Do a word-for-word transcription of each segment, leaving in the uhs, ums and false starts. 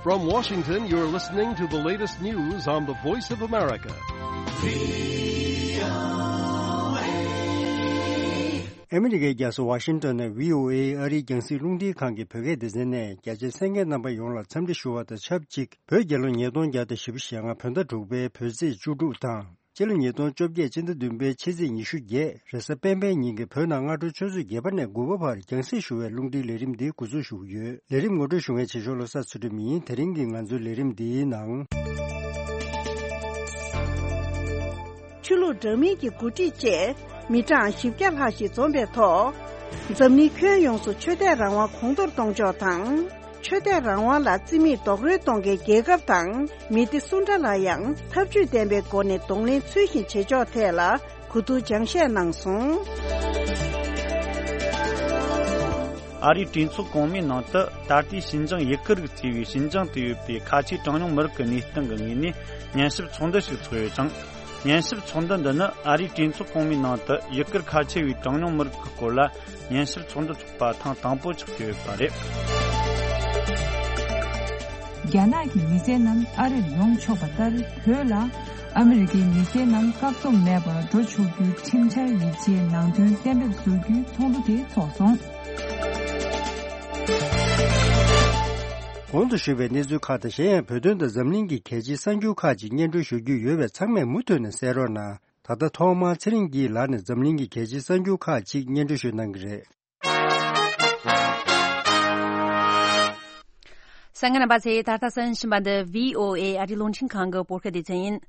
From Washington, you're listening to the latest news on the Voice of America. ཨ་མི་རི་ཀའི་རྒྱལ་ས་ཝ་ཤིང་ཏོན་ནས་བྷི་ཨོ་ཨེ་ཨ་རིའི་རྒྱང་སྲིང་རླུང་འཕྲིན་ཁང་གི་བོད་སྐད་སྡེ་ཚན་ནས་རྒྱ་ཆེའི་གསན་མཁན་རྣམ་པ་ཡོངས་ལ་འཚམས་འདྲི་ཞུ་བ་དང་ཆབས་ཅིག་བོད་རྒྱལ་ལོ་ཉིས་སྟོང་བརྒྱ་དང་བཞི་བཅུ་ཞེ་ལྔ་བོད་ཟླ་དྲུག་པའི་བོད་ཚེས་བཅུ་དྲུག་དང་། སྤྱི་ལོ་ཉིས་སྟོང་བཅོ་བརྒྱད་སྤྱི་ཟླ་བདུན་པའི་ཕྱི་ཚེས་ཉི་ཤུ་བརྒྱད་རེས་གཟའ་སྤེན་པའི་ཉིན་གྱི་བོད་ནང་སྔ་དྲོ་ཆུ་ཚོད་བརྒྱད་པ་ནས་དགུ་པ་བར་རྒྱང་སྲིང་ཞུ་བའི་རླུང་འཕྲིན་ལས་རིམ་འདི་འགོ་འཛུགས་ཞུ་གི་ཡོད། ལས་རིམ་ངོ་སྤྲོད་ཞུ་མཁན་ཆེ་ཤོས་བློ་བཟང་ཚུལ་ཁྲིམས་ཡིན། དེ་རིང་གི་ང་ཚོའི་ལས་རིམ་འདིའི་ནང་། ཆོས་ལུགས་འདྲ་མིན་གྱི་འགོ་ཁྲིད་བཅས་མི་གྲངས་བཞི་བརྒྱ་ལྷག་ཞིག་འཛོམས་པའི་ཐོག་འཛམ་གླིང་ཁྱོན་ཡོངས་སུ་ཆོས་དད་རང་དབང་གོང་མཐོར་གཏོང་ཕྱོགས་དང་། ཆོས་དད་རང་དབང་ལ་རྩིས་མེད་རྡོག་རོལ་གཏོང་མཁན་རྒྱལ་ཁབ་དང་མི་སྡེ་སུ་འདྲ་ལ་ཡང་ཐབས་ཇུས་ལྡན་པའི་སྒོ་ནས་གདོང་ལེན་ཚུལ་བཞིན་བྱེད་ཕྱོགས་ཐད་ལ་གོ་བསྡུར་སྦྱང་བཤད་གནང་སོང་། ཨ་རིའི་གྲོས་ཚོགས་གོང་མའི་ནང་དུ་ད་ལྟའི་ཞིན་ཅང་ཡུ་གུར་རིགས་ཅེས་པའི་ཞིན་ཅང་དུ་ཡོད་པའི་ཁ་ཆེའི་གྲངས་ཉུང་མི་རིགས་ཀྱི་གནས་སྟངས་ཀྱི་ངོས་ནས་ཉན་ཞིབ་ཚོགས་འདུ་ཞིག་ཚོགས་ཡོད་ཅིང་། ཉན་ཞིབ་ཚོགས་འདུ་འདི་ནི་ཨ་རིའི་གྲོས་ཚོགས་གོང་མའི་ནང་དུ་ཡུ་གུར་ཁ་ཆེ་བའི་གྲངས་ཉུང་མི་རིགས་ཀྱི་སྐོར་ལ་ཉན་ཞིབ་ཚོགས་འདུ་ཚོགས་པ་ཐེངས་དང་པོ་ཆགས་ཀྱི་ཡོད་པ་རེད། རྒྱ་ནག་གི་མི་སེར་རྣམས་ཨ་རིར་ཡོང་ཆོག་པ་ལྟར། བོད་ལ་ཨ་མི་རི་ཀའི་མི་སེར་རྣམས་བཀག་སྡོམ་མེད་པར་འགྲོ་ཆོག་རྒྱུའི་ཁྲིམས་འཆར་ཡིག་ཆའི་ནང་དོན་གཏན་འབེབས་བཟོ་རྒྱུའི་ཚོགས་འདུ་དེ་འཚོགས་སོང་། གོང་དུ་ཞུས་པའི་གནས་ཚུལ་ཁག་དང་གཞན་ཡང་བོད་དོན་དང་འཛམ་གླིང་གི་གལ་ཆེའི་གསར་འགྱུར་ཁག་ཅིག་སྙན་སྒྲོན་ཞུ་རྒྱུ་ཡོད་པས་ཚང་མས་མུ་མཐུད་ནས་གསན་རོགས་གནང་། ད་ལྟ་ཐོག་མར་ཚེ་རིང་སྐྱིད་ལགས་ནས་འཛམ་གླིང་གི་གལ་ཆེའི་གསར་འགྱུར་ཁག་ཅིག་སྙན་སྒྲོན་ཞུ་གནང་གི་རེད། གསན་མཁན་རྣམ་པ་ཚོས་ད་ལྟ་གསན་བཞིན་པ་འདི་བྷི་ཨོ་ཨེ་ཨ་རིའི་རླུང་འཕྲིན་ཁང་གི་བོད་སྐད་སྡེ་ཚན་ཡིན།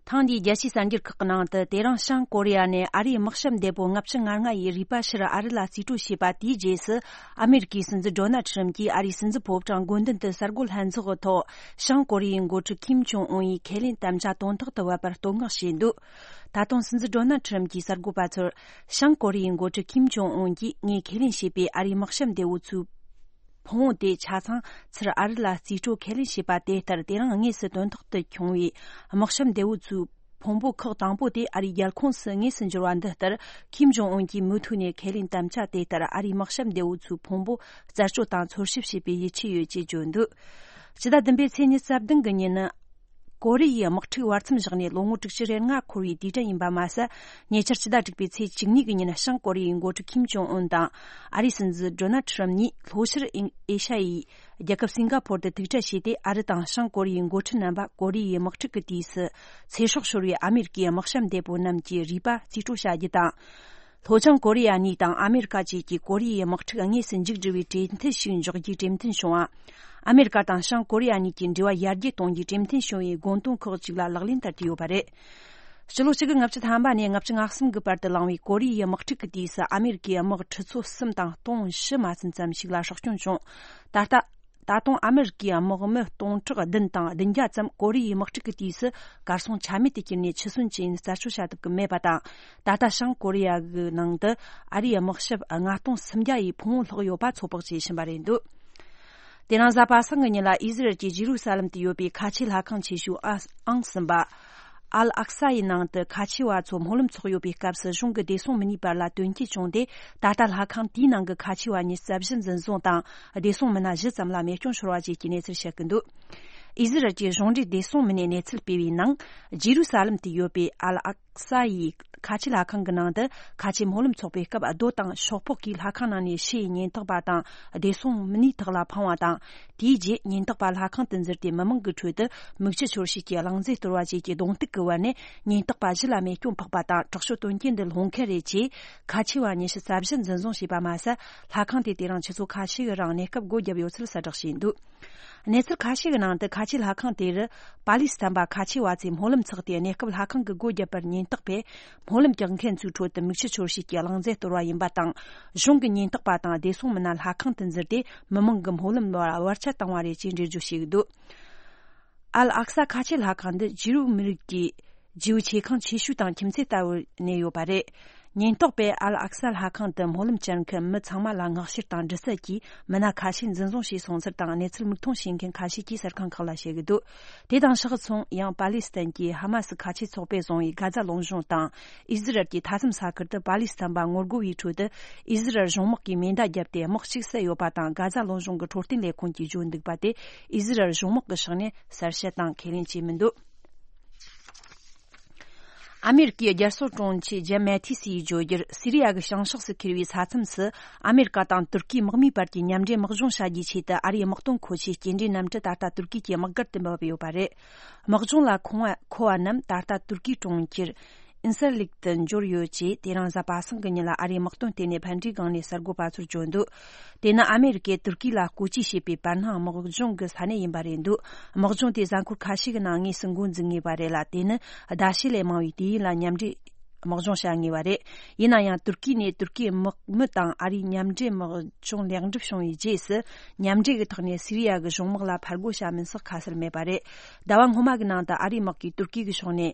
ཐེངས་འདིའི་རྒྱལ་སྤྱིའི་གསར་འགྱུར་ཁག་གི་ནང་དུ། དེ་རིང་བྱང་ཀོ་རི་ཡ་ནས་ཨ་རིའི་དམག་ཞབས་འདས་པོ་ལྔ་བཅུ་ང་ལྔ་ཡི་རུས་པ་ཕྱིར་ཨ་རི་ལ་རྩིས་སྤྲོད་བྱས་པ་དེའི་རྗེས་སུ། ཨ་མེ་རི་ཀའི་སྲིད་འཛིན་ཌོ་ནལ་ཁྲི་རམ་གྱིས་ཨ་རིའི་སྲིད་འཛིན་ཕོ་བྲང་དགོན་འདུན་དུ་གསར་འགོད་ལྷན་ཚོགས་ཀྱི་ཐོག་བྱང་ཀོ་རི་ཡའི་འགོ་ཁྲིད་ཀིམ་ཇོང་ཨུན་ཡི་ཁས་ལེན་དམ་བཅའ་དོན་ཐོག་ཏུ་བབས་པར་བསྟོད་བསྔགས་བྱས་འདུག་ད་དུང་སྲིད་འཛིན་ཌོ་ནལ་ཁྲི་རམ་གྱིས་གསར་འགོད་པ་ཚོར། བྱང་ཀོ་རི་ཡའི་འགོ་ཁྲིད་ཀིམ་ཇོང་ཨུན་གྱིས་ངས་ཁས་ལེན་བྱས་པའི་ཨ་རིའི་དམག་ཞབས་འདས་པོ་ཚོའི་ཕུང་བོ་དེ་ཆ་ཚང་ཚུར་ཨ་རི་ལ་རྩིས་སྤྲོད་ཁས་ལེན་བྱས་པ་དེ་ལྟར། དེ་རིང་དངོས་སུ་དོན་ཐོག་ཏུ་བྱུང་བའི་དམག་ཞབས་འདས་པོ་ཚོའི་ཕུང་པོ་ཁག་དང་པོ་དེ་ཨ་རིའི་རྒྱལ་ཁོངས་སུ་དངོས་སུ་འབྱོར་བ་འདི་ལྟར། ཀིམ་ཇོང་ཨུན་གྱིས་མུ་མཐུད་ནས་ཁས་ལེན་དམ་བཅའ་དེ་ལྟར་ཨ་རིའི་དམག་ཞབས་འདས་པོ་ཚོའི་ཕུང་པོ་རྩད་གཅོད་དང་འཚོལ་ཞིབ་བྱེད་པའི་ཡིད་ཆེས་ཡོད་ཅེས་བརྗོད་འདུག་ཕྱི་ཟླ་བདུན་པའི་ཚེས་ཉི་ཤུ་རྩ་བདུན་གྱི་ཉིན་ནི། ཀོ་རི་ཡའི་དམག་འཁྲུག་བར་མཚམས་བཞག་ནས་ལོ་ངོ་དྲུག་ཅུ་རེ་ལྔ་འཁོར་བའི་དུས་དྲན་ཡིན་པ་མ་ཟད། ཉེ་ཆར་ཕྱི་ཟླ་དྲུག་པའི་ཚེས་བཅུ་གཉིས་ཀྱི་ཉིན་བྱང་ཀོ་རི་ཡའི་འགོ་ཁྲིད་ཀིམ་ཇོང་ཨུན་དང་ཨ་རིའི་སྲིད་འཛིན་ཌོ་ནལ་ཁྲི་རམ་གཉིས་ལྷོ་ཤར་ཨེ་ཤ་ཡའི་རྒྱལ་ཁབ་སིང་ག་ཕོར་དུ་ཐུག་འཕྲད་བྱས་ཏེ། ཨ་རི་དང་བྱང་ཀོ་རི་ཡའི་འགོ་ཁྲིད་རྣམ་པ་ཀོ་རི་ཡའི་དམག་འཁྲུག་གི་དུས་སུ་ཚེ་སྲོག་ཤོར་བའི་ཨ་མེ་རི་ཀའི་དམག་ཞབས་འདས་པོ་རྣམས་ཀྱི་རུས་པ་རྩིས་སྤྲོད་བྱ་རྒྱུ་དང་། ལྷོ་བྱང་ཀོ་རི་ཡ་གཉིས་དང་ཨ་མེ་རི་ཀ་བཅས་ཀྱིས་ཀོ་རི་ཡའི་དམག་འཁྲུག་དངོས་སུ་མཇུག་སྒྲིལ་བའི་གྲོས་མཐུན་ཞིག་འཇོག་རྒྱུའི་གྲོས་མཐུན་བྱུང་བ། ཨ་མེ་རི་ཀ་དང་བྱང་ཀོ་རི་ཡ་གཉིས་ཀྱི་འབྲེལ་བ་ཡར་རྒྱས་གཏོང་རྒྱུའི་གྲོས་མཐུན་བྱུང་བའི་དགོངས་དོན་ཁག་ཅིག་ལ་ལག་ལེན་བསྟར་གྱི་ཡོད་པ་རེད། ཕྱི་ལོ་གཅིག་དགུ་ལྔ་བཅུ་ཐམ་པ་ནས་ལྔ་བཅུ་ང་གསུམ་གྱི་བར་དུ་བསླངས་པའི་ཀོ་རི་ཡའི་དམག་འཁྲུག་གི་དུས་སུ་ཨ་མེ་རི་ཀའི་དམག་ཁྲི་ཚོ་གསུམ་དང་སྟོང་བཞི་མ་ཟིན་ཙམ་ཞིག་ལ་སྲོག་སྐྱོན་བྱུང་། ད་ལྟ། ད་དུང་ཨ་མེ་རི་ཀའི་དམག་མི་སྟོང་ཕྲག་བདུན་དང་བདུན་བརྒྱ་ཙམ་ཀོ་རི་ཡའི་དམག་འཁྲུག་གི་དུས་སུ་གར་སོང་ཆ་མེད་དུ་གྱུར་ནས་འཆི་གསོན་ཅི་ཡིན་རྩད་གཅོད་བྱ་ཐུབ་ཀྱི་མེད་པ་དང་། ད་ལྟ་བྱང་ཀོ་རི་ཡ་གི་ནང་དུ་ཨ་རིའི་དམག་ཞབས་ལྔ་སྟོང་སུམ་བརྒྱ་ཡི་ཕུང་བོ་ལྷག་ཡོད་པ་ཚོད་དཔག་བྱེད་བཞིན་པ་རེད་འདུག་དེ་རིང་གཟའ་པ་སངས་ཀྱི་ཉིན་ལ་ཨི་ཟི་རལ་གྱི་ཇི་རུ་ས་ལམ་དུ་ཡོད་པའི་ཁ་ཆེའི་ལྷ་ཁང་ཆེ་ཤོས་ཨང་གསུམ་པ། ཨལ་ཨག་ས་ཡི་ནང་དུ་ཁ་ཆེ་བ་ཚོ་སྨོན་ལམ་འཚོགས་ཡོད་པའི་སྐབས་སུ་གཞུང་གི་བདེ་སྲུང་མི་སྣའི་བར་ལ་དོན་རྐྱེན་བྱུང་སྟེ། ད་ལྟ་ལྷ་ཁང་དེའི་ནང་གི་ཁ་ཆེ་བ་ཉི་ཤུ་རྩ་བཞི་འཛིན་བཟུང་དང་། བདེ་སྲུང་མི་སྣ་བཞི་ཙམ་ལ་རྨས་སྐྱོན་ཤོར་བ་བཅས་ཀྱི་གནས་ཚུལ་བཤད་ཀྱི་འདུག་ཨི་ཟི་རལ་གྱི་གཞུང་འབྲེལ་བདེ་སྲུང་མི་སྣས་གནས་ཚུལ་སྤེལ་བའི་ནང་། ཇི་རུ་ས་ལམ་དུ་ཡོད་པའི་ཨལ་ཨག་ས་ཡི་ཁ་ཆེ་ལྷ་ཁང་གི་ནང་དུ། ཁ་ཆེ་སྨོན་ལམ་འཚོགས་པའི་སྐབས། རྡོ་དང་ཤོག་ཕོག་གིས་ལྷ་ཁང་ནང་ནས་ཕྱིའི་ཉེན་རྟོག་པ་དང་བདེ་སྲུང་མི་སྣའི་ཐོག་ལ་འཕངས་པ་དང་། དེའི་རྗེས་ཉེན་རྟོག་པ་ལྷ་ཁང་དུ་འཛུལ་ཏེ། མི་མང་གི་ཁྲོད་དུ་མིག་ཆུ་འཆོར་བྱེད་ཀྱི་རླུང་རྫས་གཏོར་བ་བཅས་ཀྱི་གདོང་གཏུག་གི་བར་ནས། ཉེན་རྟོག་པ་བཞི་ལ་རྨས་སྐྱོན་ཕོག་པ་དང་། དྲག་སྤྱོད་དོན་རྐྱེན་འདི་སློང་མཁན་རེད་ཅེས། ཁ་ཆེ་བ་ཉི་ཤུ་རྩ་བཞི་འཛིན་བཟུང་བྱས་པ་མ་ཟད། ལྷ་ཁང་དེ་དེ་རིང་ཆུ་ཚོད་ཁ་ཤས་ཀྱི་རིང་གནས་སྐབས་སྒོ་བརྒྱབ་ཡོད་ཚུལ་གསལ་བསྒྲགས་བྱས་འདུག་གནས་ཚུལ་ཁ་ཤས་ཀྱི་ནང་དུ། ཁ་ཆེའི་ལྷ་ཁང་དེར་པ་ལིས་དམ་པ་ཁ་ཆེ་བ་ཚོས་སྨོན་ལམ་འཚོགས་ཏེ། གནས་སྐབས་ལྷ་ཁང་གི་སྒོ་བརྒྱབ་པར་ཉེན་རྟོག་པས་སྨོན་ལམ་རྒྱག་མཁན་ཚོའི་ཁྲོད་དུ་མིག་ཆུ་འཆོར་བྱེད་ཀྱི་རླུང་རྫས་གཏོར་བ་ཡིན་པ་དང་། གཞུང་གི་ཉེན་རྟོག་པ་དང་བདེ་སྲུང་མི་སྣ་ལྷ་ཁང་དུ་འཛུལ་ཏེ། མི་མང་གི་སྨོན་ལམ་ལ་བར་ཆད་བཏང་བ་རེད་ཅེས་འགྲེལ་བརྗོད་བྱས་འདུག་ཨལ་ཨག་ས་ཁ་ཆེ་ལྷ་ཁང་འདི་ཇིའུ་མི་རིགས་ཀྱི་ཇིའུ་ཆེ་ཁང་ཆེ་ཤོས་དང་ཁྱིམ་མཚེས་ལྟ་བུར་གནས་ཡོད་པ་རེད། ཉེན་རྟོག་པས་ཨལ་ཨག་ས་ལྷ་ཁང་དུ་སྨོན་ལམ་བཅར་མཁན་མི་ཚང་མ་ལ་མངགས་བཤེར་དང་འདྲི་རྩད་ཀྱིས། མི་སྣ་ཁ་ཤས་འཛིན་བཟུང་བྱས་སོང་ཚུལ་དང་། གནས་ཚུལ་མིག་མཐོང་བྱེད་མཁན་ཁ་ཤས་ཀྱིས་གསར་ཁང་ཁག་ལ་བཤད་ཀྱི་འདུག་དེ་དང་ཕྱོགས་མཚུངས། ཡང་པ་ལི་སི་ཐན་གྱི་ཧ་མ་སི་ཁ་ཆེ་ཚོགས་པས་བཟུང་བའི་གྷ་ཛ་ལུང་གཤོང་དང་ཨི་ཟི་རལ་གྱི་མཐའ་མཚམས་ས་ཁུལ་དུ། པ་ལི་སི་ཐན་པ་ངོ་རྒོལ་བའི་ཁྲོད་དུ་ཨི་ཟི་རལ་གཞུང་དམག་གིས་མེ་མདའ་བརྒྱབ་སྟེ། དམག་གཅིག་བསད་ཡོད་པ་དང་། གྷ་ཛ་ལུང་གཤོང་གི་འཕྲོད་བསྟེན་ལས་ཁུངས་ཀྱིས་བརྗོད་འདུག་པ་དེ་ཨི་ཟི་རལ་གཞུང་དམག་གི་ཕྱོགས་ནས་གསལ་བཤད་དང་ཁས་ལེན་བྱས་མི་འདུག་ཨ་མེ་རི་ཀའི་རྒྱལ་སྲུང་དྲུང་ཆེ་ཇེམ་མེ་ཐིས་ཡིས་བརྗོད་རྒྱུར། སི་རི་ཡ་གི་བྱང་ཕྱོགས་སུ་ཁེལ་བའི་ས་མཚམས་སུ་ཨ་མེ་རི་ཀ་དང་ཏུར་ཀིའི་དམག་མིའི་བར་གྱི་མཉམ་འབྲེལ་དམག་སྦྱོང་བྱ་རྒྱུའི་ཆེད་དུ། ཨ་རིའི་དམག་དོན་མཁོ་ཆས་སྐྱེལ་འདྲེན་གནམ་གྲུ་ད་ལྟ་ཏུར་ཀི་གི་དམག་སྒར་དུ་འབབ་ཡོད་པ་རེད། དམག་སྦྱོང་ལ་མཁོ་བ་མཁོ་བ་རྣམས་ད་ལྟ་ཏུར་ཀིའི་གྲོང་ཁྱེར་ཨིན་སར་ལིག་ཏུ་འབྱོར་ཡོད་ཅེས། དེ་རིང་གཟའ་པ་སངས་ཀྱི་ཉིན་ལ་ཨ་རིའི་དམག་དོན་ལྟེ་གནས་ཕན་ཌིའི་སྒང་ནས་གསར་འགོད་པ་ཚོར་བརྗོད་འདུག་དེ་ནི་ཨ་མེ་རི་ཀས་ཏུར་ཀི་ལ་བཀོལ་སྤྱོད་བྱས་པའི་བར་སྣང་དམག་སྦྱོང་གི་ས་གནས་ཡིན་པ་རེད་འདུག་དམག་སྦྱོང་དེ་གཟའ་འཁོར་ཁ་ཤས་ཀྱི་ནང་དངོས་སུ་འགོ་འཛུགས་ངེས་པ་རེད་ལ། དེ་ནི་ཟླ་ཕྱེད་ལས་མང་བའི་དུས་ཡུན་ལ་མཉམ་འབྲེལ་དམག་སྦྱོང་བྱ་ངེས་པ་རེད། ཡིན་ན་ཡང་ཏུར་ཀི་ནས་ཏུར་ཀིའི་དམག་མི་དང་ཨ་རིའི་མཉམ་འབྲེལ་དམག་སྦྱོང་ལེགས་འགྲུབ་བྱུང་བའི་རྗེས་སུ། མཉམ་འབྲེལ་གྱི་ཐོག་ནས་སི་རི་ཡ་གི་གཞུང་དམག་ལ་ཕར་རྒོལ་བྱ་མིན་སོགས་ཁ་གསལ་མེད་པ་རེད། ཟླ་བ་སྔོན་མ་གི་ནང་དུ་ཨ་རིའི་དམག་གིས་ཏུར་ཀི་གི་ཕྱོགས་ནས་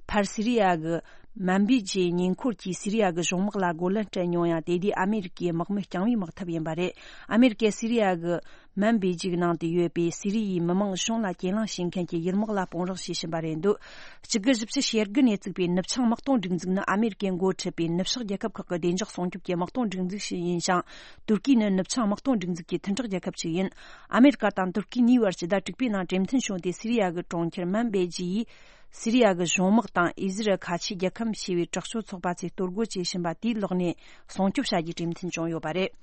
ཕར་སི་རི་ཡ་གི་མན་བི་ཇེ་ཉེ་འཁོར་གྱི་སི་རི་ཡ་གི་གཞུང་དམག་ལ་རྒོལ་ལན་སྤྲད་མྱོང་ཡང་། དེ་དུས་ཨ་མེ་རི་ཀའི་དམག་མི་རྐྱང་བའི་དམག་འཐབ་ཡིན་པ་རེད། ཨ་མེ་རི་ཀས་སི་རི་ཡ་གི་མན་བི་ཇེ་གི་ནང་དུ་ཡོད་པའི་སི་རི་ཡའི་མི་མང་གཞུང་ལ་གྱེན་ལངས་བྱེད་མཁན་གྱི་ཡུལ་དམག་ལ་དཔུང་རོགས་བྱེད་བཞིན་པ་རེད་འདུག་གཅིག་དགུ་བཞི་བཅུ་ཞེ་དགུ་ནས་བཙུགས་པའི་ནུབ་བྱང་དམག་དོན་སྒྲིག་འཛུགས་ནི་ཨ་མེ་རི་ཀས་འགོ་ཁྲིད་པའི་ནུབ་ཕྱོགས་རྒྱལ་ཁབ་ཁག་གི་བདེ་འཇགས་སྲུང་སྐྱོབ་ཀྱི་དམག་དོན་སྒྲིག་འཛུགས་ཤིག་ཡིན་ཞིང་། ཏུར་ཀི་ནི་ནུབ་བྱང་དམག་དོན་སྒྲིག་འཛུགས་ཀྱི་མཐུན་གྲོགས་རྒྱལ་ཁབ་ཅིག་ཡིན། ཨ་མེ་རི་ཀ་དང་ཏུར་ཀི་གཉིས་བར་ཕྱི་ཟླ་དྲུག་པའི་ནང་གྲོས་མཐུན་བྱུང་སྟེ། སི་རི་ཡ་གི་གྲོང་ཁྱེར་མན་བེ་ཇི་ཡིས་སི་རི་ཡ་གི་གཞུང་དམག་དང་ཨི་ཟི་རལ་ཁ་ཆེའི་རྒྱལ་ཁམས་ཞེས་པའི་དྲག་སྤྱོད་ཚོགས་པ་ཚོས་གཏོར་རྒོལ་བྱེད་བཞིན་པ་དེའི་ལག་ནས་སྲུང་སྐྱོབ་བྱ་རྒྱུའི་གྲོས་མཐུན་བྱུང་ཡོད་པ་རེད།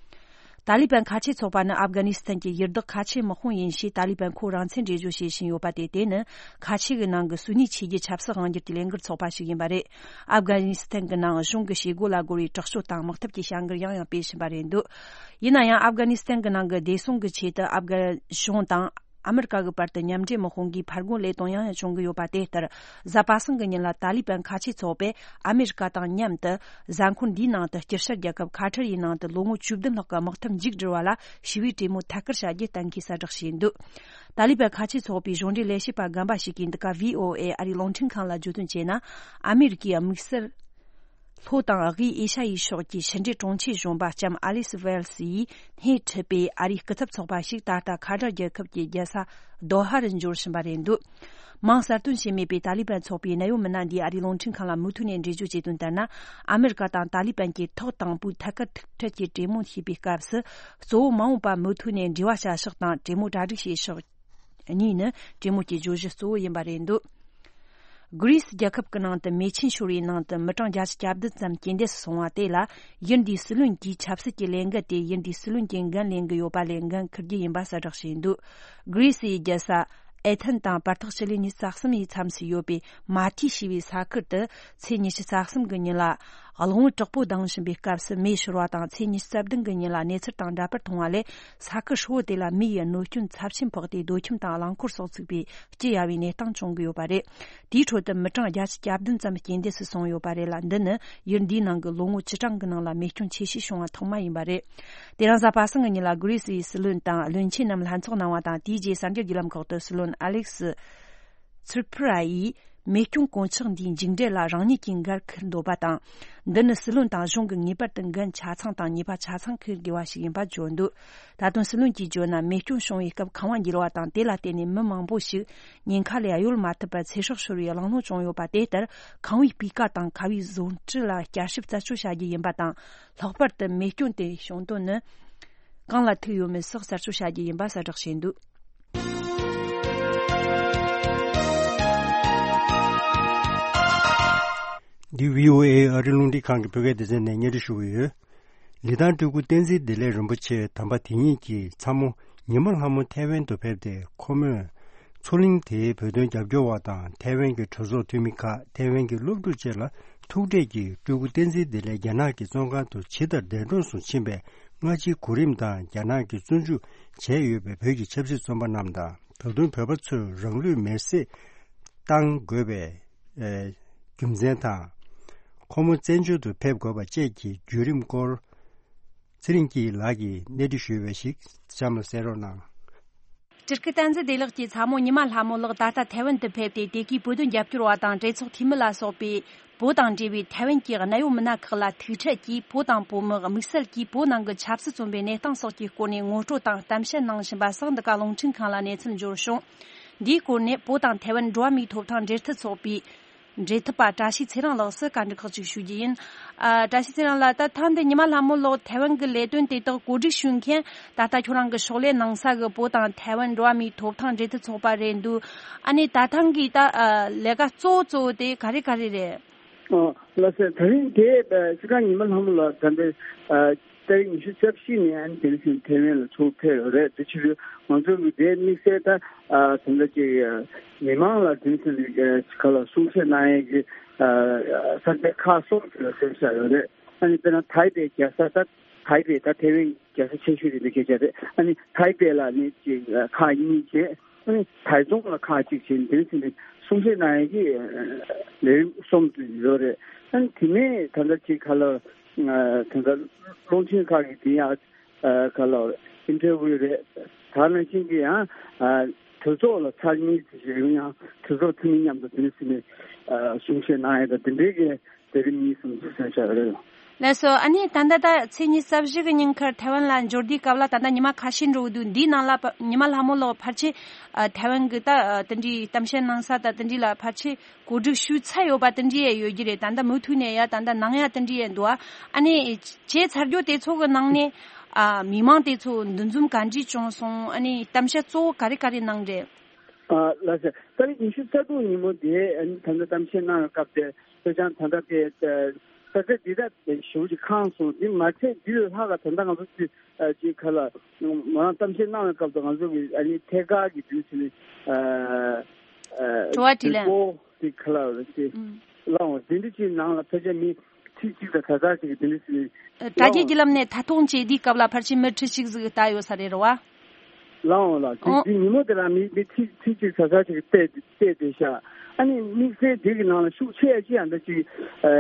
ཏཱ་ལི་བན་ཁ་ཆེ་ཚོགས་པ་ནི་ཨབ་གྷ་ནི་སི་ཐན་གྱི་ཡུལ་བདག་ཁ་ཆེ་དམག་དཔུང་ཡིན་ཞེས་ཏཱ་ལི་བན་ཁོ་རང་མཚན་འགྲེལ་བརྗོད་བྱེད་བཞིན་ཡོད་པ་དེ། དེ་ནི་ཁ་ཆེ་གི་ནང་གི་སུ་ནི་ཆོས་བརྒྱུད་ཆབ་སྲིད་དབང་སྒྱུར་གྱི་ལས་འགུལ་ཚོགས་པ་ཞིག་ཡིན་པ་རེད། ཨབ་གྷ་ནི་སི་ཐན་གྱི་ནང་གཞུང་གི་བྱེད་སྒོ་ལ་རྒོལ་བའི་དྲག་སྤྱོད་དང་དམག་འཐབ་ཀྱི་བྱ་འགུལ་ཡང་ཡང་སྤེལ་བཞིན་པ་རེད་འདུག་ཡིན་ན་ཡང་། ཨབ་གྷ་ནི་སི་ཐན་གྱི་ནང་གི་བདེ་སྲུང་གི་ཆེད་དུ་ཨབ་གྷ་གཞུང་དང་ཨ་མི་རི་ཀ་གི་བར་དུ་མཉམ་འབྲེལ་དམག་དཔུང་གིས་ཕར་རྒོལ་ལས་དོན་ཡང་ཡང་བྱུང་གི་ཡོད་པ་དེ་ལྟར། གཟའ་པ་སངས་ཀྱི་ཉིན་ལ་ཏཱ་ལི་བན་ཁ་ཆེ་ཚོགས་པས་ཨ་མི་རི་ཀ་དང་མཉམ་དུ་གཟའ་འཁོར་འདིའི་ནང་དུ་དཀྱིལ་ཤར་རྒྱལ་ཁབ་ཁ་ཐར་ཡི་ནང་དུ་ལོ་ངོ་བཅུ་བདུན་ལྷག་གི་དམག་འཐབ་མཇུག་བསྒྲིལ་བ་ལ་ཞི་བའི་གྲོས་མོལ་ཐད་ཀར་བྱ་རྒྱུ་གཏན་འཁེལ་གསལ་བསྒྲགས་བྱས་འདུག་ཏཱ་ལི་བན་ཁ་ཆེ་ཚོགས་པའི་གཞུང་འབྲེལ་ལས་བྱེད་པ་རྒན་པ་ཞིག་གིས་འདི་ག་བྷི་ཨོ་ཨེ་ཨ་རིའི་རླུང་འཕྲིན་ཁང་ལ་བརྗོད་དོན་བྱས་ན། ཨ་མི་རི་ཀའི་དམིགས་བསལ་ལྷོ་དང་དབུས་ཨེ་ཤ་ཡའི་ཕྱོགས་ཀྱི་ཕྱི་འབྲེལ་དྲུང་ཆེ་གཞོན་པ་ལྕམ་ཨ་ལི་སི་ཝེལ་སི་ཡིས་སྣེ་ཁྲིད་པའི་ཨ་རིའི་སྐུ་ཚབ་ཚོགས་པ་ཞིག་ད་ལྟ་ཁ་ཐར་རྒྱལ་ཁབ་ཀྱི་རྒྱལ་ས་དོ་ཧ་རུ་འབྱོར་བཞིན་པ་རེད་འདུག་མིང་གསལ་སྟོན་བྱས་མེད་པའི་ཏཱ་ལི་བན་ཚོགས་པའི་གནད་ཡོད་མི་སྣ་འདིས་ཨ་རིའི་རླུང་འཕྲིན་ཁང་ལ་མུ་མཐུད་ནས་འགྲེལ་བརྗོད་བྱས་དོན་ལྟར་ན། ཨ་མི་རི་ཀ་དང་ཏཱ་ལི་བན་གྱིས་ཐོག་དང་པོའི་ཐད་ཀར་ཐུག་འཕྲད་ཀྱི་གྲོས་མོལ་བྱས་པའི་སྐབས་སུ། གཙོ་བོ་མ་འོངས་པ་མུ་མཐུད་ནས་འབྲེལ་བ་བྱ་ཕྱོགས་དང་གྲོས་མོལ་གྲ་སྒྲིག་བྱེད་ཕྱོགས་གཉིས་ནི་གྲོས་མོལ་གྱི་བརྗོད་གཞི་གཙོ་བོ་ཡིན་པ་རེད་འདུག་གྷི་རི་སི་རྒྱལ་ཁབ་ཀྱི་ནང་དུ་མེ་ཆེན་ཤོར་བའི་ནང་དུ་མི་གྲངས་བརྒྱད་ཅུ་གྱ་བདུན་ཙམ་རྐྱེན་འདས་སུ་སོང་བ་དེ་ལ། ཡུལ་འདིའི་སྲིད་བློན་གྱིས་ཆབ་སྲིད་ཀྱི་ལས་འགུལ་དེ་ཡུལ་འདིའི་སྲིད་བློན་གྱི་འགན་ལེན་གྱི་ཡོད་པ་ལས་འགན་འཁུར་རྒྱུ་ཡིན་པ་གསལ་བསྒྲགས་བྱས་འདུག་གྷི་རི་སིའི་རྒྱལ་ས་ཨེ་ཐན་དང་བར་ཐག་ཕྱི་ལོ་ཉི་ཤུ་རྩ་གསུམ་ཡི་མཚམས་སུ་ཡོད་པའི་མ་ཐི་ཞེས་པའི་ས་ཁུལ་དུ། ཚེས་ཉི་ཤུ་རྩ་གསུམ་གྱི་ཉིན་ལ་གླང་བོ་དྲག་པོ་ལྡིང་བཞིན་པའི་སྐབས་སུ་མེ་ཤོར་བ་དང་། ཚེས་ཉི་ཤུ་རྩ་བདུན་གྱི་ཉིན་ལ་གནས་ཚུལ་དང་འདྲ་པར་མཐོང་བ་ལས། ས་ཁུལ་ཧྲིལ་བོ་དེ་ལ་མེ་ཡི་གནོད་སྐྱོན་ཚབས་ཆེན་ཕོག་སྟེ། རྡོ་ཁྱིམ་དང་རླངས་འཁོར་སོགས་ཚུགས་པའི་སྐྱི་གཡའ་བའི་གནས་སྟངས་བྱུང་གི་ཡོད་པ་རེད། དེའི་ཁྲོད་དུ་མི་གྲངས་བརྒྱད་ཅུ་གྱ་བདུན་ཙམ་རྐྱེན་འདས་སུ་སོང་ཡོད་པ་རེད་ལ། འདི་ནི་ཡུལ་འདིའི་ནང་གི་ལོ་ངོ་བཅུ་གྲངས་ཀྱི་ནང་ལ་མེ་སྐྱོན་ཆེ་ཤོས་བྱུང་བ་ཐོག་མ་ཡིན་པ་རེད། དེ་རིང་གཟའ་པ་སངས་ཀྱི་ཉིན་ལ་གྷི་རི་སིའི་སྲིད་བློན་དང་བློན་ཆེན་རྣམས་ལྷན་ཚོགས་གནང་བ་དང་། དེའི་རྗེས་གསར་འགྱུར་བརྒྱུད་ལམ་ཁག་ཏུ་སྲིད་བློན་ཨ་ལེག་སི་ཚུར་ཕུ་ར་ཡིས། མེ་སྐྱོན་གོད་ཆག་འདིའི་མཇུག་འབྲས་ལ་རང་ཉིད་ཀྱིས་འགན་འཁུར་འདོད་པ་དང་། འདི་ནི་སྲིད་བློན་དང་གཞུང་གིས་ངེས་པར་དུ་འགན་ཆ་ཚང་དང་ཉེས་པ་ཆ་ཚང་འཁུར་དགོས་པ་ཞིག་ཡིན་པ་བརྗོད་འདུག་ད་དུང་སྲིད་བློན་གྱིས་བརྗོད་ན། མེ་སྐྱོན་བྱུང་བའི་སྐབས་ཁང་བ་འགྱེལ་བ་དང་། དེ་ལ་བརྟེན་ནས་མི་མང་པོ་ཞིག་ཉེན་ཁ་ལས་གཡོལ་མ་ཐུབ་པར་ཚེ་སྲོག་ཤོར་བའི་གླེང་སློང་བྱུང་ཡོད་པ་དེ་ལྟར། ཁང་བའི་སྤུས་ཀ་དང་ཁ་བའི་བཟོ་འཕྲུལ་ལ་བསྐྱར་ཞིབ་རྩད་གཅོད་བྱ་རྒྱུ་ཡིན་པ་དང་། ལྷག་པར་དུ་མེ་སྐྱོན་དེ་བྱུང་དོན་ནི་གང་ལ་ཐུག་ཡོད་མེད་སོགས་གསར་གཅོད་བྱ་རྒྱུ་ཡིན་པ་གསལ་བསྒྲགས་བྱས་འདུག་འདི་བྷི་ཨོ་ཨེ་ཨ་རི་རླུང་འཕྲིན་ཁང་གི་བོད་སྐད་སྡེ་ཚན་ནས་སྙན་སྒྲོན་ཞུ་གི་ཡོད། ལི་ཐང་སྤྲུལ་སྐུ་བསྟན་འཛིན་བདེ་ལེགས་རིན་པོ་ཆེ་དམ་པ་དེ་ཉིད་ཀྱི་ཚ་མོ་ཉི་མ་ལྷ་མོ་ཐའེ་ཝན་དུ་ཕེབས་ཏེ། ཁོ་མོས་མཚོ་གླིང་དེའི་བོད་དོན་རྒྱབ་སྐྱོར་བ་དང་། ཐའེ་ཝན་གྱི་གྲོས་ཚོགས་འཐུས་མི་ཁག་ཐའེ་ཝན་གྱི་སློབ་ཕྲུག་བཅས་ལ་ཐུག་འཕྲད་ཀྱིས། སྤྲུལ་སྐུ་བསྟན་འཛིན་བདེ་ལེགས་རྒྱ་ནག་གི་བཙོན་ཁང་དུ་ཇི་ལྟར་འདས་གྲོངས་སུ་ཕྱིན་པའི་སྔ་ཕྱིའི་གོ་རིམ་དང་། རྒྱ་ནག་གིས་བཙོན་འཇུག་བྱས་ཡོད་པའི་བོད་ཀྱི་ཆབ་སྲིད་བཙོན་པ་རྣམས་དང་། ད་དུང་བོད་པ་ཚོས་རང་ལུས་མེར་སྲེག་བཏང་དགོས་པའི་ཨེ། རྒྱུ་མཚན་དང་། ཁོ་མོ་བཙན་བྱོལ་དུ་ཕེབས་དགོས་པ་བཅས་ཀྱི་བརྒྱུད་རིམ་སྐོར། ཚེ་རིང་སྐྱིད་ལགས་ཀྱིས་གནས་འདྲི་ཞུས་པ་ཞིག་གཤམ་ལ་གསན་རོགས་གནང་། སྤྲུལ་སྐུ་བསྟན་འཛིན་བདེ་ལེགས་ཀྱི་ཚ་མོ་ཉི་མ་ལྷ་མོ་ལགས་ད་ལྟ་ཐའེ་ཝན་དུ་ཕེབས་ཏེ། དེ་གའི་བོད་དོན་རྒྱབ་སྐྱོར་བ་དང་གྲོས་ཚོགས་འཐུས་མི་ལ་སོགས་པས་བོད་དང་འབྲེལ་བའི་ཐའེ་ཝན་གྱི་གནད་ཡོད་མི་སྣ་ཁག་ལ་ཐུག་འཕྲད་ཀྱིས། བོད་དང་བོད་མི་དམིགས་བསལ་གྱིས་བོད་ནང་གི་ཆབ་སྲིད་བཙོན་པའི་གནས་སྟངས་སོགས་ཀྱི་སྐོར་ནས་ངོ་སྤྲོད་དང་གཏམ་བཤད་གནང་བཞིན་པ་སོགས་འདི་ག་རླུང་འཕྲིན་ཁང་ལ་གནས་ཚུལ་འབྱོར་བྱུང་། འདིའི་སྐོར་ནས་བོད་དང་ཐའེ་ཝན་འགྲོ་བ་མིའི་ཐོབ་ཐང་འབྲེལ་མཐུད་ཚོགས་པའི་འབྲེལ་མཐུད་པ་བཀྲ་ཤིས་ཚེ་རིང་ལགས་སུ་བཀའ་འདྲི་ཁག་ཅིག་ཞུ་རྒྱུ་ཡིན། ཨ། བཀྲ་ཤིས་ཚེ་རིང་ལགས། ད་ཐེངས་འདི་ཉི་མ་ལྷ་མོ་ལགས་ཐའེ་ཝན་གྱི་ལས་དོན་དེ་དག་གོ་སྒྲིག་ཞུ་མཁན། ད་ལྟ་ཁྱོད་རང་གི་ཕྱག་ལས་གནང་ས་གི་བོད་དང་ཐའེ་ཝན་འགྲོ་བ་མིའི་ཐོབ་ཐང་འབྲེལ་མཐུད་ཚོགས་པ་རེད་འདུག་ཨ་ནི་ད་ཐེངས་གི་ད་ཨ་ལས་ཀ་གཙོ་བོ་གཙོ་བོ་དེ་ག་རེ་ག་རེ་རེད། ཨོ། ལགས་སོ། ད་རིང་དེ་ཨ་སྤྱིར་བཏང་ཉི་མ་ལྷ་མོ་ལགས་ད་ལྟ་ཨ་ཏ་རིག་ཉི་ཤུ་རྩ་བཞི་ནས་ཨ་ནི་དེ་རིང་ཐའེ་ཝན་ལ་ཚུར་ཕེབས་ཡོད་རེད། དེ་ཕྱིར་ང་ཚོ་གི་དེ་དམིགས་བསལ་ད་ཨ་དེ་འདྲ་ཅིག་ཨ་མི་མང་ལ་དེ་ཚོ་ནས་ཨ་ག་ལ་གསུང་བཤད་གནང་ཡས་ཀྱི་ཨ་ས་ཆ་ཁག་གསུམ་ཅིག་ལ་ཕེབས་བཞག་ཡོད་རེད། ཨ་ནི་དཔེར་ན་ཐའེ་པེ་རྒྱལ་ས་ད་ཐའེ་པེ་ད་ཐའེ་ཝན་རྒྱལ་ས་ཆེ་ཤོས་དེ་འདྲ་སྐད་ཆ་རེད། ཨ་ནི་ཐའེ་པེ་ལ་ནི་ཅིག་ཁག་གཉིས་བྱས། ཨ་ནི་ཐའེ་ཙུང་ལ་ཁག་གཅིག་བྱས། འདིར་ཕྱིན་ནས་གསུང་བཤད་གནང་ཡས་ཀྱི་ལས་རིམ་གསུམ་དུ་ཡོད་རེད། ཨ་ནི་དེ་ནས་ད་ལྟ་ཅིག་ག་ལ་ད་ལྟ་རླུང་འཕྲིན་ཁག་གི་དེ་ཡང་ག་ལ་ཨིན་ཊར་བིའུ་རེད། ད་ནང་བཞིན་གྱི་ཡང་གྲོས་ཚོགས་ལ་ཚར་གཉིས་ཙམ་ཞིག་ཡང་གྲོས་ཚོགས་འཐུས་མི་མཉམ་དུ་འདིར་ཕྱིན་ནས་གསུང་བཤད་གནང་ཡས་དང་དེ་འདྲའི་གི་ལས་རིམ་གཉིས་གསུམ་ཅིག་གསན་བཞག་ཡོད་རེད། ལགས་སོ། ཨ་ནི་ད་ལྟ་ད་ཚེས་ཉི་ཤུ་རྩ་བཞི་གི་ཉིན་ཁར་ཐའེ་ཝན་ལ་འབྱོར་དུས་སྐབས་ལ་ད་ལྟ་ཉི་མ་ཁ་ཤས་འགྲོ་གི་འདུག་འདིའི་ནང་ལ་ཉི་མ་ལྷ་མོ་ལགས་ཕལ་ཆེར་ཨ་ཐའེ་ཝན་གི་ད་ཨ་དེ་འདྲའི་གཏམ་བཤད་གནང་ས་ད་དེ་འདྲའི་ལ་ཕལ་ཆེར་གོ་སྒྲིག་ཞུས་ཚར་ཡོད་པ་དེ་འདྲའི་ཡང་ཡོད་ཀྱི་རེད། ད་ལྟ་མུ་མཐུད་ནས་ཡང་ད་ལྟ་གནང་ཡ་དེ་འདྲའི་ཡང་འདུག་ཨ་ནི་བྱས་ཚར་རྒྱུ་དེ་ཚོ་གི་ནང་ནས་ཨ་མི་མང་དེ་ཚོ་འདུ་འཛོམས་ག་འདྲས་བྱུང་སོང་། ཨ་ནི་གཏམ་བཤད་གཙོ་བོ་ག་རེ་ག་རེ་གནང་རེད། ཨ་ལགས་སོ། ཏ་རིག་ཉི་ཤུ་རྩ་དྲུག་ཉིན་མོ་དེ་ཨ་ནི་ད་ལྟ་གཏམ་བཤད་གནང་བའི་སྐབས་དེ་ལྷོ་བྱང་ད་ལྟ་དེ་ས་ཆ་འདི་དག་དེ་ཞེ་པོ་ཅིག་ཁེངས་སོང་། དེ་མ་ཚད་འདི་ལས་ལྷག་ག་ད་ལྟ་ང་ཚོ་ཅིག་ཨ་ཅིག་ག་ལ་མོ་རང་གཏམ་བཤད་གནང་བའི་སྐབས་དུ་ང་ཚོ་གི་ཨ་ནི་ཐད་ཀར་གྱི་དུས་ཚོད་ནི་ཨ་ཨ་དྲི་བ་དྲིས་ལན། དྲི་བ་དེ་ག་ལ་རེད་དེ་ཨུམ། ལའང་དེ་འདྲ་ཅིག་ནང་ལ་ཕལ་ཆེར་མི་ཁྲི་གཅིག་དང་གྲངས་ཚད་ཅིག་གི་དེ་འདྲ་ཞིག་ཨ་དྲ་རྒྱའི་བརྒྱུད་ལམ་ནས་ཐད་གཏོང་བྱས་དུས་སྐབས་ལ་ཕལ་ཆེར་མི་ཁྲི་གཅིག་ཟིག་ལྟ་ཡོད་ས་རེད་རེད་བ། ལའང་ལ་དེ་ཨོ། དེ་ཉིན་མོ་དེ་ལ་མི་མི་ཁྲི་ཁྲི་གཅིག་གྲངས་ཚད་ཅིག་བལྟས་བལྟས་བསྡད་ཤག་ཨ་ནི་དམིགས་བསལ་དེ་གི་ནང་ལ་ཤུགས་ཆེ་ཡ་ཅི་ཡང་འདྲ་ཅིག་ཨ་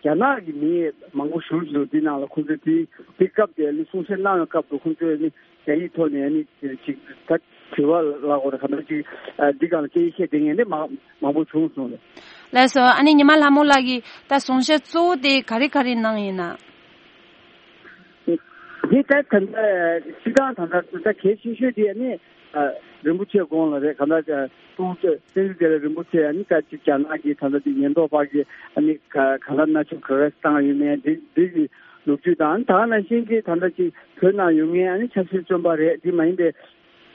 རྒྱ་ནག་གི་མི་མང་པོ་ཞུགས་འདུག་དེ་ནང་ལ་ཁོང་ཚོས་དེ་དེ་སྐབས་དེ་ནི་གསུང་བཤད་གནང་བའི་སྐབས་དུ་ཁོང་ཚོས་ནི་རྒྱ་ཡིག་ཐོག་ནས་ནི་ཅིག་ད་དྲི་བ་ལ་གོ་ར་ག་འདྲ་ཅིག་ཨ་འདི་གང་ལ་སྐད་ཆ་བཤད་བསྡད་མཁན་ནི་མང་མང་པོ་བྱུང་སོང་ལ། ལགས་སོ། ཨ་ནི་ཉི་མ་ལྷ་མོ་ལགས་ཀྱིས་ད་གསུང་བཤད་གཙོ་བོ་དེ་ག་རེ་ག་རེ་གནང་ཡིན་ན། འདི་ལྟར་ད་ལྟ་སྤྱི་བཏང་ད་ལྟ་ད་གལ་ཆེ་ཤོས་དེ་ནི་ཨ་རིན་པོ་ཆེ་དགོངས་ལ་རེད། གང་ལྟར་ཨ་ཏུའུ་ཏེ་བསྟན་འཛིན་བདེ་ལེགས་རིན་པོ་ཆེ་ཨ་ནི་ད་ཅིག་རྒྱ་ནག་གི་ད་ལྟ་དེ་ཉེན་རྟོག་པ་གི་ཨ་ནི་ག་གང་ལྟར་མནར་གཅོད་ག་རེ་བཏང་ཡོད་མེད་འདི་འདི་གི་ལོ་རྒྱུས་དང་། ད་ག་ནང་བཞིན་གྱི་ད་ལྟ་ཅིག་བོད་ནང་ཡོད་མཁན་ཨ་ནི་ཆབ་སྲིད་བཙོན་པ་རེད། འདི་མ་ཡིན་པའི་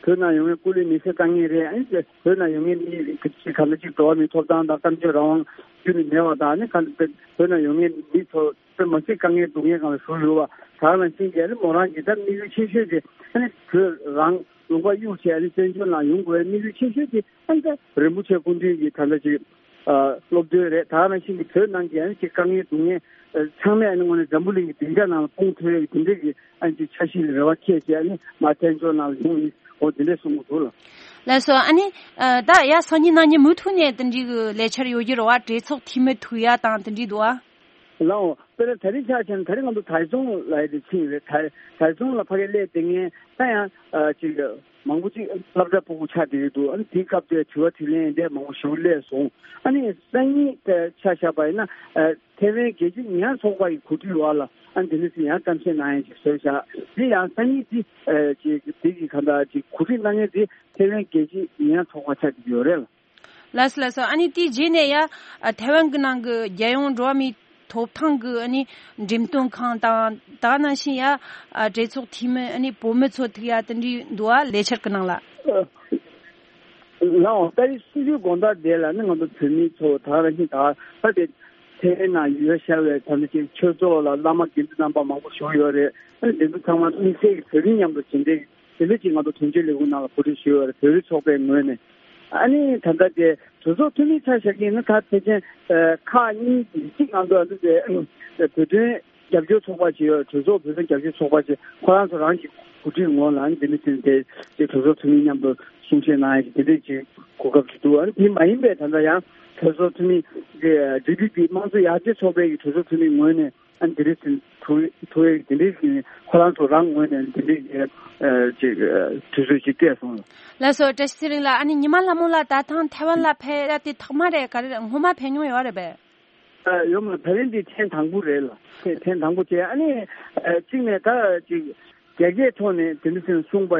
བོད་ནང་ཡོད་མཁན་སྐུ་ལུས་མེ་སྲེག་བཏང་མཁན་རེད། ཨ་ནི་བོད་ནང་ཡོད་མཁན་མི་ག་ཅིག་གང་ལྟར་ཅིག་འགྲོ་བ་མིའི་ཐོབ་ཐང་དང་གཏམ་བརྗོད་རང་དབང་རྒྱུན་ནས་མེད་པ་དང་། ཨ་ནི་གང་ལྟར་བོད་ནང་ཡོད་མཁན་མི་ཚོ་དཔེ་མ་སྲིད་དཀའ་ངལ་སྡུག་བསྔལ་སྒང་ལ་བཞུགས་ཡོད་པ། ད་ག་ནང་བཞིན་གྱི་ཨ་ནི་མོ་རང་གི་ད་དམིགས་ཡུལ་ཆེ་ཤོས་དེ་ཨ་ནི་བོད་རང་ལུང་པ་གཡུག་བྱས་ཨ་ནི་བཙན་བྱོལ་ནང་ཡོང་དགོས་པའི་དམིགས་ཡུལ་ཆེ་ཤོས་དེ་ཨ་ནི་ད་རིན་པོ་ཆེ་སྐུ་མདུན་གྱི་ད་ལྟ་ཅིག་ཨ་སློབ་སྟོན་རེད། ད་ག་ནང་བཞིན་གྱི་བོད་ནང་གི་ཨ་ནི་ཅིག་དཀའ་ངལ་སྡུག་བསྔལ་ཨ་ཚང་མས་ཨ་ནི་དངོས་གནས་འཛམ་བུ་གླིང་གི་སྡིངས་ཆ་ནང་ལ་སྤུངས་ཐུབ་ཡག་གི་དེ་འདྲས་ཀྱི་ཨ་ནི་ཅིག་འཆར་གཞི་ལ་རེ་བ་བསྐྱེད་བྱས་ཨ་ནི་མར་བཙན་བྱོལ་ནང་ལ་ཡོང་ཡིན། འོ་དེ་འདྲས་གསུང་གི་འདུག་ལ། ལགས་སོ། ཨ་ནི་ཨ་ད་ཡ་སང་ཉིན་གནངས་ཉིན་མུ་མཐུད་ནས་དེ་འདྲའི་གི་ལས་འཆར་ཡོད་ཀྱི་རེད་བ། གྲོས་ཚོགས་འཐུས་མི་ཐུག་ཡ་དང་དེ་འདྲའི་འདུག་ཨ། ལའོ། དཔེར་ན་ད་རིང་ཆ་བཞག་ན་ད་རིང་ང་ཚོ་ཐའེ་ཙུང་ལ་ཡི་དེ་ཕྱིན་རེད། ཐའེ་ཐའེ་ཙུང་ལ་ཕ་གི་སླེབས་དེ་ངས་ད་ཡང་ཨ་ཅིག་མང་པོ་ཅིག་སློབ་གྲྭ་ཕྲུ་གུ་ཆགས་བསྡད་ཀྱི་འདུག་ཨ་ནི་དེའི་སྐབས་དེ་དྲི་བ་དྲིས་ལན་འདི་མང་པོ་ཞིག་སླེབས་སོང་། ཨ་ནི་སང་ཉིན་དེ་ཆ་བཞག་པ་ཡིན་ན་ཨ་ཐའེ་ཝན་རྒྱལ་སྤྱིའི་ཉེས་ཡངས་ཚོགས་པ་ཡི་གོ་སྒྲིག་འོག་ལ་ཨ་ནི་དེ་འདྲ་ཞིག་ཡང་གཏམ་བཤད་གནང་ཡ་ཅིག་བཟོས་བཞག་འདི་ཡང་སང་ཉིན་འདི་ཨ་ཅིག་འདི་གི་ག་འདྲ་ཅིག་གོ་སྒྲིག་གནང་མཁན་འདི་ཐའེ་ཝན་རྒྱལ་སྤྱིའི་ཉེས་ཡངས་ཚོགས་པ་ཆགས་ཀྱི་ཡོད་རེད་ལ། ལགས་སོ་ལགས་སོ། ཨ་ནི་དེའི་རྗེས་ནས་ཡ་ཨ་ཐའེ་ཝན་གྱི་ནང་གི་རྒྱལ་ཡོངས་འགྲོ་བ་མིའི་ཐོབ་ཐང་གི་ཨ་ནི་འགྲེམས་སྟོན་ཁང་དང་ད་ག་ནང་བཞིན་ཡ་ཨ་གྲོས་ཚོགས་འཐུས་མི་ཨ་ནི་བུད་མེད་ཚོ་ཐུག་ཡ་དེ་འདྲའི་འདུག་ཨ་ལས་འཆར་གྱི་ནང་ལ། ལའོ། ད་རེས་སྲིད་ཇུས་དགོང་དག་དེ་ལ་ནི་ང་ཚོ་བོད་མི་ཚོ་ད་ག་ནང་བཞིན་ད་ད་དེ་ཐའེ་ཝན་ནང་ཡོད་ཤར་བའི་ད་ནི་ཅིག་ཆོས་ཚོགས་ལ་བླ་མ་དགེ་འདུན་རྣམ་པ་མང་པོ་བཞུགས་ཡོད་རེད། ཨ་ནི་དེ་ཚོ་ཚང་མ་དམིགས་བསལ་གྱི་བོད་མི་མཉམ་དུ་བྱེད་འདྲེ། དེ་འདྲ་ཅིག་ང་ཚོ་དོན་གཅོད་ལས་ཁུངས་ནང་ལ་གོ་སྒྲིག་ཞུས་ཡོད་རེད། བོད་རིགས་ཚོགས་པའི་ངོས་ནས། ཨ་ནི་ད་ལྟ་དེ་གྲོས་ཚོགས་འཐུས་མི་ཆ་བཞག་གིན་ན་ད་ཕལ་ཆེར་ཁག་གཉིས་གཅིག་ང་ཚོ་ཨ་ནི་དེ་བོད་དོན་རྒྱབ་སྐྱོར་ཚོགས་པ་ཞིག་ཡོད། གྲོས་ཚོགས་བོད་དོན་རྒྱབ་སྐྱོར་ཚོགས་པ་ཞིག་ཁོ་རང་ཚོ་རང་གི་གོ་སྒྲིག་ངོས་ལ་ཨ་ནི་དེ་འདྲ་ཅིག་དེ་དེ་གྲོས་ཚོགས་འཐུས་མི་མཉམ་དུ་གསུང་བཤད་གནང་ཡ་ཞིག་དེ་འདྲ་ཅིག་གོ་སྐབས་ཞིག་འདུག་ཨ་ནི་དེ་མ་ཡིན་པའི་ད་ལྟ་ཡང་གྲོས་ཚོགས་འཐུས་མི་དེ་ཌི་པི་པི་དམངས་གཙོ་ཡར་རྒྱས་ཚོགས་པའི་གི་གྲོས་ཚོགས་འཐུས་མི་ངོས་ནས། ཨ་འདི་འདྲའི་ཟིན་ཐུག་ཐུག་ཡས་འདི་འདྲའི་ཟིན་ཁོ་རང་ཚོ་རང་ངོས་ནས་འདི་འདྲའི་གི་ཨ་ཅིག་ཨ་དུས་ཚོད་ཅིག་སྤྲད་སོང་། ལགས་སོ། བཀྲ་ཤིས་ཚེ་རིང་ལགས། ཨ་ནི་ཉི་མ་ལྷ་མོ་ལགས་ད་ཐེངས་ཐའེ་ཝན་ལ་ཕེབས་ཡ་དེ་ཐོག་མ་རེད་ག་རེ་རེད། སྔོན་མ་ཕེབས་མྱོང་ཡོད་རེད་པས། ཨ་ཡོད་མ་རེད། ད་རིང་འདི་ཐེངས་དང་པོ་རེད་ལ། ཐེངས་ཐེངས་དང་པོ་བྱས། ཨ་ནི་ཨ་གཅིག་ནས་ད་ཅིག་རྒྱ་སྐད་ཐོག་ནས་དེ་འདྲ་ཟེར་གསུངས་པ་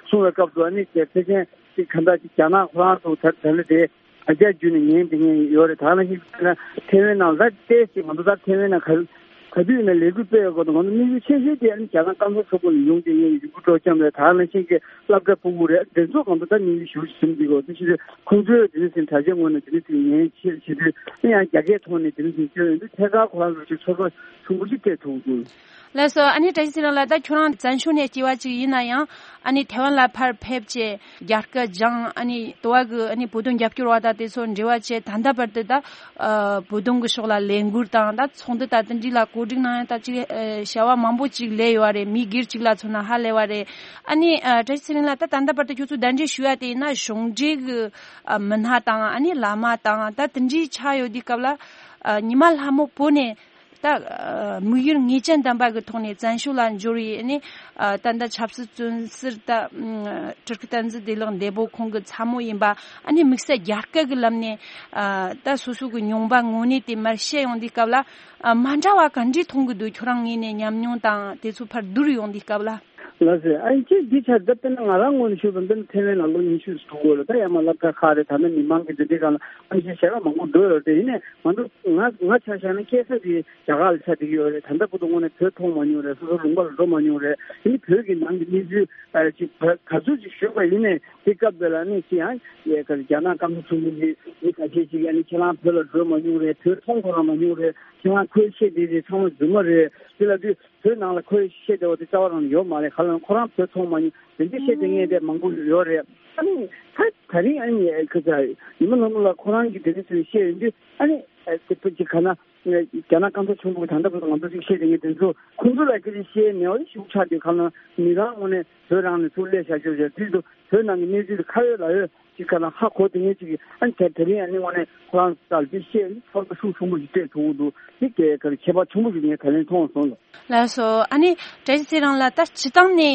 གསུངས་པའི་སྐབས་སུ། ཨ་ནི་ཕལ་ཆེར་ཅིག་གང་ལྟར་ཅིག་རྒྱ་ནག་ཁོ་རང་ཚོ་ད་ད་ལྟ་དེ་བརྒྱ་ཆ་བརྒྱ་ནས་ཉན་བསྡད་མཁན་ཡོད་རེད། ད་ནང་བཞིན་ཐའེ་ཝན་ནང་ལ་ཏོག་ཙམ་ང་ཚོ་ད་ཐའེ་ཝན་ནང་ག་ག་དུས་ཡིན་ན་ལས་འགུལ་སྤེལ་ཡོད་སྐོར་དུ་ང་ཚོ་དམིགས་ཡུལ་ཆེ་ཤོས་དེ་ཨ་ནི་རྒྱ་ནག་སྐམ་ས་མཚོ་ཁུག་ནས་ཡོང་བསྡད་མཁན་ཡུ་གུར་སྤྲོ་འཆམ་རེད། ད་ནང་བཞིན་གྱི་སློབ་གྲྭ་ཕྲུ་གུ་རེད། དེ་ཚོ་ང་ཚོ་ད་དམིགས་ཡུལ་ཞེ་པོ་ཅིག་ཟིན་བསྡད་ཡོད། དེ་ཕྱིར་ཁོང་ཚོའི་དེ་ནས་ཟིན་དྲ་རྒྱའི་ངོས་ནས་དེ་ནས་ཟིན་ཉན་ཆེད་བྱེད་དུས་ཨ་ནི་ཡང་རྒྱ་སྐད་ཐོག་ནས་དེ་ནས་ཟིན་བསྐྱོན་ཡོང་དུས་ཐད་ཀར་ཁོ་རང་ཚོ་ཅིག་ཚོར་བ་ཆུང་པོ་ཅིག་སྤྲད་ཐུབ་འདུག། ལགས་སོ། ཨ་ནི་བཀྲ་ཤིས་ཚེ་རིང་ལགས། ད་ཁྱོད་རང་བཙན་བྱོལ་ནས་སྐྱེས་པ་ཅིག་ཡིན་ན་ཡང་ཨ་ནི་ཐའེ་ཝན་ལ་ཕར་ཕེབས་བྱས་རྒྱ་སྐད་སྦྱངས། ཨ་ནི་དུ་བ་གི་ཨ་ནི་བོད་དོན་རྒྱབ་སྐྱོར་བ་དང་དེ་ཚོ་འབྲེལ་བ་བྱས། ད་ལྟ་བར་དུ་ད་ཨ་བོད་དོན་གི་ཕྱོགས་ལ་ལས་འགུལ་དང་ད་ཚོགས་འདུ་ད་དེ་འདྲ་ལ་གོ་སྒྲིག་གནང་ཡ་ད་ཅིག་ཨ་བྱ་བ་མང་པོ་ཅིག་ལས་ཡོད་རེད། མི་སྒེར་ཅིག་ལ་མཚོན་ན་ཧ་ལས་པ་རེད། ཨ་ནི་ཨ་བཀྲ་ཤིས་ཚེ་རིང་ལགས། ད་ད་ལྟ་བར་དུ་ཁྱོད་ཚོ་གདན་འདྲེན་ཞུ་ཡ་དེ་ཡིན་ན་གཞུང་འབྲེལ་གི་ཨ་མི་སྣ་དང་ཨ་ནི་བླ་མ་དང་ད་དེ་འདྲའི་ཆགས་ཡོད་དུས་སྐབས་ལ་ཨ་ཉི་མ་ལྷ་མོ་བོད་ནས་ད་ཨ་དམིགས་ཡུལ་ངེས་ཅན་ལྡན་པ་གི་ཐོག་ནས་བཙན་བྱོལ་ལ་འབྱོར་བའི་ཨ་ནི་ཨ་ད་ལྟ་ཆབ་སྲིད་བཙོན་ཟུར་ད་ཨ་སྤྲུལ་སྐུ་བསྟན་འཛིན་བདེ་ལེགས་འདས་པོ་ཁོང་གི་ཚ་མོ་ཡིན་པ། ཨ་ནི་དམིགས་བསལ་རྒྱ་སྐད་གི་ལམ་ནས་ཨ་ད་སོ་སོ་གི་མྱོང་བ་དངོས་གནས་དེ་མར་བཤད་ཡོང་དུས་སྐབས་ལ་ཨ་མ་འདྲ་བ་ག་འདྲས་མཐོང་གི་འདུག། ཁྱོད་རང་ངོས་ནས་ཉམས་མྱོང་དང་དེ་ཚོ་ཕར་བསྡུར་ཡོང་དུས་སྐབས་ལ། ལགས་སེ། ཨ་ནི་ཅིག་འདི་ཆ་ད་དཔེར་ན་ང་རང་ངོས་ནས་ཞུས་པ་ན་དཔེར་ན་ཐའེ་ཝན་ལ་ལོ་ཉི་ཤུ་ཙམ་འགྲོ་གི་ཡོད་ལ། ད་ཡང་མ་སློབ་གྲྭ་ཁག་རེད། ད་ནི་མི་མང་གི་འདི་འདྲའི་སྒང་ལ་ཨ་ནི་བཤད་གྲྭ་མང་པོ་འགྲོ་ཡོད་རེད། དེ་ཡིན་ནའི་ང་ཚོ་ང་ང་ཆ་བཞག་ན་སྐྱེས་ས་དེ་རྒྱ་གར་ལ་ཆགས་བསྡད་ཀྱི་ཡོད་རེད། ད་ལྟ་བར་དུ་དངོས་གནས་བོད་མཐོང་མ་མྱོང་རེད། སོ་སོ་ལུང་པ་ལ་འགྲོ་མ་མྱོང་རེད། དེ་ནི་བོད་ཀྱི་ནང་གི་གནས་ཚུལ་ཨ་ཅིག་ག་ག་ཚོད་ཅིག་ཞུས་པ་ཡིན་ནའི་དེ་སྐབས་དེ་ལ་ནི་ཅི་ཡང་ཡ་ག་རྒྱ་ནག་སྐམ་ས་ཆུང་ཆུང་གི་མི་ཁ་ཤས་ཅིག་ཡ་ནི་ཁྱེད་རང་བོད་ལ་འགྲོ་མ་མྱོང་རེད། བོད་མཐོང་ཁོ་རང་མ་མྱོང་རེད། ཁྱེད་རང་ཁོའི་བཤད་དེ་དེ་ཚང་མ་རྫུན་མ་རེད། དེ་ལ་དུས་བོད་ནང་ལ་ཁོའི་བཤད་བདེ་བ་དེ་རྩ་བ་རང་ཡོད་མ་རེད། ག་ལ་ཁོ་རང་བོད་མཐོང་མ་མྱོང་། དེ་འདྲའི་བཤད་བསྡད་མཁན་དེ་མང་པོ་ཡོད་རེད། ཨ་ནི་ད་ད་རིང་ཨ་ནི་ཁ་ཚ་ཉི་མ་ལྷ་མོ་ལགས་ཁོ་རང་གིས་དེ་འདྲ་ཚོའི་བཤད་ཡོང་དུས་ཨ་ནི་དེ་ཕུད་ཅིག་ག་ན་རྒྱ་ནག་སྐམ་ས་ཆུང་པོ་གི་ད་ལྟ་བར་དུ་ང་ཚོ་ཅིག་བཤད་བསྡད་མཁན་དེ་ཚོ་ཁོང་ཚོ་ལ་སྐད་ཆ་བཤད་ནས་འོ་ཞིག་ཆགས་དུས་ག་ན་མི་རང་ངོས་ནས་བོད་རང་ནས་ཚུར་སླེབས་བཞག་ཆོག་ཆོག་དུས་དུ་བོད་ནང་གི་གནས་ཚུལ་དེ་ཁ་ཡོད་ལག་ཡོད། ཅིག་ག་ལ་ཧ་གོ་དེ་ངས་ཅིག་ཨ་ནི་དེ་དེ་རིང་ཨ་ནི་དངོས་གནས་ཁོ་རང་ལྟར་ཅིག་བཤད་ཚོར་བ་ཤུགས་ཆེན་པོ་ཞིག་སྤྲད་ཐུབ་ཀྱི་འདུག། འདི་གའི་ཁར་ཁྱད་པར་ཆེན་པོ་ཞིག་ངས་ད་ལན་མཐོང་སོང་ལ། ལགས་སོ། ཨ་ནི་བཀྲ་ཤིས་ཚེ་རིང་ལགས། ད་སྤྱི་བཏང་ནས་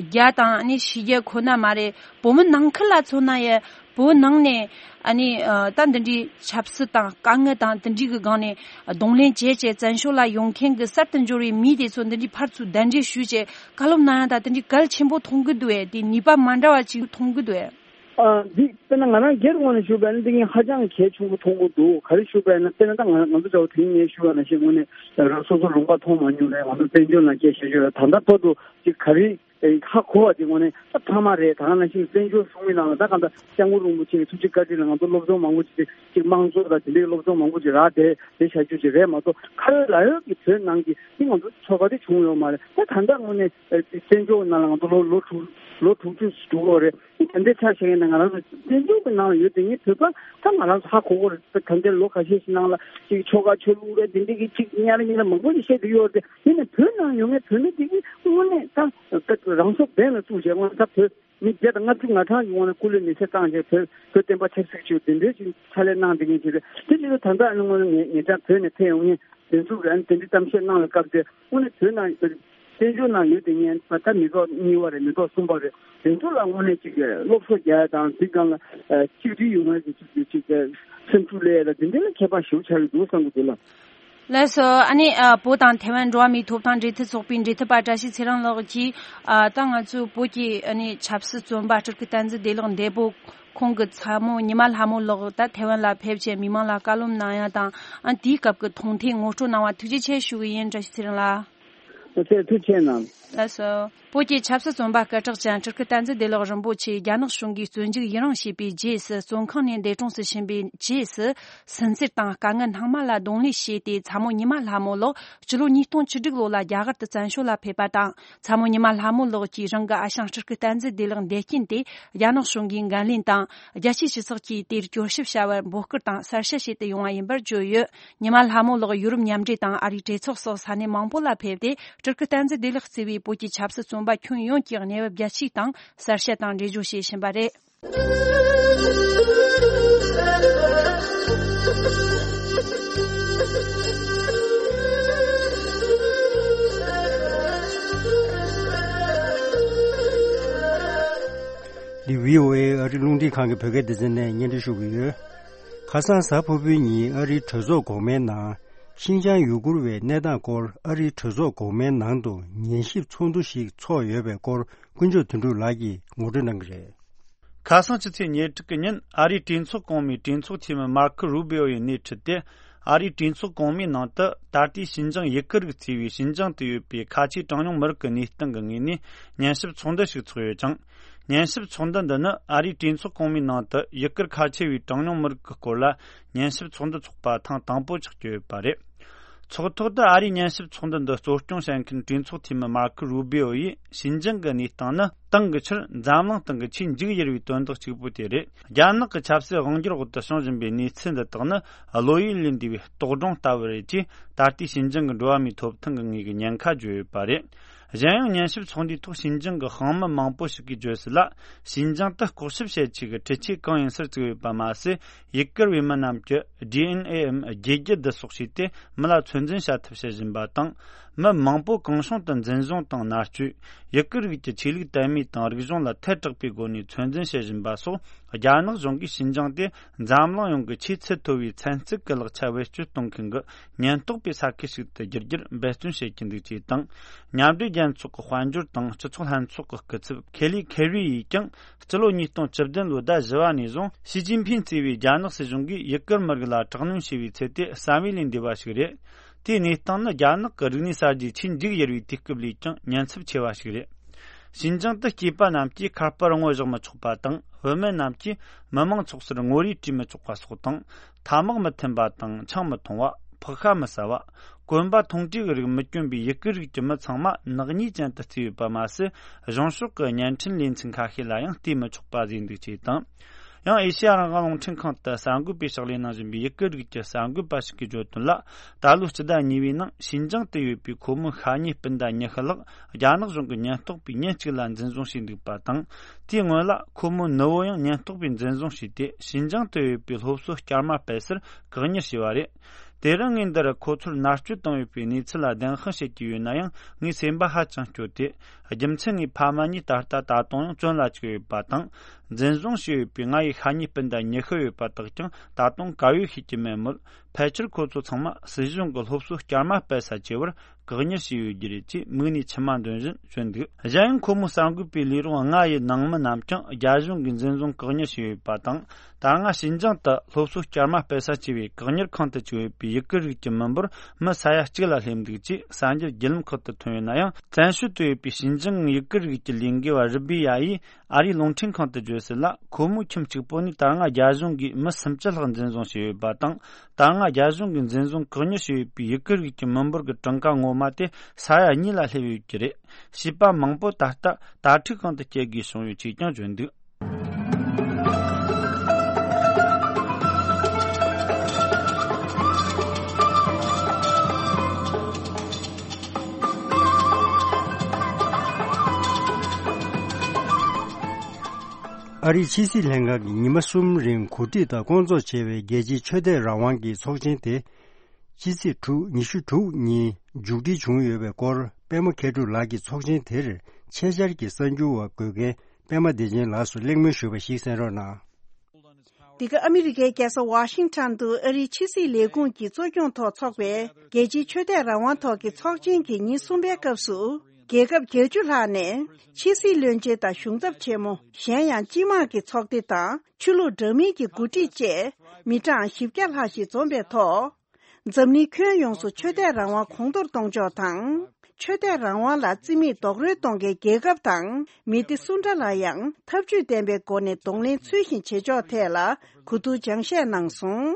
རྒྱ་དང་ཨ་ནི་ཕྱི་རྒྱལ་ཁོ་ན་མ་རེད། བོད་མི་ནང་ཁུལ་ལ་མཚོན་ན་ཡང་བོད་ནང་ནས་ཨ་ནི་ད་འདི་འདྲའི་ཆབ་སྲིད་དང་དཀའ་ངལ་དང་དེ་འདྲའི་གི་སྒང་ནས་གདོང་ལེན་བྱས་བྱས་བཙན་བྱོལ་ལ་ཡོང་མཁན་གི་གསར་དུ་འབྱོར་བའི་མི་དེ་ཚོ་འདི་འདྲའི་ཕར་ཚུར་གདན་འདྲེན་ཞུས་བྱས་བཀའ་སློབ་གནང་ཡ་ད་དེ་འདྲའི་གལ་ཆེན་པོ་མཐོང་གི་འདུག་ཨེ། དེ་ནུས་པ་མ་འདྲ་བ་ཅིག་མཐོང་གི་འདུག་ཨེ། ཨ། འདི་དཔེར་ན་ང་རང་སྒེར་ངོས་ནས་ཞུས་པ་ཡིན་ན་འདི་ངས་ཧ་ཅང་གལ་ཆེན་པོ་མཐོང་གི་འདུག། ག་རེ་ཞུས་པ་ཡིན་ན་དཔེར་ན་ད་ང་ང་ཚོ་འདྲ་བོ་དེ་རིང་ངས་ཞུས་པ་ནང་བཞིན་དངོས་གནས་རང་སོ་སོ་ལུང་པ་མཐོང་མ་མྱོང་རེད། ང་ཚོ་བཙན་བྱོལ་ནང་སྐྱེས་བཞག་ཡོད་རེད། ད་ལྟ་བར་དུ་ཅིག་ག་རེ་ཧ་གོ་བ་དེ་དངོས་གནས་ད་ཐ་མ་རེད། ད་ག་ནང་བཞིན་བཙན་བྱོལ་གཞུང་གི་ནང་ལ་ད་ག་ད་སྐྱབས་མགོན་རིན་པོ་ཆེ་གི་ཐུགས་རྗེ་བཀའ་དྲིན་ལ་ང་ཚོ་སློབ་སྦྱོང་མང་པོ་ཅིག་ཅིག་དམངས་གཙོ་དང་དེ་འདྲའི་སློབ་སྦྱོང་མང་པོ་ཅིག་རག་བསྡད་བསྡད་བཞག་རྒྱུ་ཅིག་རེད་མ་གཏོགས་ཁ་ཡོད་ལག་ཡོད་ཀྱི་བོད་ནང་གི་དེ་ང་ཚོ་ཚོར་བ་དེ་བྱུང་ཡོད་མ་རེད། ད་ད་ལྟ་དངོས་གནས་བཙན་བྱོལ་ནང་ལ་ང་ཚོ་ལོ་ལོ་དྲུག་ལོ་དྲུག་ཅུ་འགྲོ་གི་རེད། དེ་འདྲའི་ཆ་བཞག་ཡིན་ན་ང་རང་ཚོ་བཙན་བྱོལ་གྱི་ནང་ལ་ཡོད་དེ་ངས་བོད་པ་ད་ང་རང་ཚོ་ཧ་གོ་གི་རེད། ད་ལྟའི་ལོ་ཁ་ཤས་ཤིག་ནང་ལ་ཅིག་ཆོལ་ཁ་ཆོས་ལུགས་རེད་དེ་འདྲའི་གི་ཅིག་གཉའ་རེ་གཉིས་རེ་མང་པོ་ཞིག་བཤད་ཀྱི་ཡོད་རེད། ཡིན་ནའི་བོད་ནང་ཡོད་མཁན་བོད་མི་དེ་གིས་དངོས་གནས་ད་ད་རང་སྲོག་འབེན་ལ་བཙུགས་བྱས་དངོས་གནས་ད་བོད་མི་བརྒྱ་དང་ལྔ་བཅུ་ང་གྲངས་ཀྱི་དངོས་གནས་སྐུ་ལུས་མེ་སྲེག་བཏང་བྱས་བོད་བོད་བསྟན་པ་ཆབ་སྲིད་ཆེད་དེ་འདྲའི་ཅིག་ཕྱག་ལས་གནང་བསྡད་མཁན་ཅིག་རེད། དེ་བཞིན་དུ་ད་ལྟ་ཨ་ནི་དངོས་གནས་ངེད་ངེད་ཅག་བོད་ནས་ཕེབས་ཡོང་མཁན་དེ་ཚོ་གིས་ཨ་ནི་དེ་འདྲའི་གཏམ་བཤད་གནང་བའི་སྐབས་དེ་དངོས་གནས་བོད་ནང་བཙན་བྱོལ་ནང་ཡོད་དེ་ངས་ད་ལྟ་མི་ཐོག་གཉིས་པ་རེད། མི་ཐོག་གསུམ་པ་རེད། དེ་ཚོ་ལ་དངོས་གནས་ཅིག་སློབ་གསོ་རྒྱག་ཡ་དང་དེ་སྒང་ལ་ཨ་གཅིག་སྒྲིལ་ཡོང་ཡ་གི་ཅིག་ཅིག་སེམས་ཤུགས་སླེབས་ཡ་ལ་དེ་འདྲ་ལ་ཁྱད་པར་ཞེ་པོ་ཆགས་ཀྱི་འདུག་བསམ་གྱི་འདུག་ལགས། ལགས་སོ། ཨ་ནི་ཨ་བོད་དང་ཐའེ་ཝན་འགྲོ་བ་མིའི་ཐོབ་ཐང་འབྲེལ་མཐུད་ཚོགས་པའི་འབྲེལ་མཐུད་པ་བཀྲ་ཤིས་ཚེ་རིང་ལགས་ཀྱིས་ཨ་ད་ང་ཚོའི་བོད་ཀྱི་ཨ་ནི་ཆབ་སྲིད་བཙོན་པ་སྤྲུལ་སྐུ་བསྟན་འཛིན་བདེ་ལེགས་འདས་པོ་ཁོང་གི་ཚ་མོ་ཉི་མ་ལྷ་མོ་ལགས་ད་ཐའེ་ཝན་ལ་ཕེབས་བྱས་མི་མང་ལ་བཀའ་སློབ་གནང་ཡ་དང་ཨ་དེའི་སྐབས་ཀྱི་མཐོང་ཐོས་ངོ་སྤྲོད་གནང་བ་ཐུགས་རྗེ་ཆེ་ཞུ་གི་ཡིན། བཀྲ་ཤིས་ཚེ་རིང་ལགས། ཐུགས་རྗེ་ཆེ་གནང་། ལགས་སོ། བོད་ཀྱི་ཆབ་སྲིད་བཙོན་པ་སྐད་གྲགས་ཅན་སྤྲུལ་སྐུ་བསྟན་འཛིན་བདེ་ལེགས་རིན་པོ་ཆེ་རྒྱ་ནག་གཞུང་གིས་བཙོན་འཇུག་ཡི་རང་བྱས་པའི་རྗེས་སུ་བཙོན་ཁང་ནས་འདས་གྲོངས་སུ་ཕྱིན་པའི་རྗེས་སུ་སུན་གཙེར་དང་དཀའ་ངལ་སྣང་མེད་ལ་གདོང་ལེན་བྱས་ཏེ་ཚ་མོ་ཉི་མ་ལྷ་མོ་ལགས་སྤྱི་ལོ་ཉིས་སྟོང་བཅུ་དྲུག་ལོ་ལ་རྒྱ་གར་དུ་བཙན་བྱོལ་ལ་ཕེབས་པ་དང་། ཚ་མོ་ཉི་མ་ལྷ་མོ་ལགས་ཀྱིས་རང་གི་ཨ་ཞང་སྤྲུལ་སྐུ་བསྟན་འཛིན་བདེ་ལེགས་འདས་རྐྱེན་དེ་རྒྱ་ནག་གཞུང་གིས་འགན་ལེན་དང་རྒྱལ་སྤྱིའི་སྤྱི་ཚོགས་ཀྱིས་དེར་གྱོད་ཞིབ་བྱ་བར་འབོད་སྐུལ་དང་གསལ་བཤད་བྱེད་དུ་ཡོང་བ་ཡིན་པར་བརྗོད་ཡོད། ཉི་མ་ལྷ་མོ་ལགས་ཡུ་རོབ་མཉམ་འབྲེལ་དང་ཨ་རིའི་གྲོས་ཚོགས་སོགས་ས་གནས་མང་པོ་ལ་ཕེབས་ཏེ་སྤྲུལ་སྐུ་བསྟན་འཛིན་བདེ་ལེགས་གཙོས་པའི་བོད་ཀྱི་ཆབ་སྲིད་བཙོན་པ་ཁྱོན་ཡོངས་ཀྱི་གནས་བབ་རྒྱ་ཆེའི་སྟེང་གསལ་བཤད་དང་འགྲེལ་བརྗོད་བྱེད་བཞིན་པ་རེད། འདི་བྷི་ཨོ་ཨེ་ཨ་རི་རླུང་འཕྲིན་ཁང་གི་བོད་སྐད་སྡེ་ཚན་ནས་སྙན་སྒྲོན་ཞུ་གི་ཡོད། ཁ་སང་གཟའ་ཕུར་བུའི་ཉིན་ཨ་རིའི་གྲོས་ཚོགས་འོག་མའི་ནང་། ཤིན་ཅང་ཡུ་གུར་བའི་གནས་སྟངས་སྐོར་ཨ་རིའི་གྲོས་ཚོགས་འོག་མའི་ནང་དུ་ཉན་ཞིབ་ཚོགས་འདུ་ཞིག་ཚོགས་ཡོད་པའི་སྐོར་དཀོན་མཆོག་དོན་གྲུབ་ལགས་ཀྱིས་ངོ་སྤྲོད་གནང་གི་རེད། ཁ་སང་ཕྱི་ཚེས་ཉེར་དྲུག་གི་ཉིན་ཨ་རིའི་གྲོས་ཚོགས་གོང་མའི་གྲོས་ཚོགས་འཐུས་མི་མར་ཁོ་རུ་བྷི་ཨོ་ཡི་སྣེ་ཁྲིད་དེ། ཨ་རིའི་གྲོས་ཚོགས་གོང་མའི་ནང་དུ་ད་ལྟའི་ཤིན་ཅང་ཡུ་གུར་རིགས་ཚུད་པའི་ཤིན་ཅང་དུ་ཡོད་པའི་ཁ་ཆེའི་གྲངས་ཉུང་མི་རིགས་ཀྱི་གནས་སྟངས་ཀྱི་ངོས་ནས་ཉན་ཞིབ་ཚོགས་འདུ་ཞིག་ཚོགས་ཡོད་ཅིང་། ཉན་ཞིབ་ཚོགས་འདུ་འདི་ནི་ཨ་རིའི་གྲོས་ཚོགས་གོང་མའི་ནང་དུ་ཡུ་གུར་ཁ་ཆེ་བའི་གྲངས་ཉུང་མི་རིགས་ཀྱི་སྐོར་ལ་ཉན་ཞིབ་ཚོགས་འདུ་ཚོགས་པ་ཐེངས་དང་པོ་ཆགས་ཀྱི་ཡོད་པ་རེད། ཚོགས་ཐོག་ཏུ་ཨ་རིའི་ཉན་ཞིབ་ཚོགས་འདུ་འདི་གཙོ་སྐྱོང་བྱེད་མཁན་གྲོས་ཚོགས་འཐུས་མི་མར་ཁོ་རུ་བྷི་ཨོ་ཡིས་ཤིན་ཅང་གི་གནས་སྟངས་ནི་ཏང་གི་ཕྱིར་འཛམ་གླིང་སྟེང་གི་ཆེས་མཇུག་ཡུར་བའི་དོན་དག་གཅིག་པུ་དེ་རེད། རྒྱ་ནག་གི་ཆབ་སྲིད་དབང་སྒྱུར་འོག་ཏུ་བྱུང་བཞིན་པའི་གནས་ཚུལ་འདི་དག་ནི་བློ་ཡུལ་ལས་འདས་པའི་རྟོག་སྒྲུང་ལྟ་བུ་རེད་ཅེས་ད་ལྟའི་ཤིན་ཅང་གི་འགྲོ་བ་མིའི་ཐོབ་ཐང་གི་ངོས་ཀྱི་ཉེན་ཁ་བརྗོད་ཡོད་པ་རེད། གཞན་ཡང་ཉན་ཞིབ་ཚོགས་འདུའི་ཐོག་ཤིན་ཅང་གི་ཤང་མི་མང་པོ་ཞིག་གིས་བརྗོད་གསལ་ལ། ཤིན་ཅང་དུ་ལྐོག་ཞིབ་བྱེད་ཆེད་ཀྱི་འཕྲུལ་ཆས་གང་ཡིན་སར་བཙུགས་ཡོད་པ་མ་ཟད། ཡུ་གུར་བའི་མི་རྣམས་ཀྱི་ཌི་ཨེན་ཨེའམ་རྒྱུད་རྒྱུ་བསྡུ་གསོག་བྱས་ཏེ་མི་ལ་ཚོད་འཛིན་བྱ་ཐབས་བྱེད་བཞིན་པ་དང་། མི་མང་པོ་གང་བྱུང་དུ་འཛིན་བཟུང་དང་མནར་གཅོད། ཡུ་གུར་རིགས་ཀྱི་ཆོས་ལུགས་དད་མོས་དང་རིག་གཞུང་ལ་ཐལ་དྲགས་པའི་སྒོ་ནས་ཚོད་འཛིན་བྱེད་བཞིན་པ་སོགས། རྒྱ་ནག་གཞུང་གིས་ཤིན་ཅང་དེ་འཛམ་གླིང་ཡོངས་ཀྱི་ཆེས་ཚད་མཐོ་བའི་ཚན་རྩལ་གྱི་ལག་ཆ་བེད་སྤྱོད་གཏོང་མཁན་གྱི་ཉེན་རྟོག་པའི་ས་ཁུལ་ཞིག་ཏུ་བསྒྱུར་རྒྱུར་འབད་བརྩོན་བྱེད་ཀྱིན་འདུག་ཅེས་དང་། མཉམ་འབྲེལ་རྒྱལ་ཚོགས་ཀྱི་དཔལ་འབྱོར་དང་སྤྱི་ཚོགས་ལྷན་ཚོགས་ཀྱི་སྐུ་ཚབ་ཁེ་ལི་ཁེ་རི་ཡིས་ཀྱང་། སྤྱི་ལོ་ཉིས་སྟོང་བཅུ་བདུན་ལོའི་ཟླ་བཞི་བ་ནས་བཟུང་ཞི་ཅིན་ཕིན་གཙོས་པའི་རྒྱ་ནག་སྲིད་གཞུང་གིས་ཡུ་གུར་མི་རིགས་ལ་དྲག་གནོན་བྱས་པའི་ཚུལ་དེ་བསམ་ཡུལ་ལས་འདས་པ་ཞིག་རེད། དེའི་གནས་སྟངས་ནི་རྒྱ་ནག་གི་རིག་གནས་གསར་བརྗེའི་ཆེས་མཇུག་ཡུར་བའི་དུས་སྐབས་ལས་ཀྱང་ཉེན་ཚབས་ཆེ་བ་ཞིག་རེད། ཤིན་ཅང་དུ་སྐྱེས་པ་རྣམས་ཀྱིས་ཁ་པར་ངོ་བཞག་མི་ཆོག་པ་དང་། བུད་མེད་རྣམས་ཀྱིས་མི་མང་ཚོགས་སར་ངོ་རེ་བྲིས་མི་ཆོག་པ་སོགས་དང་། ཐ་མག་མི་འཐེན་པ་དང་ཆང་མི་འཐུང་བ། ཕག་ཤ་མི་ཟ་བ། གོན་པ་མཐོང་གྲས་ཀྱི་རིགས་མི་གྱོན་པའི་ཡུ་གུར་རིགས་ཀྱི་མི་ཚང་མ་ནག་ཉེས་ཅན་དུ་བརྩིས་ཡོད་པ་མ་ཟད། གཞུང་ཕྱོགས་ཀྱི་བརྙན་འཕྲིན་ལེ་ཚན་ཁ་ཤས་ལ་ཡང་བལྟས་མི་ཆོག་པ་བཟོས་འདུག་ཅེས་དང་། ཡང་ཨེ་ཤེ་ཡ་རང་དབང་རླུང་འཕྲིན་ཁང་དུ་གསར་འགོད་པའི་ཕྱག་ལས་གནང་བཞིན་པའི་ཡུ་གུར་རིགས་ཀྱི་གསར་འགོད་པ་ཞིག་གིས་བརྗོད་དོན་ལ། ད་ལོའི་སྤྱི་ཟླ་གཉིས་པའི་ནང་ཤིན་ཅང་དུ་ཡོད་པའི་ཁོ་མོའི་ཤ་ཉེ་སྤུན་ཟླ་ཉི་ཤུ་ལྷག་རྒྱ་ནག་གཞུང་གི་ཉེན་རྟོག་པས་ཉིན་གཅིག་ལ་འཛིན་བཟུང་བྱས་འདུག་པ་དང་། དེའི་སྔོན་ལ་ཁོ་མོའི་ནུ་བོ་ཡང་ཉེན་རྟོག་པས་འཛིན་བཟུང་བྱས་ཏེ། ཤིན་ཅང་དུ་ཡོད་པའི་སློབ་གསོ་བསྐྱར་མ་སྤེལ་སར་བཀག་ཉར་བྱས་པ་རེད། དེ་རིང་ངས་འདིར་ཁོ་ཚོར་མནར་གཅོད་བཏང་ཡོད་པའི་གནས་ཚུལ་ལ་བདེན་དཔང་བྱེད་ཀྱི་ཡོད་ན་ཡང་། ངའི་སེམས་པ་ཧ་ཅང་སྐྱོ་སྟེ། རྒྱུ་མཚན་ངའི་ཕ་མ་གཉིས་ད་ལྟ་ད་དུང་ཡང་བཙོན་ལ་བཅུག་ཡོད་པ་དང་། འཛིན་བཟུང་བྱས་ཡོད་པའི་ང་ཡི་ཤ་ཉེ་སྤུན་ཟླ་ཉི་ཤུ་ཡོད་པ་དག་ཀྱང་ད་དུང་ག་ཡོད་ཤེས་ཀྱི་མེད་མོད། ཕལ་ཆེར་ཁོ་ཚོ་ཚང་མ་སྲིད་གཞུང་གི་སློབ་གསོ་བསྐྱར་མ་སྤེལ་ས་བཅས་པར་བཀག་ཉར་བྱས་ཡོད་རྒྱུ་རེད་ཅེས་མིག་ནས་མཆི་མ་འདོན་བཞིན་བརྗོད་འདུག་གཞན་ཡང་ཁོ་མོའི་གསར་འགོད་པའི་ལས་རོགས་ལྔ་ཡི་ནང་མི་རྣམས་ཀྱང་རྒྱ་གཞུང་གིས་འཛིན་བཟུང་བཀག་ཉར་བྱས་ཡོད་པ་དང་། ད་སྔ་ཤིན་ཅང་དུ་སློབ་གསོ་བསྐྱར་མ་སྤེལ་ས་བཅས་པའི་བཀག་ཉར་ཁང་དུ་བཅུག་ཡོད་པའི་ཡུ་གུར་རིགས་ཀྱི་མི་འབོར་མི་ས་ཡ་གཅིག་ལ་སླེབས་འདུག་ཅེས་གསར་འགྱུར་བརྒྱུད་ལམ་ཁག་ཏུ་ཐོན་ཡོད་ན་ཡང་། བཙན་བྱོལ་དུ་ཡོད་པའི་ཤིན་ཅང་ཡུ་གུར་རིགས་ཀྱི་ལས་འགུལ་བ་རི་བི་ཡ་ཡིས་ཨ་རིའི་རླུང་འཕྲིན་ཁང་དུ་བརྗོད་གསལ་ལ། ཁོ་མོའི་ཁྱིམ་གཅིག་པོ་ནས་ད་སྔ་རྒྱ་གཞུང་གིས་མི་སུམ་ཅུ་ལྷག་འཛིན་བཟུང་བྱས་ཡོད་པ་དང་། ད་སྔ་རྒྱ་གཞུང་གིས་འཛིན་བཟུང་བཀག་ཉར་བྱས་ཡོད་པའི་ཡུ་གུར་རིགས་ཀྱི་མི་འབོར་གྱི་གྲངས་ཀ་ངོ་མ་དེ་ས་ཡ་གཉིས་ལ་སླེབས་ཡོད་ཀྱི་རེད། བྱིས་པ་མང་པོ་ད་ལྟ་དྭ་ཕྲུག་ཁང་དུ་སྐྱེལ་དགོས་བྱུང་ཡོད་ཅེས་ཀྱང་བརྗོད་འདུག་ཨ་རིའི་ཕྱི་སྲིད་ལྷན་ཁང་གིས་ཉི་མ་གསུམ་རིང་གོ་སྒྲིག་དང་སྐོང་ཚོགས་བྱས་པའི་རྒྱལ་སྤྱིའི་ཆོས་དད་རང་དབང་གི་ཚོགས་ཆེན་དེ། ཕྱི་ཚེས་དྲུག་ཉི་ཤུ་དྲུག་ཉིན་མཇུག་སྒྲིལ་བྱུང་ཡོད་པའི་སྐོར། པད་མ་མཁས་གྲུབ་ལགས་ཀྱིས་ཚོགས་ཆེན་དེར་ཆེད་བཅར་གྱི་གསར་འགྱུར་བ་འགོད་མཁན་པད་མ་བདེ་ཆེན་ལགས་སུ་གླེང་མོལ་ཞུས་པ་ཞིག་གསན་རོགས་གནང་། འདི་ག་ཨ་མི་རི་ཀའི་རྒྱལ་ས་ཝ་ཤིང་ཊོན་དུ་ཨ་རིའི་ཕྱི་སྲིད་ལས་ཁུངས་ཀྱི་གཙོ་སྐྱོང་ཐོག་འཚོགས་པའི་རྒྱལ་སྤྱིའི་ཆོས་དད་རང་དབང་ཐོག་གི་ཚོགས་ཆེན་གྱི་ཉིན་གསུམ་པའི་སྐབས་སུ། རྒྱལ་ཁབ་བརྒྱད་ཅུ་ལྷག་ནས་ཕྱི་སྲིད་བློན་ཆེན་དང་གཞུང་ཚབ་ཆེན་མོ། གཞན་ཡང་སྤྱི་དམངས་ཀྱི་ཚོགས་སྡེ་དང་ཆོས་ལུགས་འདྲ་མིན་གྱི་འགོ་ཁྲིད་བཅས་མི་གྲངས་བཞི་བརྒྱ་ལྷག་ཞིག་འཛོམས་པའི་ཐོག་འཛམ་གླིང་ཁྱོན་ཡོངས་སུ་ཆོས་དད་རང་དབང་གོང་མཐོར་གཏོང་ཕྱོགས་དང་། ཆོས་དད་རང་དབང་ལ་རྩིས་མེད་རྡོག་རོལ་གཏོང་མཁན་རྒྱལ་ཁབ་དང་མི་སྡེ་སུ་འདྲ་ལ་ཡང་ཐབས་ཇུས་ལྡན་པའི་སྒོ་ནས་གདོང་ལེན་ཚུལ་བཞིན་བྱེད་ཕྱོགས་ཐད་ལ་གོ་བསྡུར་སྦྱང་བཤད་གནང་སོང་།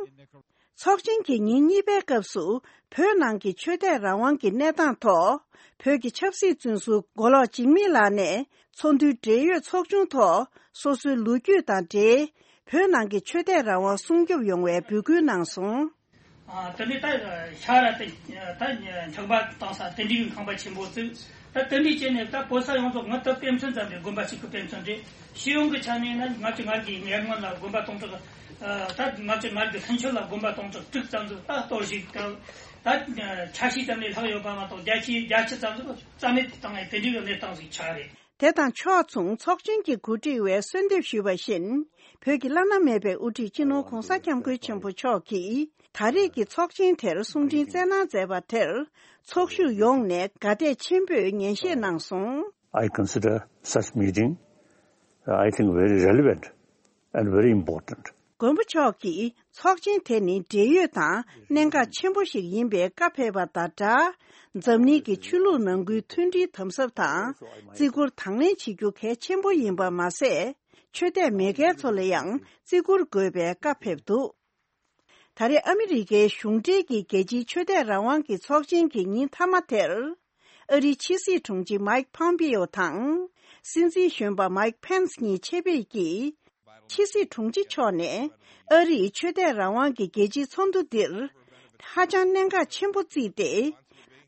ཚོགས་ཆེན་གྱི་ཉིན་གཉིས་པའི་སྐབས་སུ་བོད་ནང་གི་ཆོས་དད་རང་དབང་གི་གནས་སྟངས་ཐོག་བོད་ཀྱི་ཆབ་སྲིད་བཙོན་ཟུར་མགོ་ལོག་འཇིགས་མེད་ལགས་ནས་ཚོགས་འདུའི་འབྲེལ་ཡོད་ཚོགས་ཆུང་ཐོག་སོ་སོའི་ལོ་རྒྱུས་དང་འབྲེལ་བོད་ནང་གི་ཆོས་དད་རང་དབང་སྲུང་སྐྱོབ་ཡོང་བའི་འབོད་སྐུལ་གནང་སོང་། ཨ། དེ་ནས་ད་ཤ་ར་དེ་ད་འཁྱག་པ་བཏང་ས་དེ་འདྲའི་ཁང་པ་ཆེན་པོ་བཙུགས། ད་དེ་འདྲའི་བྱས་ནས་ད་བོད་ས་ཡོངས་རྫོགས་ང་ད་དཔེ་མཚོན་ཙམ་རེད། དགོན་པ་གཅིག་གི་དཔེ་མཚོན་རེད། སྤྱི་ཡོངས་ཀྱི་ཆ་ནས་ན་ལྔ་བཅུ་ང་དགུའི་ཉེ་སྔོན་ལ་དགོན་པ་སྟོང་ཕྲག་ཨ། ད་ལྔ་བཅུ་ང་དགུ་ལྷན་ཆོས་ལ་དགོན་པ་སྟོང་ཕྲག་དྲུག་ཙམ་ཟིག་ད་གཏོར་བཤིག་དང་། ད་ཆ་ཤས་ཙམ་ལས་ལྷག་ཡོད་པ་མ་གཏོགས་བརྒྱ་ཆའི་བརྒྱད་ཅུ་ཙམ་ཟིག་རྩ་མེད་དུ་བཏང་ཡས་དེ་འདྲའི་གནས་སྟངས་ཟིག་ཆགས་རེད། དེ་དང་ཕྱོགས་མཚུངས་ཚོགས་ཆེན་གྱི་གོ་སྒྲིག་པས་གསོལ་འདེབས་ཞུས་པ་བཞིན། བོད་ཀྱི་བླ་ན་མེད་པའི་དབུ་ཁྲིད་སྤྱི་ནོར་༧གོང་ས་༧སྐྱབས་མགོན་ཆེན་པོ་མཆོག་གིས་ད་རེས་ཀྱི་ཚོགས་ཆེན་དེར་གསུང་འཕྲིན་སྩལ་གནང་མཛད་པ་དེར། ཚོགས་ཞུགས་ཡོངས་ནས་དགའ་དད་ཆེན་པོས་ཉན་བཞེས་གནང་སོང་། I consider such meeting, uh, I think, very relevant and very important. མགོན་པོ་མཆོག་གིས། ཚོགས་ཆེན་དེ་ནི་འབྲེལ་ཡོད་དང་གནད་འགག་ཆེན་པོ་ཞིག་ཡིན་པའི་བཀའ་ཕེབས་པ་དང་སྦྲགས། འཛམ་གླིང་གི་ཆོས་ལུགས་ནང་ཁུལ་མཐུན་སྒྲིལ་དམ་ཟབ་དང་། བརྩི་བཀུར་དང་ལེན་བྱེད་རྒྱུ་གལ་ཆེན་པོ་ཡིན་པ་མ་ཟད། ཆོས་དད་མེད་མཁན་ཚོ་ལ་ཡང་བརྩི་བཀུར་དགོས་པའི་བཀའ་ཕེབས་འདུག་ད་རེས་ཨ་མི་རི་ཀའི་གཞུང་འབྲེལ་གྱི་རྒྱལ་སྤྱིའི་ཆོས་དད་རང་དབང་གི་ཚོགས་ཆེན་གྱི་ཉིན་མཐའ་མ་དེར། ཨ་རིའི་ཕྱི་སྲིད་དྲུང་ཆེ་མའིག་ཕམ་པིའོ་དང་། སྲིད་འཛིན་གཞོན་པ་མའིག་ཕེན་སི་གཉིས་ཆེད་ཕེབས་ཀྱིས། ཕྱི་སྲིད་དྲུང་ཆེ་མཆོག་ནས་ཨ་རིས་ཆོས་དད་རང་དབང་གི་རྒྱལ་སྤྱིའི་ཚོགས་འདུ་འདིར་ཧ་ཅང་གནད་འགག་ཆེན་པོ་བརྩིས་ཏེ།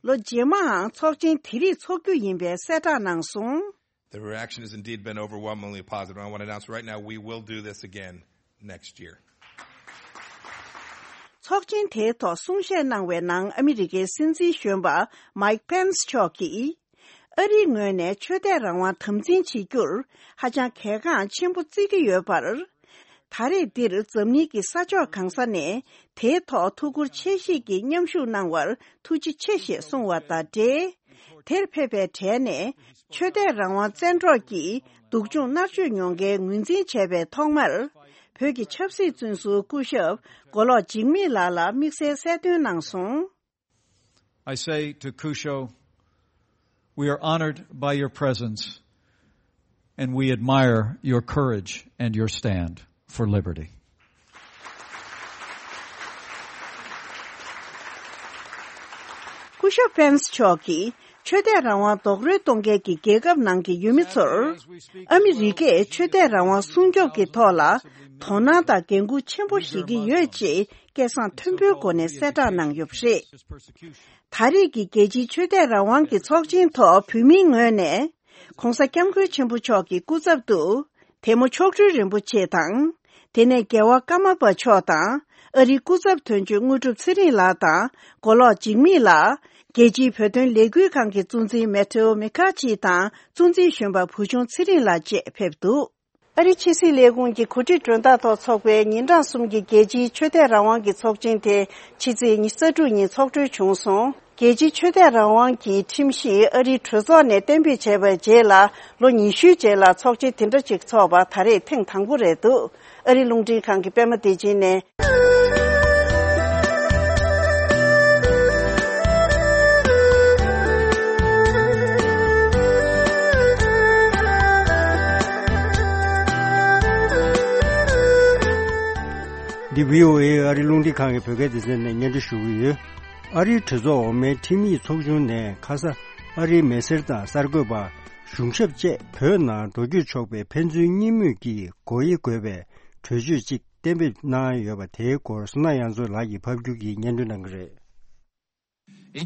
ལོ་རྗེས་མའང་ཚོགས་ཆེན་དེ་རིགས་འཚོགས་རྒྱུ་ཡིན་པའི་གསལ་བསྒྲགས་གནང་སོང་། The reaction has indeed been overwhelmingly positive. I want to announce right now we will do this again next year. ཚོགས་ཆེན་དེའི་ཐོག་གསུང་བཤད་གནང་བའི་ནང་ཨ་མི་རི་ཀའི་སྲིད་འཛིན་གཞོན་པ་མའིག་ཕེན་སི་མཆོག་གིས། ཨ་རིའི་ངོས་ནས་ཆོས་དད་རང་དབང་དམ་འཛིན་བྱེད་རྒྱུར་ཧ་ཅང་གལ་འགངས་ཆེན་པོ་བརྩི་གི་ཡོད་པར། ད་རེས་འདིར་འཛམ་གླིང་གི་ས་ཕྱོགས་གང་ས་ནས་དེའི་ཐོག་ཐུགས་ཁུར་ཆེ་བཞེས་ཀྱིས་མཉམ་ཞུགས་གནང་བར་ཐུགས་རྗེ་ཆེ་ཞེས་གསུངས་བ་དང་འབྲེལ། དེར་ཕེབས་པའི་གྲས་ནས་ཆོས་དད་རང་དབང་བཙན་འཕྲོག་གིས་སྡུག་སྦྱོང་མནར་གཅོད་མྱོང་མཁན་ངོས་འཛིན་བྱས་པའི་ཐོག་མར། བོད་ཀྱི་ཆབ་སྲིད་བཙོན་ཟུར་སྐུ་ཞབས་མགོ་ལོག་འཇིགས་མེད་ལགས་ལ་དམིགས་བསལ་གསལ་སྟོན་གནང་སོང་། I say to Kusho, we are honored by your presence, and we admire your courage and your stand for liberty. སྐུ་ཞབས་ཕེན་སི་མཆོག་གིས་ཆོས་དད་རང་དབང་རྡོག་རོལ་གཏོང་མཁན་གྱི་རྒྱལ་ཁབ་ནང་གི་ཡུལ་མི་ཚོར། ཨ་མི་རི་ཀས་ཆོས་དད་རང་དབང་སྲུང་སྐྱོབ་ཀྱི་ཐོག་ལ་དོ་སྣང་དང་འགན་འཁུར་ཆེན་པོ་བཞེས་ཀྱི་ཡོད་ཅེས་སྐད་གསང་མཐོན་པོའི་སྒོ་ནས་གསལ་བསྒྲགས་གནང་ཡོད་པ་རེད། ད་རེས་ཀྱི་རྒྱལ་སྤྱིའི་ཆོས་དད་རང་དབང་གི་ཚོགས་ཆེན་ཐོག་བོད་མིའི་ངོས་ནས། ྋགོང་ས་ྋསྐྱབས་མགོན་ཆེན་པོ་མཆོག་གི་སྐུ་ཚབ་ཏུ། དེ་མོ་མཆོག་སྤྲུལ་རིན་པོ་ཆེ་དང་། དེ་ནས་རྒྱལ་བ་ཀརྨ་པ་མཆོག་དང་། ཨ་རིའི་སྐུ་ཚབ་དོན་གཅོད་དངོས་གྲུབ་ཚེ་རིང་ལགས་དང་། མགོ་ལོག་འཇིགས་མེད་ལགས། རྒྱལ་སྤྱིའི་བོད་དོན་ལས་འགུལ་ཁང་གི་གཙོ་འཛིན་མེ་ཐེའོ་མེ་ཁ་ཆི་དང་། གཙོ་འཛིན་གཞོན་པ་བུ་ཆུང་ཚེ་རིང་ལགས་བཅས་ཕེབས་འདུག་ཨ་རིའི་ཕྱི་སྲིད་ལས་ཁུངས་ཀྱི་གོ་སྒྲིག་མགྲོན་བདག་ཐོག་འཚོགས་པའི་ཉིན་གྲངས་གསུམ་གྱི་རྒྱལ་སྤྱིའི་ཆོས་དད་རང་དབང་གི་ཚོགས་ཆེན་དེ་ཕྱི་ཚེས་ཉི་ཤུ་རྩ་དྲུག་ཉིན་ཚོགས་གྲོལ་བྱུང་སོང་། རྒྱལ་སྤྱིའི་ཆོས་དད་རང་དབང་གི་ཁྲིམས་གཞི་ཨ་རིའི་གྲོས་ཚོགས་ནས་གཏན་འབེབས་བྱས་པའི་རྗེས་ལ་ལོ་ཉི་ཤུའི་རྗེས་ལ་ཚོགས་ཆེན་དེ་འདྲ་ཅིག་འཚོགས་པ་ད་རེས་ཐེངས་དང་པོ་རེད་འདུག་ཨ་རིའི་རླུང་འཕྲིན་ཁང་གི་པད་མ་བདེ་ཆེན་ནས། འདི་བྷི་ཨོ་ཨེ་ཨ་རིའི་རླུང་འཕྲིན་ཁང་གི་བོད་སྐད་སྡེ་ཚན་ནས་སྙན་སྒྲོན་ཞུ་གི་ཡོད། ཨ་རིའི་གྲོས་ཚོགས་འོག་མའི་ཁྲིམས་ཡིག་ཚོགས་ཆུང་ནས་ཁ་ས་ཨ་རིའི་མི་སེར་དང་གསར་འགོད་པ། གཞུང་ཞབས་བཅས་བོད་ནང་འགྲོ་སྐྱོད་ཆོག་པའི་ཕན་ཚུན་གཉིས་མོས་ཀྱིས་དགོས་ཡ་དགོས་པའི་གྲོས་ཆོད་ཅིག་གཏན་འབེབས་གནང་ཡོད་པ་དེའི་སྐོར་བསོད་ནམས་དབྱངས་མཚོ་ལགས་ཀྱིས་ཕབ་སྒྱུར་གྱིས་སྙན་སྒྲོན་གནང་གི་རེད།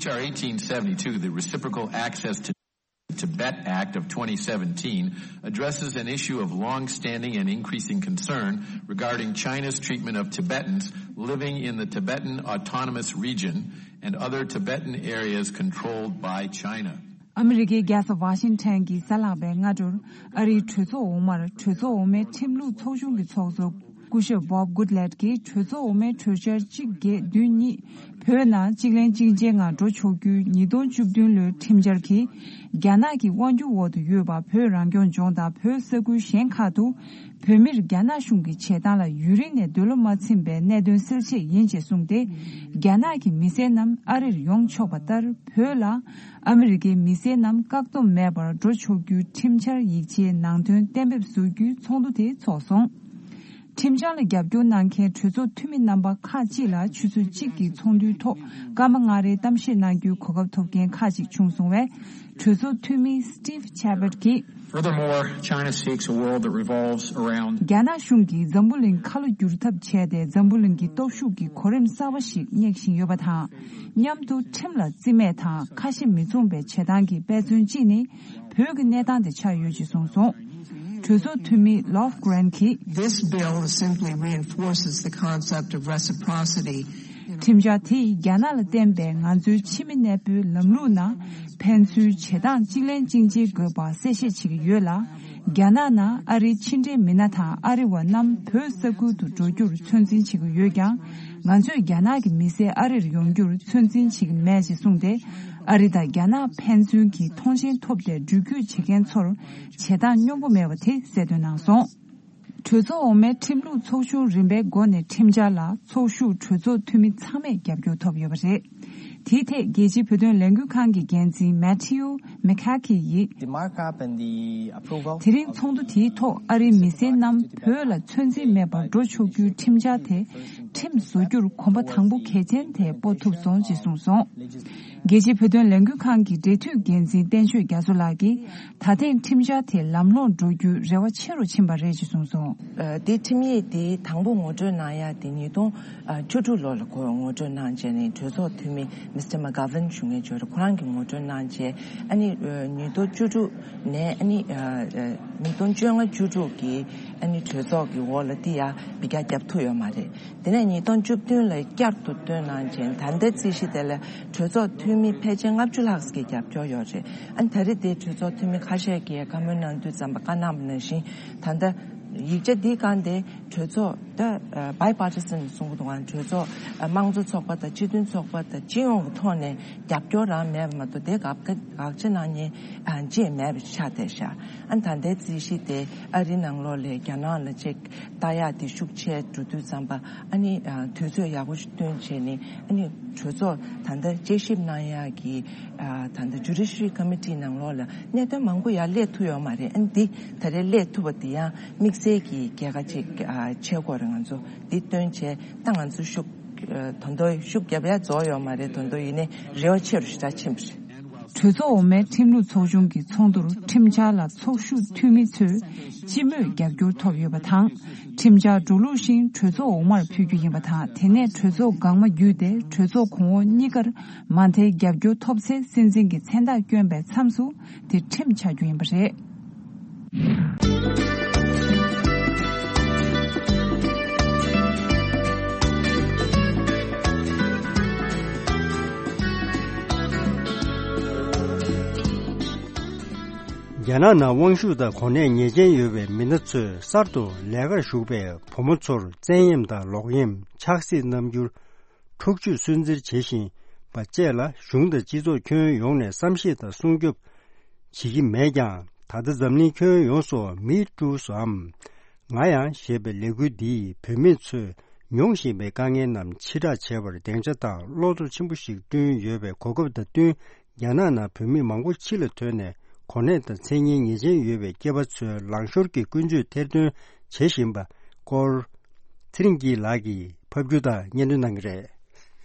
H R eighteen seventy-two, the Reciprocal Access to Tibet Act of twenty seventeen, addresses an issue of long-standing and increasing concern regarding China's treatment of Tibetans living in the Tibetan Autonomous Region and other Tibetan areas controlled by China. ཨ་མི་རི་ཀའི་རྒྱལ་ས་ཝ་ཤིང་ཊོན་གྱི་གཟའ་ལྷག་པའི་སྔ་དྲོར། ཨ་རིའི་གྲོས་ཚོགས་འོག་མར་གྲོས་ཚོགས་འོག་མའི་ཁྲིམས་ལུགས་ཚོགས་ཆུང་གི་ཚོགས་གཙོ་སྐུ་ཞབས་བོབ་གུད་ལེད་ཀྱིས་གྲོས་ཚོགས་འོག་མའི་གྲོས་འཆར་གཅིག་བརྒྱད་བདུན་གཉིས། བོད་ནང་གཅིག་ལན་གཅིག་རྗེས་ངང་འགྲོ་ཆོག་རྒྱུའི་ཉིས་སྟོང་བཅུ་བདུན་ལོའི་ཁྲིམས་འཆར་གྱིས། རྒྱ་ནག་གི་དབང་སྒྱུར་འོག་ཏུ་ཡོད་པ་བོད་རང་སྐྱོང་ལྗོངས་དང་བོད་ས་ཁུལ་གཞན་ཁག་ཏུ། བོད་མིར་རྒྱ་ནག་གཞུང་གི་བྱེད་སྟངས་ལ་ཡུན་རིང་ནས་འདོད་བློ་མ་ཚིམ་པའི་གནད་དོན་སེལ་ཆེད་ཡིན་ཅེས་གསུངས་ཏེ། རྒྱ་ནག་གི་མི་སེར་རྣམས་ཨ་རིར་ཡོང་ཆོག་པ་ལྟར་བོད་ལ། ཨ་མི་རི་ཀའི་མི་སེར་རྣམས་བཀག་སྡོམ་མེད་པར་འགྲོ་ཆོག་རྒྱུའི་ཁྲིམས་འཆར་ཡིག་ཆའི་ནང་དོན་གཏན་འབེབས་བཟོ་རྒྱུའི་ཚོགས་འདུ་དེ་འཚོགས་སོང་། ཁྲིམས་འཆར་ལ་རྒྱབ་སྐྱོར་གནང་མཁན་གྲོས་ཚོགས་འཐུས་མི་རྣམ་པ་ཁག་ཅིག་ལ་ཆུ་ཚོད་གཅིག་གི་ཚོགས་འདུའི་ཐོག་སྐར་མ་ལྔ་རེའི་གཏམ་བཤད་གནང་རྒྱུའི་གོ་སྐབས་ཐོབ་མཁན་ཁག་ཅིག་བྱུང་སོང་བས། གྲོས་ཚོགས་འཐུས་མི་Steve Chabot གྱིས། Furthermore, China seeks a world that revolves around རྒྱ་ནག་གཞུང་གིས་འཛམ་བུ་གླིང་ཁ་ལོ་བསྒྱུར་ཐབས་བྱས་ཏེ། འཛམ་བུ་གླིང་གི་སྟོབས་ཤུགས་ཀྱི་གོ་རིམ་གསར་པ་ཞིག་སྙེག་བཞིན་ཡོད་པ་དང་། མཉམ་དུ་ཁྲིམས་ལ་རྩིས་མེད་དང་ཁ་ཞེ་མི་མཚུངས་པའི་བྱེད་སྟངས་ཀྱི་དཔེ་མཚོན་གཅིག་ནི། བོད་ཀྱི་གནས་སྟངས་དེ་ཆགས་ཡོད་ཅེས་གསུངས་སོང་། གྲོས་ཚོགས་འཐུས་མི་Lofgren གྱིས། This bill simply reinforces the concept of reciprocity. ཁྲིམས་འཆར་དེས་རྒྱ་ནག་ལ་བརྟེན་པའི་ང་ཚོའི་ཕྱི་མི་གནས་སྤོའི་ལམ་ལུགས་ནང་ཕན་ཚུན་བྱེད་སྟངས་གཅིག་ལན་གཅིག་འབྱེད་དགོས་པ་གསལ་བཤད་བྱེད་ཀྱི་ཡོད་ལ། རྒྱ་ནག་ནང་ཨ་རིའི་ཕྱི་འབྲེལ་མི་སྣ་དང་ཨ་རི་བ་རྣམས་བོད་ས་ཁུལ་དུ་འགྲོ་རྒྱུར་ཚོད་འཛིན་བྱེད་ཀྱི་ཡོད་ཀྱང་། ང་ཚོས་རྒྱ་ནག་གི་མི་སེར་ཨ་རིར་ཡོང་རྒྱུར་ཚོད་འཛིན་བྱེད་ཀྱི་མེད་ཅེས་གསུངས་ཏེ། ཨ་རི་དང་རྒྱ་ནག་ཕན་ཚུན་གྱི་མཐོང་མཆན་ཐོབ་སྟེ་འགྲུལ་སྐྱོད་བྱེད་མཁན་ཚོར་བྱེད་སྟངས་སྙོམས་པོ་མེད་པ་དེ་གསལ་སྟོན་གནང་སོང་། གྲོས་ཚོགས་འོག་མའི་ཁྲིམས་ལུགས་ཚོགས་ཆུང་རིམ་པའི་སྒོ་ནས་ཁྲིམས་འཆར་ལ་ཚོགས་ཞུགས་གྲོས་ཚོགས་འཐུས་མི་ཚང་མས་རྒྱབ་སྐྱོར་ཐོབ་ཡོད་པ་རེད། དེའི་ཐད་རྒྱལ་སྤྱིའི་བོད་དོན་ལས་འགུལ་ཁང་གི་འགན་འཛིན་མེ་ཐིའུ་མེ་ཁ་ཁི་ཡིས། The markup and the approval དེ་རིང་ཚོགས་འདུ་དེའི་ཐོག་ཨ་རིའི་མི་སེར་རྣམས་བོད་ལ་ཚོད་འཛིན་མེད་པར་འགྲོ་ཆོག་རྒྱུའི་ཁྲིམས་འཆར་དེ་ཁྲིམས་བཟོ་རྒྱུར་གོམ་པ་དང་པོ་གལ་ཆེན་དེ་སྤོ་ཐུབ་སོང་ཅེས་གསུངས་སོང་། རྒྱལ་སྤྱིའི་བོད་དོན་ལས་འགུལ་ཁང་གི་འབྲེལ་མཐུད་འགན་འཛིན་བསྟན་ཆོས་རྒྱ་མཚོ་ལགས་ཀྱིས། ད་ཐེངས་ཁྲིམས་འཆར་དེ་ལམ་ལྷོང་འགྲོ་རྒྱུའི་རེ་བ་ཆེ་རུ་ཕྱིན་པ་རེད་ཅེས་གསུངས་སོང་། ཨ། དེ་ཁྲིམས་ཡིག་དེ་དང་པོ་ངོ་སྤྲོད་གནང་ཡ་དེ་ཉིས་སྟོང་བཅུ་དྲུག་ལོ་ལ་ཁོ་ངོ་སྤྲོད་གནང་བྱས་ནས་གྲོས་ཚོགས་འཐུས་མི་མི་སི་ཊར་མ་གྷ་ཝན་ཞུ་མཁན་ཅིག་ཡོད་རེད། ཁོ་རང་གིས་ངོ་སྤྲོད་གནང་བྱས། ཨ་ནི་ཉིས་སྟོང་བཅུ་དྲུག་ནས་ཨ་ནི་ཉིས་སྟོང་བཅོ་ལྔ་བཅུ་དྲུག་གི་ཨ་ནི་གྲོས་ཚོགས་ཀྱི་འོག་ལ་དེ་ཡ་བི་ག་རྒྱབ་ཐུབ་ཡོད་མ་རེད། དེ་ནས་ཉིས་སྟོང་བཅུ་བདུན་ལ་བསྐྱར་དུ་བཏོན་གནང་བྱས། ད་ལྟའི་རྩིས་གཞི་དེ་ལ་གྲོས་ཚོགས་འཐུས་མི་ཕལ་ཆེར་ལྔ་བཅུ་ལྷག་ཙམ་གྱི་རྒྱབ་སྐྱོར་ཡོད་རེད། ཨ་ནི་ད་རེས་དེ་གྲོས་ཚོགས་འཐུས་མི་ཁ་ཤས་ཀྱིས་བཀའ་མོལ་གནང་དུས་ཙམ་པ་བཀའ་གནང་བ་ནང་བཞིན། ད་ལྟ་ཡིག་ཆ་འདིའི་སྒང་དེ་གྲོས་ཚོགས་ད་bipartisan གསུང་གི་འདུག་ག་གྲོས་ཚོགས་དམངས་གཙོ་ཚོགས་པ་དང་སྤྱི་མཐུན་ཚོགས་པ་དང་སྤྱི་ཡོངས་ཀྱི་ཐོག་ནས་རྒྱབ་སྐྱོར་རང་མེད་པ་མ་གཏོགས། དེ་དགག་དགག་བྱ་གནང་མཁན་ཅིག་མེད་པ་ཆགས་བསྡད་ཤག་ཨ་ནི་ད་ལྟའི་རྩིས་གཞི་དེ་ཨ་རིའི་ནང་ལོགས་ལ་རྒྱ་ནག་ལ་ཅིག་ལྟ་ཡག་དེ་ཤུགས་ཆེ་འགྲོ་དུས་ཙམ་པ། ཨ་ནི་ཨ་དུས་ཚོད་ཡག་པོ་ཞིག་བཏོན་བྱས་ནས། ཨ་ནི་གྲོས་ཚོགས་ད་ལྟ་དཔྱད་ཞིབ་གནང་ཡག་གི་ཨ་ད་ལྟ་Judiciary Committee ནང་ལོགས་ལ་གནད་དོན་མང་པོ་ཡར་སླེབས་ཐུབ་ཡོད་མ་རེད། ཨ་ནི་འདི་ད་རེས་སླེབས་ཐུབ་པ་དེ་ཡང་དམིགས་བསལ་གྱི་རྒྱལ་ཁ་ཅིག་ཨ་ཆགས་ཀྱི་ཡོད་རེད། ང་ཚོ་འདི་བཏོན་བྱས་ད་ང་ཚོ་ཤུགས་ཨ་ད་དུང་ཤུགས་རྒྱབ་ཡག་རྫོགས་ཡོད་མ་རེད། ད་དུང་ཡིན་ནའི་རེ་བ་ཆེ་རུ་ཞེ་དྲག་ཕྱིན་པ་རེད། གྲོས་ཚོགས་འོག་མའི་ཁྲིམས་ལུགས་ཚོགས་ཆུང་གི་ཚོགས་འདུར་ཁྲིམས་འཆར་ལ་ཚོགས་ཞུགས་འཐུས་མི་ཚོས་སྤྱི་མོས་རྒྱབ་སྐྱོར་ཐོབ་ཡོད་པ་དང་། ཁྲིམས་འཆར་འགྲོ་ལུགས་བཞིན་གྲོས་ཚོགས་འོག་མར་ཕུལ་རྒྱུ་ཡིན་པ་དང་། དེ་ནས་གྲོས་ཚོགས་འགག་མ་བརྒྱུད་དེ་གྲོས་ཚོགས་གོང་འོག་གཉིས་ཀར་མ་མཐའི་རྒྱབ་སྐྱོར་ཐོབ་ཚེ། སྲིད་འཛིན་གྱི་མཚན་རྟགས་བསྐྱོན་པའི་མཚམས་སུ་དེ་ཁྲིམས་ཆགས་རྒྱུ་ཡིན་པ་རེད། རྒྱ་ནག་ནང་དབང་ཤུགས་དང་གོ་གནས་ངེས་ཅན་ཡོད་པའི་མི་སྣ་ཚོས་གསར་དུ་ལས་ཀར་ཞུགས་པའི་བུ་མོ་ཚོར་བཙན་གཡེམ་དང་ལོག་གཡེམ། ཆགས་སྲེད་རྣམ་འགྱུར། འཁྲུག་སྤྱོད་སུན་གཙེར་བྱེད་བཞིན་པ་བཅས་ལ་གཞུང་དང་སྤྱི་ཚོགས་ཁྱོན་ཡོངས་ནས་བསམ་ཤེས་དང་སྲུང་སྐྱོབ་བྱེད་ཀྱི་མེད་ཀྱང་། ད་ལྟ་འཛམ་གླིང་ཁྱོན་ཡོངས་སུ་Me Too བའམ་ང་ཡང་ཞེས་པའི་ལས་འགུལ་འདིས་བུད་མེད་ཚོས་མྱོང་བཞིན་པའི་དཀའ་ངལ་རྣམས་ཕྱིར་བསྒྲགས་བྱས་པར་སྡིངས་ཆ་དང་བློ་སྟོབས་ཆེན་པོ་ཞིག་བསྐྲུན་ཡོད་པའི་གོ་སྐབས་དང་བསྟུན། རྒྱ་ནག་ནང་བོད་མི་མང་པོ་ཕྱི་ལ་ཐོན་ནས་གོ་གནས་དང་མཚན་སྙན་ངེས་ཅན་ཡོད་པའི་སྐྱེས་པ་ཚོའི་ལངས་ཤོར་གྱི་ཀུན་སྤྱོད་ཐེར་འདོན་བྱེད་བཞིན་པ་སྐོར། ཚེ་རིང་སྐྱིད་ལགས་ཀྱིས་ཕབ་སྒྱུར་དང་སྙན་སྒྲོན་གནང་གི་རེད།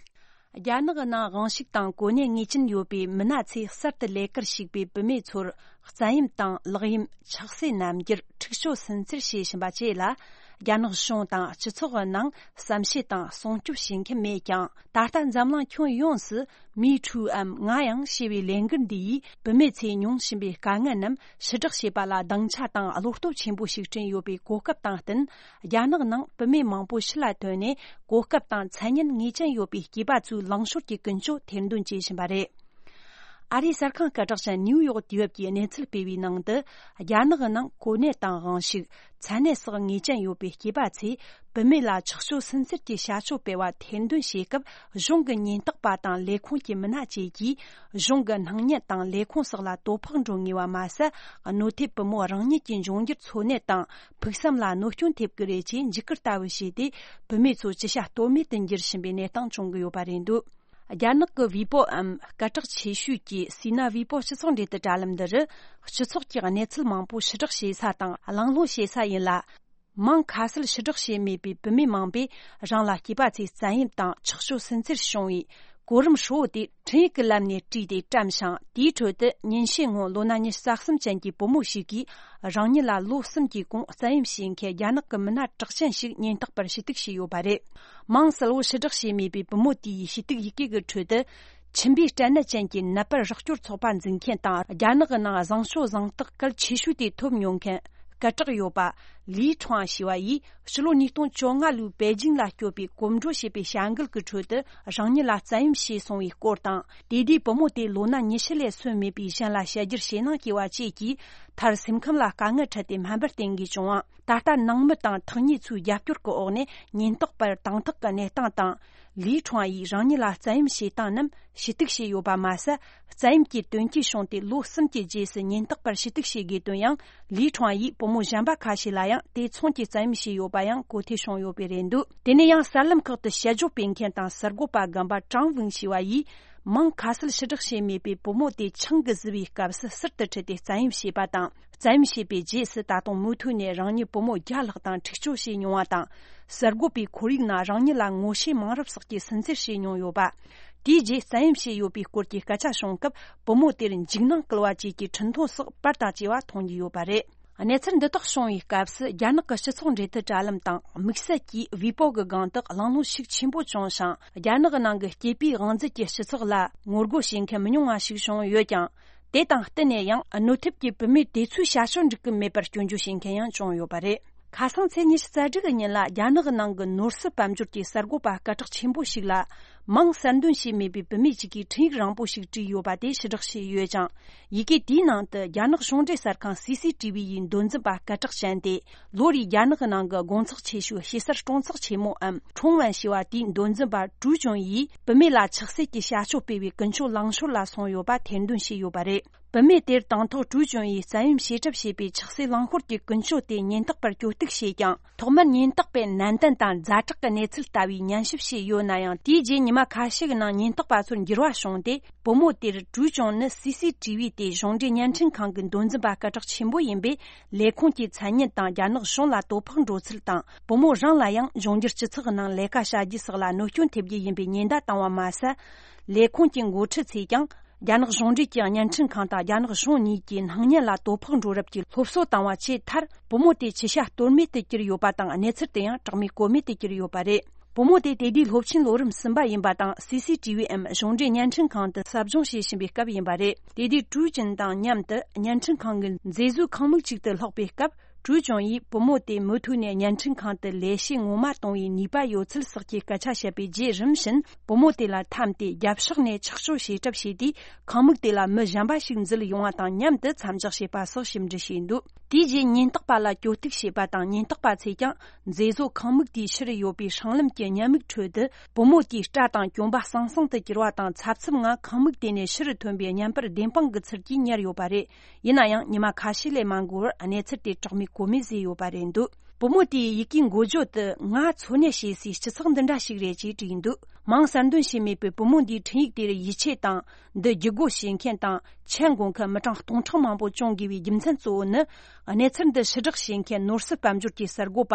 རྒྱ་ནག་གི་ནང་དབང་ཤུགས་དང་གོ་གནས་ངེས་ཅན་ཡོད་པའི་མི་སྣ་ཚོས་གསར་དུ་ལས་ཀར་ཞུགས་པའི་བུད་མེད་ཚོར་བཙན་གཡེམ་དང་ལག་གཡེམ། ཆགས་སྲེད་རྣམ་འགྱུར། འཁྲུག་སྤྱོད་སུན་གཙེར་བྱེད་བཞིན་པ་བཅས་ལ། རྒྱ་ནག་གཞུང་དང་སྤྱི་ཚོགས་ཀྱི་ནང་བསམ་ཤེས་དང་སྲུང་སྐྱོབ་བྱེད་མཁན་མེད་ཀྱང་། ད་ལྟ་འཛམ་གླིང་ཁྱོན་ཡོངས་སུ་Me Too བའམ་ང་ཡང་ཞེས་པའི་ལས་འགུལ་འདི་ཡིས་བུད་མེད་ཚོས་མྱོང་བཞིན་པའི་དཀའ་ངལ་རྣམས་ཕྱིར་བསྒྲགས་བྱེད་པ་ལ་སྡིངས་ཆ་དང་བློ་སྟོབས་ཆེན་པོ་ཞིག་བསྐྲུན་ཡོད་པའི་གོ་སྐབས་དང་བསྟུན། རྒྱ་ནག་ནང་བུད་མེད་མང་པོ་ཕྱི་ལ་ཐོན་ནས་གོ་སྐབས་དང་མཚན་སྙན་ངེས་ཅན་ཡོད་པའི་སྐྱེས་པ་ཚོའི་ལངས་ཤོར་གྱི་ཀུན་སྤྱོད་ཐེར་འདོན་བྱེད་བཞིན་པ་རེད། ཨ་རིའི་གསར་ཁང་སྐད་གྲགས་ཅན་ནིའུ་ཡོག་དུས་བབ་ཀྱིས་གནས་ཚུལ་སྤེལ་བའི་ནང་དུ། རྒྱ་ནག་གི་ནང་གོ་གནས་དང་དབང་ཤུགས། མཚན་གནས་སོགས་ངེས་ཅན་ཡོད་པའི་སྐྱེས་པ་ཚོས་བུད་མེད་ལ་ཆགས་སྤྱོད་སུན་གཙེར་གྱི་བྱ་སྤྱོད་སྤེལ་བ་ཐེར་འདོན་བྱེད་སྐབས། གཞུང་གི་ཉེན་རྟོག་པ་དང་ལས་ཁུངས་ཀྱི་མི་སྣ་བཅས་ཀྱིས་གཞུང་གི་སྣང་བརྙན་དང་ལས་ཁུངས་སོགས་ལ་དོ་ཕོག་འགྲོ་ངེས་པ་མ་ཟད། གནོད་ཐེབས་བུ་མོ་རང་ཉིད་ཀྱི་འབྱུང་འགྱུར་འཚོ་གནས་དང་ཕུགས་བསམ་ལ་གནོད་སྐྱོན་ཐེབས་ཀྱི་རེད་ཅེས་འཇིགས་སྐུལ་ལྟ་བུ་བྱས་ཏེ། བུད་མེད་ཚོ་ཅི་བྱ་གཏོལ་མེད་དུ་འགྱུར་བཞིན་པའི་གནས་སྟངས་བྱུང་གི་ཡོད་པ་རེད་འདུག་རྒྱ་ནག་གི་ཝི་པོ་འམ་སྐད་གྲགས་ཆེ་ཤོས་ཀྱི་སི་ན་ཝི་པོ་སྤྱི་ཚོགས་འབྲེལ་གཏུག་དྲ་ལམ་འདི་རུ། སྤྱི་ཚོགས་ཀྱི་གནས་ཚུལ་མང་པོ་ཕྱིར་བསྒྲགས་བྱེད་ས་དང་གླེང་སློང་བྱེད་ས་ཡིན་ལ། མང་ཁ་གསལ་ཕྱིར་བསྒྲགས་བྱས་མེད་པའི་བུད་མེད་མང་པོས་རང་ལ་སྐྱེས་པ་ཚོས་བཙན་གཡེམ་དང་ཆགས་སྤྱོད་སུན་གཙེར་བྱུང་བའི་གོ་རིམ་ཧྲིལ་བོ་དེ་འཕྲིན་ཡིག་གི་ལམ་ནས་བྲིས་ཏེ་བཀྲམ་ཞིང་། དེའི་ཁྲོད་དུ་ཉིན་ཤས་སྔོན་ལོ་ན་ཉི་ཤུ་རྩ་གསུམ་ཅན་གྱི་བུ་མོ་ཞིག་གིས་རང་ཉིད་ལ་ལོ་གསུམ་གྱི་གོང་བཙན་གཡེམ་བྱེད་མཁན་རྒྱ་ནག་གི་མི་སྣ་གྲགས་ཅན་ཞིག་ཉེན་རྟོག་པར་ཞུ་གཏུག་བྱས་ཡོད་པ་རེད། མང་གསལ་བོ་ཕྱིར་བསྒྲགས་བྱས་མེད་པའི་བུ་མོ་དེའི་ཞུ་གཏུག་ཡི་གེ་གི་ཁྲོད་དུ། མཆིན་པའི་སྐྲན་ནད་ཅན་གྱི་ནད་པར་རོགས་སྐྱོར་ཚོགས་པ་འཛིན་མཁན་དང་། རྒྱ་ནག་གི་ནང་བཟང་སྤྱོད་གཟེངས་རྟགས་གལ་ཆེ་ཤོས་དེ་ཐོབ་མྱོང་མཁན། སྐད་གྲགས་ཡོད་པ་ལི་ཁྲང་ཞེས་པ་ཡིས་ཕྱི་ལོ་ཉིས་སྟོང་བཅོ་ལྔ་ལོའི་པེ་ཅིང་ལ་སྐྱོད་པའི་གོམ་བགྲོད་བྱས་པའི་བྱ་འགུལ་གྱི་ཁྲོད་དུ་རང་ཉིད་ལ་བཙན་གཡེམ་བྱས་སོང་བའི་སྐོར་དང་། དེ་དུས་བུ་མོ་དེ་ལོ་ན་ཉི་ཤུ་ལས་སོན་མེད་པའི་གཞན་ལ་བཤད་རྒྱུར་ཞེད་སྣང་སྐྱེ་བ་བཅས་ཀྱིས་མཐར་སེམས་ཁམས་ལ་དཀའ་ངལ་འཕྲད་དེ་སྨན་པར་བསྟེན་དགོས་བྱུང་བ། ད་ལྟ་ནང་མི་དང་ཐག་ཉེ་ཚོའི་རྒྱབ་སྐྱོར་གྱི་འོག་ནས་ཉེན་རྟོག་པར་དང་ཐོག་གི་གནས་སྟངས་དང་། ལི་ཁྲང་ཡིས་རང་ཉིད་ལ་བཙན་གཡེམ་བྱེད་སྟངས་རྣམས་ཞུ་གཏུག་བྱས་ཡོད་པ་མ་ཟད། བཙན་གཡེམ་གྱི་དོན་རྐྱེན་བྱུང་སྟེ་ལོ་གསུམ་གྱི་རྗེས་སུ་ཉེན་རྟོག་པར་ཞུ་གཏུག་བྱེད་དགོས་དོན་ཡང་། ལི་ཁྲང་ཡིས་བུ་མོ་གཞན་པ་ཁ་ཤས་ལ་ཡང་དེ་མཚུངས་ཀྱི་བཙན་གཡེམ་བྱས་ཡོད་པ་ཡང་གོ་ཐོས་བྱུང་ཡོད་པས་རེད་འདུག་དེ་ནས་ཡང་གསར་ལམ་ཁག་ཏུ་དཔྱད་བརྗོད་སྤེལ་མཁན་དང་གསར་འགོད་པ་རྒན་པ་ཀྲང་ཝུན་ཞེས་པ་ཡིས། མིང་ཁ་གསལ་ཕྱིར་བསྒྲགས་བྱས་མེད་པའི་བུ་མོ་དེ་ཆང་གིས་བཟི་བའི་སྐབས་སུ་ཟུར་དུ་ཁྲིད་དེ་བཙན་གཡེམ་བྱས་པ་དང་། བཙན་གཡེམ་བྱས་པའི་རྗེས་སུ་ད་དུང་མུ་མཐུད་ནས་རང་ཉིད་བུ་མོ་བརྒྱ་ལྷག་དང་འཁྲིག་སྤྱོད་བྱས་མྱོང་བ་དང་། གསར་འགོད་པའི་ཁོར་ཡུག་ནང་རང་ཉིད་ལ་ངོ་ཤེས་མང་རབས་སོགས་ཀྱིས་སུན་གཙེར་བྱས་མྱོང་ཡོད་པ། དེའི་རྗེས་བཙན་གཡེམ་བྱས་ཡོད་པའི་སྐོར་གྱི་སྐད་ཆ་བྱུང་སྐབས། བུ་མོ་དེར་འཇིགས་སྣང་སྐུལ་བ་བཅས་ཀྱི་འཕྲིན་ཐུང་སོགས་པར་དང་བཅས་པ་མཐོང་རྒྱུ་ཡོད་པ་རེད། གནས་ཚུལ་འདི་དག་བྱུང་བའི་སྐབས་སུ། རྒྱ་ནག་གི་སྤྱི་ཚོགས་འབྲེལ་མཐུད་དྲ་ལམ་དང་དམིགས་བསལ་གྱིས་ཝི་པོ་གི་སྒང་དུ་གླེང་སློང་ཤུགས་ཆེན་པོ་བྱུང་ཞིང་། རྒྱ་ནག་གི་ནང་གི་སྐྱེས་པའི་དབང་འཛིན་གྱི་སྤྱི་ཚོགས་ལ་ངོ་རྒོལ་བྱེད་མཁན་མི་ཉུང་བ་ཞིག་བྱུང་ཡོད་ཀྱང་། དེ་དང་བསྟུན་ནས་ཡང་། གནོད་ཐེབས་ཀྱི་བུད་མེད་དེ་ཚོའི་བྱ་སྤྱོད་འགྲིག་གི་མེད་པར་སྐྱོན་བརྗོད་བྱེད་མཁན་ཡང་བྱུང་ཡོད་པ་རེད། ཁ་སང་ཚེས་ཉི་ཤུ་རྩ་དྲུག་གི་ཉིན་ལ། རྒྱ་ནག་གི་ནང་གི་ནོར་སྲིད་དཔལ་འབྱོར་གྱི་གསར་འགོད་པ་སྐད་གྲགས་ཆེན་པོ་ཞིག་ལ། མིང་གསལ་འདོན་བྱས་མེད་པའི་བུད་མེད་ཅིག་གིས་འཕྲིན་ཡིག་རིང་པོ་ཞིག་བྲིས་ཡོད་པ་དེ་ཕྱིར་བསྒྲགས་བྱས་ཡོད་ཅིང་། ཡི་གེ་དེའི་ནང་དུ། རྒྱ་ནག་གཞུང་འབྲེལ་གསར་ཁང་སི་སི་ཊི་བི་ཡི་མདོ་འཛིན་པ་སྐད་གྲགས་ཅན་ཏེ། ལོ་རེའི་རྒྱ་ནག་གི་ནང་གི་དགོང་ཚགས་ཆེ་ཤོས་ཞེ་སར་གྲོང་ཚགས་ཆེན་མོའམ་ཁྲུང་ཝན་ཞེས་པ་དེའི་མདོ་འཛིན་པ་ཀྲུའུ་ཅུན་ཡིས། བུད་མེད་ལ་ཆགས་སྲེད་ཀྱི་བྱ་སྤྱོད་སྤེལ་བའི་ཀུན་སྤྱོད་ལངས་ཕྱོགས་ལ་སོང་ཡོད་པ་ཐེར་འདོན་བྱས་ཡོད་པ་རེད། བུད་མེད་དེར་དང་ཐོག་ཀྲུའུ་ཅུན་ཡིས་བཙན་གཡེམ་བྱེད་གྲབས་བྱས་པའི་ཆགས་སྲེད་ལངས་ཤོར་གྱི་ཀུན་སྤྱོད་དེ་ཉེན་རྟོག་པར་གྱོད་གཏུག་བྱས་ཀྱང་། ཐོག་མར་ཉེན་རྟོག་པས་ནན་ཏན་དང་ཛ་དྲག་གི་གནས་ཚུལ་ལྟ་བུའི་ཉན་ཞིབ་བྱས་ཡོད་ན་ཡང་། དེའི་རྗེས་ཉི་མ་ཁ་ཤས་ཀྱི་ནང་ཉེན་རྟོག་པ་ཚོར་འགྱུར་བ་བྱུང་སྟེ། བུ་མོ་དེར་ཀྲུའུ་ཅུན་ནི་སི་སི་ཊི་བི་སྟེ་གཞུང་འབྲེལ་བརྙན་འཕྲིན་ཁང་གི་མདོ་འཛིན་པ་སྐད་གྲགས་ཆེན་པོ་ཡིན་པས། ལས་ཁུངས་ཀྱི་མཚན་སྙན་དང་རྒྱ་ནག་གཞུང་ལ་དོ་ཕོག་འགྲོ་ཚུལ་དང་། བུ་མོ་རང་ལ་ཡང་འབྱུང་འགྱུར་སྤྱི་ཚོགས་ནང་ལས་ཀ་བྱ་རྒྱུ་སོགས་ལ་གནོད་སྐྱོན་ཐེབས་རྒྱུ་ཡིན་པའི་ཉེན་བརྡ་བཏང་བ་མ་ཟད། ལས་ཁུངས་ཀྱི་འགོ་ཁྲིད་ཚོས་ཀྱང་། རྒྱ་ནག་གཞུང་འབྲེལ་གྱི་བརྙན་འཕྲིན་ཁང་དང་རྒྱ་ནག་གཞུང་གཉིས་ཀྱི་སྣང་བརྙན་ལ་དོ་ཕོག་འགྲོ་རབས་ཀྱི་སློབ་གསོ་བཏང་བ་བཅས་མཐར། བུ་མོ་དེ་ཅི་བྱ་གཏོལ་མེད་དུ་གྱུར་ཡོད་པ་དང་། གནས་ཚུལ་དེ་ཡང་གྲགས་མེད་གོ་མེད་དུ་གྱུར་ཡོད་པ་རེད། བུ་མོ་དེ་དེ་དུས་སློབ་ཆེན་ལོ་རིམ་གསུམ་པ་ཡིན་པ་དང་། སི་སི་ཊི་བི་འམ་གཞུང་འབྲེལ་བརྙན་འཕྲིན་ཁང་དུ་ཟབ་སྦྱོང་བྱེད་བཞིན་པའི་སྐབས་ཡིན་པ་རེད། དེ་དུས་ཀྲུའུ་ཅུན་དང་མཉམ་དུ་བརྙན་འཕྲིན་ཁང་གི་མཛེས་བཟོའི་ཁང་མིག་ཅིག་ཏུ་ལྷགས་པའི་སྐབས། ཀྲུའུ་ཅུན་ཡིས་བུ་མོ་དེ་མུ་མཐུད་ནས་བརྙན་འཕྲིན་ཁང་དུ་ལས་བྱེད་ངོ་མ་གཏོང་བའི་ནུས་པ་ཡོད་ཚུལ་སོགས་ཀྱི་སྐད་ཆ་བཤད་པའི་རྗེས། རིམ་བཞིན་བུ་མོ་དེ་ལ་འཐམས་ཏེ་རྒྱབ་ཕྱོགས་ནས་ཆགས་སྤྱོད་བྱེད་གྲབས་བྱས་དུས། ཁང་མིག་དེ་ལ་མི་གཞན་པ་ཞིག་འཛུལ་ཡོང་བ་དང་མཉམ་དུ་མཚམས་འཇོག་བྱས་པ་སོགས་ཞིབ་འབྲི་བྱས་འདུག་དེའི་རྗེས་ཉེན་རྟོག་པ་ལ་གྱོད་གཏུག་བྱས་པ་དང་། ཉེན་རྟོག་པ་ཚོས་ཀྱང་མཛེས་བཟོ་ཁང་མིག་དེའི་ཕྱིར་ཡོད་པའི་སྲང་ལམ་གྱི་ཉེན་མིག་ཁྲོད་དུ། བུ་མོ་དེའི་སྐྲ་དང་གྱོན་པ་ཟང་ཟིང་དུ་གྱུར་བ་དང་། འཚབ་འཚུབ་ངང་ཁང་མིག་དེ་ནས་ཕྱིར་ཐོན་པའི་བརྙན་པར་བདེན་དཔང་གི་ཚུལ་གྱིས་ཉར་ཡོད་པ་རེད། ཡིན་ན་ཡང་ཉི་མ་ཁ་ཤས་ལས་མ་འགོར་བར་གནས་ཚུལ་དེ་གྲགས་མེད་གོ་མེད་བཟོས་ཡོད་པ་རེད་འདུག་བུ་མོ་དེའི་ཡི་གེའི་འགོ་བརྗོད་དུ། ང་འཚོ་གནས་བྱེད་སའི་སྤྱི་ཚོགས་འདི་འདྲ་ཞིག་རེད་ཅེས་བྲིས་འདུག་མིང་གསལ་འདོན་བྱས་མེད་པའི་བུ་མོ་འདིའི་འཕྲིན་ཡིག་དེར་ཡིད་ཆེས་དང་། འདི་བརྒྱུད་སྒོ་བྱེད་མཁན་དང་མཆན་འགོད་མཁན་མི་གྲངས་སྟོང་ཕྲག་མང་པོ་བྱུང་དགོས་པའི་རྒྱུ་མཚན་གཙོ་བོ་ནི། གནས་ཚུལ་འདི་ཕྱིར་བསྒྲགས་བྱེད་མཁན་ནོར་སྲིད་དཔལ་འབྱོར་གྱི་གསར་འགོད་པ་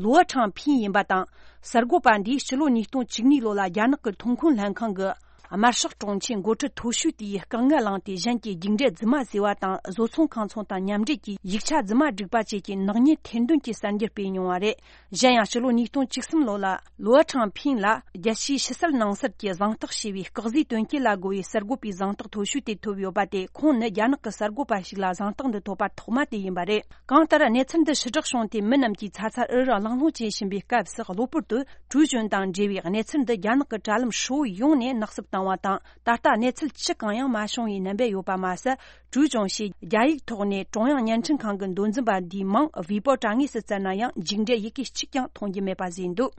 ལུའུ་ཁྲང་ཕིང་ཡིན་པ་དང་། གསར་འགོད་པ་འདིས་ཕྱི་ལོ་ཉིས་སྟོང་བཅུ་གཉིས་ལོ་ལ་རྒྱ་ནག་གི་ཐོན་ཁུངས་ལྷན་ཁང་གི་དམར་ཤོག་དྲུང་ཆེ་འགོ་ཁྲིད་མཐོ་ཤོས་དེའི་དཀའ་ངལ་བླངས་ཏེ། གཞན་གྱི་རྒྱུགས་འབྲས་རྫུན་མ་བཟོས་པ་དང་། བཟོ་ཚོང་ཁང་ཚོང་དང་མཉམ་འབྲེལ་གྱིས་ཡིག་ཆ་རྫུན་མ་བསྒྲིགས་པ་བཅས་ཀྱི་ནག་ཉེས་ཐེར་འདོན་གྱི་གསར་འགྱུར་སྤེལ་མྱོང་བ་རེད། གཞན་ཡང་ཕྱི་ལོ་ཉིས་སྟོང་བཅུ་གསུམ་ལོ་ལ། ལུའུ་ཁྲང་ཕིང་ལ་རྒྱལ་སྤྱིའི་ཕྱི་གསལ་ནང་གསལ་གྱི་གཟེངས་རྟགས་ཞེས་པའི་སྐག་ཟས་དོན་རྐྱེན་ལ་རྒོལ་བའི་གསར་འགོད་པའི་གཟེངས་རྟགས་མཐོ་ཤོས་དེ་ཐོབ་ཡོད་པ་སྟེ། ཁོང་ནི་རྒྱ་ནག་གི་གསར་འགོད་པ་ཞིག་ལ་གཟེངས་རྟགས་འདི་ཐོབ་པ་ཐོག་མ་དེ་ཡིན་པ་རེད། གང་ལྟར། གནས་ཚུལ་འདི་ཕྱིར་བསྒྲགས་བྱུང་སྟེ། མི་རྣམས་ཀྱིས་ཚ་ཚ་འུར་འུར་གླེང་སློང་བྱེད་བཞིན་པའི་སྐབས་སུ། གློ་བུར་དུ་ཀྲུའུ་ཅུན་དང་འབྲེལ་བའི་གནས་ཚུལ་འདི་རྒྱ་ནག་གི་དྲ་ལམ་ཧྲིལ་བོ་ཡོངས་ནས་ནག་བསུབ་བཏང་བ་དང་། ད་ལྟ་གནས་ཚུལ་ཅི་གང་ཡང་མ་བྱུང་བའི་རྣམ་པ་ཡོད་པ་མ་ཟད། ཀྲུའུ་ཅུན་ཞེས་རྒྱ་ཡིག་ཐོག་ནས་ཀྲུང་དབྱང་བརྙན་འཕྲིན་ཁང་གི་མདོ་འཛིན་པ་འདིའི་མིང་ཝི་པོ་དྲ་ངོས་སུ་བཙལ་ན་ཡང་། རྒྱུགས་འབྲས་ཡི་གེ་གཅིག་ཀྱང་མཐོང་རྒྱུ་མེད་པ་བཟོས་འདུག་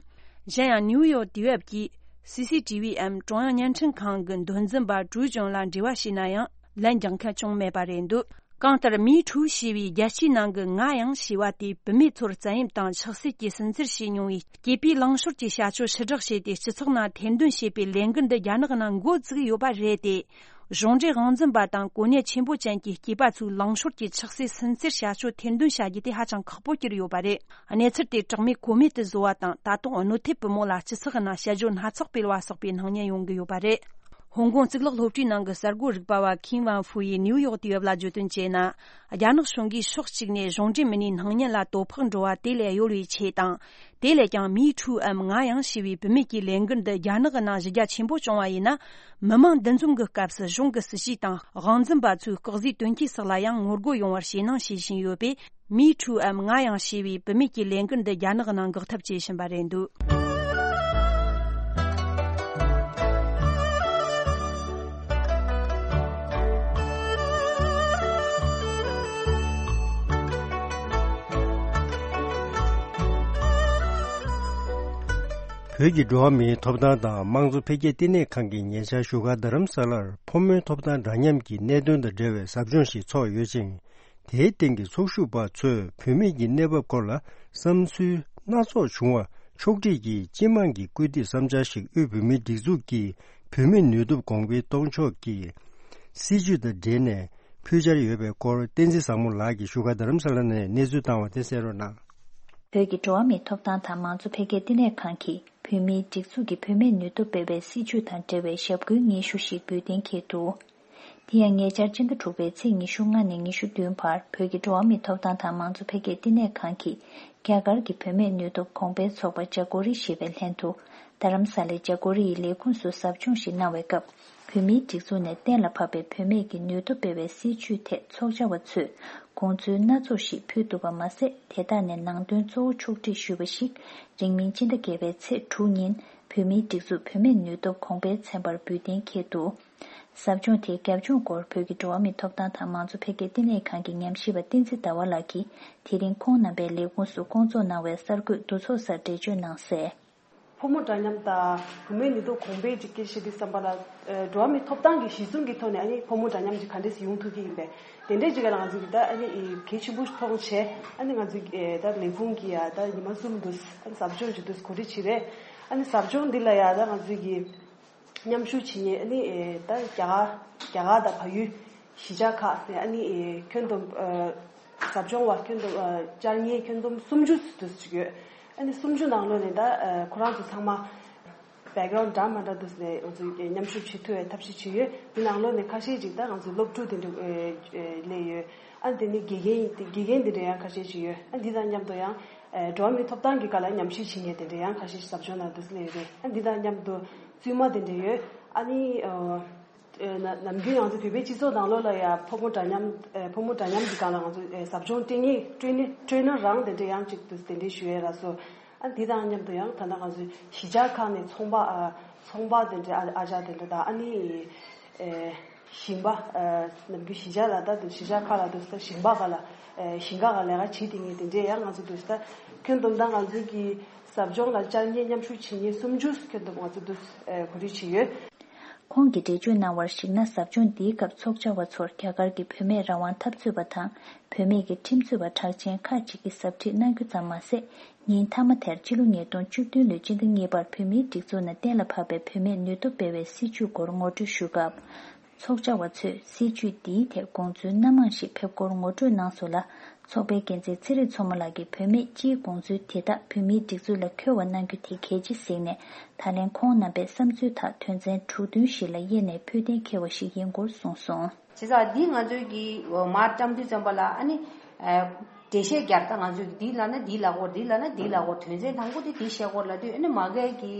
གཞན་ཡང་། ནིའུ་ཡོག་དུས་བབ་ཀྱིས། སི་སི་ཊི་བི་འམ་ཀྲུང་དབྱང་བརྙན་འཕྲིན་ཁང་གི་མདོ་འཛིན་པ་ཀྲུའུ་ཅུན་ལ་འབྲེལ་བ་བྱས་ན་ཡང་། ལན་རྒྱག་མཁན་བྱུང་མེད་པ་རེད་འདུག་གང་ལྟར། མི་ཁྲུའུ་ཞེས་པའི་རྒྱལ་སྤྱིའི་ནང་གི་ང་ཡང་ཞེས་པ་དེས། བུད་མེད་ཚོར་བཙན་གཡེམ་དང་ཆགས་སྲེད་ཀྱིས་སུན་གཙེར་བྱས་མྱོང་བའི་སྐྱེས་པའི་ལངས་ཕྱོགས་ཀྱི་བྱ་སྤྱོད་ཕྱིར་བསྒྲགས་བྱས་ཏེ། སྤྱི་ཚོགས་ནང་ཐེར་འདོན་བྱེད་པའི་ལས་འགུལ་འདི་རྒྱ་ནག་ནང་འགོ་བཙུགས་ཡོད་པ་རེད་དེ། གཞུང་འབྲེལ་དབང་འཛིན་པ་དང་གོ་གནས་ཆེན་པོ་ཅན་གྱི་སྐྱེས་པ་ཚོའི་ལངས་ཕྱོགས་ཀྱི་ཆགས་སྲེད་སུན་གཙེར་བྱ་སྤྱོད་ཐེར་འདོན་བྱ་རྒྱུ་དེ་ཧ་ཅང་ཁག་པོ་གྱུར་ཡོད་པ་རེད། གནས་ཚུལ་དེ་གྲགས་མེད་གོ་མེད་དུ་བཟོ་བ་དང་། ད་དུང་གནོད་ཐེབས་བུ་མོ་ལ་སྤྱི་ཚོགས་ནང་དཔྱད་བརྗོད་སྣ་ཚོགས་སྤེལ་བ་སོགས་པའི་སྣང་བརྙན་ཡོང་གི་ཡོད་པ་རེད། ཧོང་ཀོང་གཙུག་ལག་སློབ་གྲྭའི་ནང་གི་གསར་འགོད་རིག་པ་བ་ཁིན་ཝང་ཧྥུ་ཡིས་ནིའུ་ཡོག་དུས་བབ་ལ་བརྗོད་དོན་བྱས་ན། རྒྱ་ནག་གཞུང་གིས་ཕྱོགས་གཅིག་ནས་གཞུང་འབྲེལ་མི་སྣའི་སྣང་བརྙན་ལ་དོ་ཕོག་འགྲོ་བ་དེ་ལས་གཡོལ་བའི་ཆེད་དང་། དེ་ལས་ཀྱང་མི་ཁྲུའུ་ཨམ་ང་ཡང་ཞེས་པའི་བུད་མེད་ཀྱི་ལས་འགུལ་འདི་རྒྱ་ནག་གི་ནང་གཞི་རྒྱ་ཆེན་པོ་བྱུང་བ་ཡིན་ན། མི་མང་འདུ་འཛོམས་ཀྱི་སྐབས་སུ་གཞུང་གི་སྲིད་ཇུས་དང་དབང་འཛིན་པ་ཚོའི་སྐོག་ཟའི་དོན་རྐྱེན་སོགས་ལ་ཡང་ངོ་རྒོལ་ཡོང་བར་བྱེད་སྣང་བྱེད་བཞིན་ཡོད་པས། མི་ཁྲུའུ་ཨམ་ང་ཡང་ཞེས་པའི་བུད་མེད་ཀྱི་ལས་འགུལ་འདི་རྒྱ་ནག་ནང་འགག་ཐབས་བྱེད་བཞིན་པ་རེད་འདུག་བོད་ཀྱི་འགྲོ་བ་མིའི་ཐོབ་ཐང་དང་དམངས་གཙོ་འཕེལ་རྒྱས་ལྟེ་གནས་ཁང་གིས་ཉེ་ཆར་བཞུགས་སྒར་རྡ་རམ་ས་ལར་ཕོ་མོའི་ཐོབ་ཐང་འདྲ་མཉམ་གྱི་གནད་དོན་དང་འབྲེལ་བའི་ཟབ་སྦྱོང་ཞིག་ཚོགས་ཡོད་ཅིང་། དེའི་སྟེང་གི་ཚོགས་ཞུགས་པ་ཚོས་བུད་མེད་ཀྱི་གནས་བབ་སྐོར་ལ་བསམ་ཚུལ་སྣ་ཚོགས་བྱུང་བ་ཕྱོགས་སྒྲིག་གིས་སྤྱི་དམངས་ཀྱི་སྐུལ་འདེད་བསམ་འཆར་ཞིག་དབུས་བོད་མིའི་སྒྲིག་འཛུགས་ཀྱི་བུད་མེད་ནུས་སྟོབས་གོང་འཕེལ་གཏོང་ཕྱོགས་ཀྱི་སྲིད་ཇུས་དང་འབྲེལ་ནས་ཕུལ་འཆར་ཡོད་པའི་སྐོར། བསྟན་འཛིན་བཟང་མོ་ལགས་ཀྱིས་བཞུགས་སྒར་རྡ་རམ་ས་ལ་ནས་གནས་ཚུལ་བཏང་བ་དེ་གསན་རོགས་གནང་། བོད་ཀྱི་འགྲོ་བ་མིའི་ཐོབ་ཐང་དང་མང་གཙོ་འཕེལ་རྒྱས་ལྟེ་གནས་ཁང་གིས་བོད་མིའི་སྒྲིག་འཛུགས་ཀྱི་བུད་མེད་ནུས་སྟོབས་སྤེལ་བའི་སྲིད་ཇུས་དང་འབྲེལ་བའི་ཞབས་སྐུལ་སྙན་ཞུ་ཞིག་འབུལ་གཏན་འཁེལ་འདུག་དེ་ཡང་ཉེ་ཆར་སྤྱི་ཟླ་དྲུག་པའི་ཚེས་ཉི་ཤུ་ལྔ་ནས་ཉི་ཤུ་བདུན་བར་བོད་ཀྱི་འགྲོ་བ་མིའི་ཐོབ་ཐང་དང་མང་གཙོ་འཕེལ་རྒྱས་ལྟེ་གནས་ཁང་གིས་རྒྱ་གར་གྱི་བུད་མེད་ནུས་སྟོབས་གོང་འཕེལ་ཚོགས་པ་ཇ་ཀོ་རི་ཞེས་པའི་ལྷན་དུ་རྡ་རམ་ས་ལའི་ཇ་ཀོ་རི་ཡི་ལས་ཁུངས་སུ་ཟབ་སྦྱོང་ཞིག་གནང་བའི་སྐབས། བོད་མིའི་སྒྲིག་འཛུགས་ནས་གཏན་ལ་ཕབ་པའི་བུད་མེད་ཀྱི་ནུས་སྟོབས་སྤེལ་བའི་སྲིད་ཇུས་ཐད་ཚོགས་བཅར་བ་ཚོས་དགོངས་ཚུལ་སྣ་ཚོགས་ཤིག་ཕུལ་འདུག་པ་མ་ཟད། དེ་དག་ནས་ནང་དོན་གཙོ་བོ་ཕྱོགས་སྒྲིག་ཞུས་པ་ཞིག་རིང་མིན་སྤྱི་ཟླ་བརྒྱད་པའི་ཚེས་དྲུག་ཉིན་བོད་མིའི་སྒྲིག་འཛུགས་བུད་མེད་ནུས་སྟོབས་གོང་འཕེལ་ཚན་པར་འབུལ་གཏན་འཁེལ་འདུག་ཟབ་སྦྱོང་དེའི་རྒྱབ་ལྗོངས་སྐོར་བོད་ཀྱི་འགྲོ་བ་མིའི་ཐོབ་ཐང་དང་མང་གཙོ་འཕེལ་རྒྱས་ལྟེ་གནས་ཁང་གི་ཉམས་ཞིབ་པ་བསྟན་འཛིན་ཟླ་བ་ལགས་ཀྱིས་དེ་རིང་ཁོང་རྣམ་པའི་ལས་ཁུངས་སུ་སྐོང་ཚོགས་གནང་བའི་གསར་འགོད་འདུ་ཚོགས་སར་འགྲེལ་བརྗོད་གནང་གསལ། ཕོ་མོ་འདྲ་མཉམ་དང་བུད་མེད་ནུས་སྟོབས་གོང་འཕེལ་གྱི་སྐད་ཆ་དེ་བསམ་པ་ལ། ཨ། འགྲོ་བ་མིའི་ཐོབ་ཐང་གི་གཞི་བཟུང་གི་ཐོག་ནས་ཨ་ནི་ཕོ་མོ་འདྲ་མཉམ་གྱི་ག་འདྲས་ཡོང་ཐུབ་ཀྱི་ཡིན་པས། དེ་འདྲས་ཅིག་ལ་ང་ཚོ་གི་ད་ཨ་ནི་གལ་ཆེན་པོ་མཐོང་བྱས། ཨ་ནི་ང་ཚོ་གི་ད་ལས་ཁུངས་ཀྱི་ཡ་ད་ཉི་མ་གསུམ་དུ་ཨ་ནི་ཟབ་སྦྱོང་ཅིག་འདུག་གོ་སྒྲིག་བྱས་པས། ཨ་ནི་ཟབ་སྦྱོང་འདི་ལ་ཡ་ད་ང་ཚོ་གི་མཉམ་ཞུགས་བྱེད་མཁན་ཨ་ནི་ད་རྒྱ་གར་རྒྱ་གར་དང་བལ་ཡུལ་གཞིས་ཆགས་ཁག་ནས་ཨ་ནི་ཁྱོན་བསྡོམས་ཟབ་སྦྱོང་བ་ཁྱོན་བསྡོམས་བཅར་མཁན་ཁྱོན་བསྡོམས་སུམ་ཅུ་དུ་ཅིག་ཡོད། ཨ་ནི་སུམ་ཅུ་ནང་ལོགས་ནས་ད་ཁོ་རང་ཚོ་ཚང་མ་བེག་གྷ་རའུན་ཌི་འདྲ་མི་འདྲ་འདུག་ནས་ང་ཚོས་མཉམ་ཞུགས་བྱེད་ཐུབ་པའི་ཐབས་ཤེས་བྱས་ཡོད། དེ་ནང་ལོགས་ནས་ཁ་ཤས་ཅིག་ད་ང་ཚོའི་སློབ་ཕྲུག་དེ་འདྲ་སླེབས་ཡོད། ཨ་ནི་དེ་ནས་དགེ་རྒན་དགེ་རྒན་དེ་འདྲ་ཡང་ཁ་ཤས་ཅིག་ཡོད། ཨ་ནི་འདི་དང་མཉམ་དུ་ཡང་འགྲོ་བ་མིའི་ཐོབ་ཐང་གི་སྒང་ལ་ཉམས་ཞིབ་བྱེད་མཁན་དེ་འདྲ་ཡང་ཁ་ཤས་ཟབ་སྦྱོང་ནང་དུ་སླེབས་ཡོད་རེད། ཨ་ནི་འདི་དང་མཉམ་དུ་བཙུན་མ་དེ་འདྲ་ཡོད། ཨ་ནི་ཨ། ཨེ། ན་ནམ་རྒྱུན་ང་ཚོ་བོད་པའི་སྤྱི་ཚོགས་ནང་ལོགས་ལ་ཡང་ཕོ་མོ་འདྲ་མཉམ། ཨེ། ཕོ་མོ་འདྲ་མཉམ་གྱི་སྒང་ལ་ང་ཚོ་ཨེ་ཟབ་སྦྱོང་སྤྲད་མཁན་སྤྲད་ན་སྤྲད་ན་རང་དེ་འདྲ་ཡང་ཅིག་ཏུ་དེ་འདྲ་ཞུ་ཡས་ལ་སོགས། ཨ་འདི་དང་མཉམ་དུ་ཡང་ད་ལྟ་ང་ཚོའི་གཞིས་ཆགས་ཁག་ནས་ཚོང་པ་ཨ་ཚོང་པ་དེ་འདྲ་ཨ་ཨ་ཅག་དེ་འདྲ་དང་ཨ་ནི་ཨེ་ཞིང་པ་ཨ་ནམ་རྒྱུན་གཞིས་ཆགས་ལ་ད་དུ་གཞིས་ཆགས་ཁག་ལ་དུ་ས་ཞིང་པ་ག་ལ་ཨེ་ཞིང་ཁ་ག་ལས་ཀ་བྱེད་དེ་ངས་དེ་འདྲ་ཡང་ང་ཚོ་དུ་ས་ཁྱོན་བསྡོམས་ད་ང་ཚོའི་གི་ཟབ་སྦྱོང་ལ་བཅར་མཁན་མཉམ་ཞུགས་བྱེད་མཁན་སུམ་ཅུ་ཁྱོན་བསྡོམས་ང་ཚོ་དུ་ཨེ་གོ་སྒྲིག་བྱས་ཡོད། ཁོང་གིས་འགྲེལ་བརྗོད་གནང་བར་གཞིགས་ན། ཟབ་སྦྱོང་འདིའི་སྐབས་ཚོགས་བཅར་བ་ཚོར་རྒྱ་གར་གྱི་བུད་མེད་རང་དབང་འཐབ་རྩོད་པ་དང་། བུད་མེད་ཀྱི་ཁྲིམས་རྩོད་པ་གྲགས་ཅན་ཁག་ཅིག་གིས་ཟབ་ཁྲིད་གནང་རྒྱུ་ཙམ་མ་ཟད། ཉིན་མཐའ་མ་དེར་ཕྱི་ལོ་ཉིས་སྟོང་བཅུ་བདུན་ལོའི་སྤྱི་ཟླ་གཉིས་པར་བོད་མིའི་སྒྲིག་འཛུགས་ནས་གཏན་ལ་ཕབ་པའི་བུད་མེད་ནུས་སྟོབས་སྤེལ་བའི་སྲིད་ཇུས་སྐོར་ངོ་སྤྲོད་ཞུ་སྐབས། ཚོགས་བཅར་བ་ཚོས་སྲིད་ཇུས་འདིའི་ཐད་དགོངས་ཚུལ་སྣ་མང་ཞིག་ཕེབས་སྐོར་ངོ་སྤྲོད་གནང་སོང་ལ། ཚོགས་པའི་འགན་འཛིན་ཚེ་རིང་མཚོ་མོ་ལགས་ཀྱིས་བུད་མེད་སྤྱིའི་དགོངས་ཚུལ་དེ་དག་བོད་མིའི་སྒྲིག་འཛུགས་ལ་འཁྱོལ་བ་གནང་རྒྱུ་དེ་གལ་ཆེ་གཟིགས་ནས། ད་ལན་ཁོང་རྣམ་པས་བསམ་ཚུལ་དག་དོན་ཚན་དྲུག་བདུན་ཞིག་ལ་དབྱེ་ནས་ཕུལ་གཏན་འཁེལ་བ་ཞིག་ཡིན་སྐོར་གསུངས་སོང་། བྱས་ཙང་འདི་ང་ཚོའི་གི་མར་བཀྲམ་དུས་ཙམ་པ་ལ་ཨ་ནི་འགྲེལ་བཤད་རྒྱབ། ད་ང་ཚོས་འདི་ལབ་ན་འདི་ལབ་དགོས། འདི་ལབ་ན་འདི་ལབ་དགོས། དོན་ཚན་དང་པོ་དེ་འདི་བཤད་དགོས་ལབ་དུས། ཨ་ནི་མ་གིའི་གི་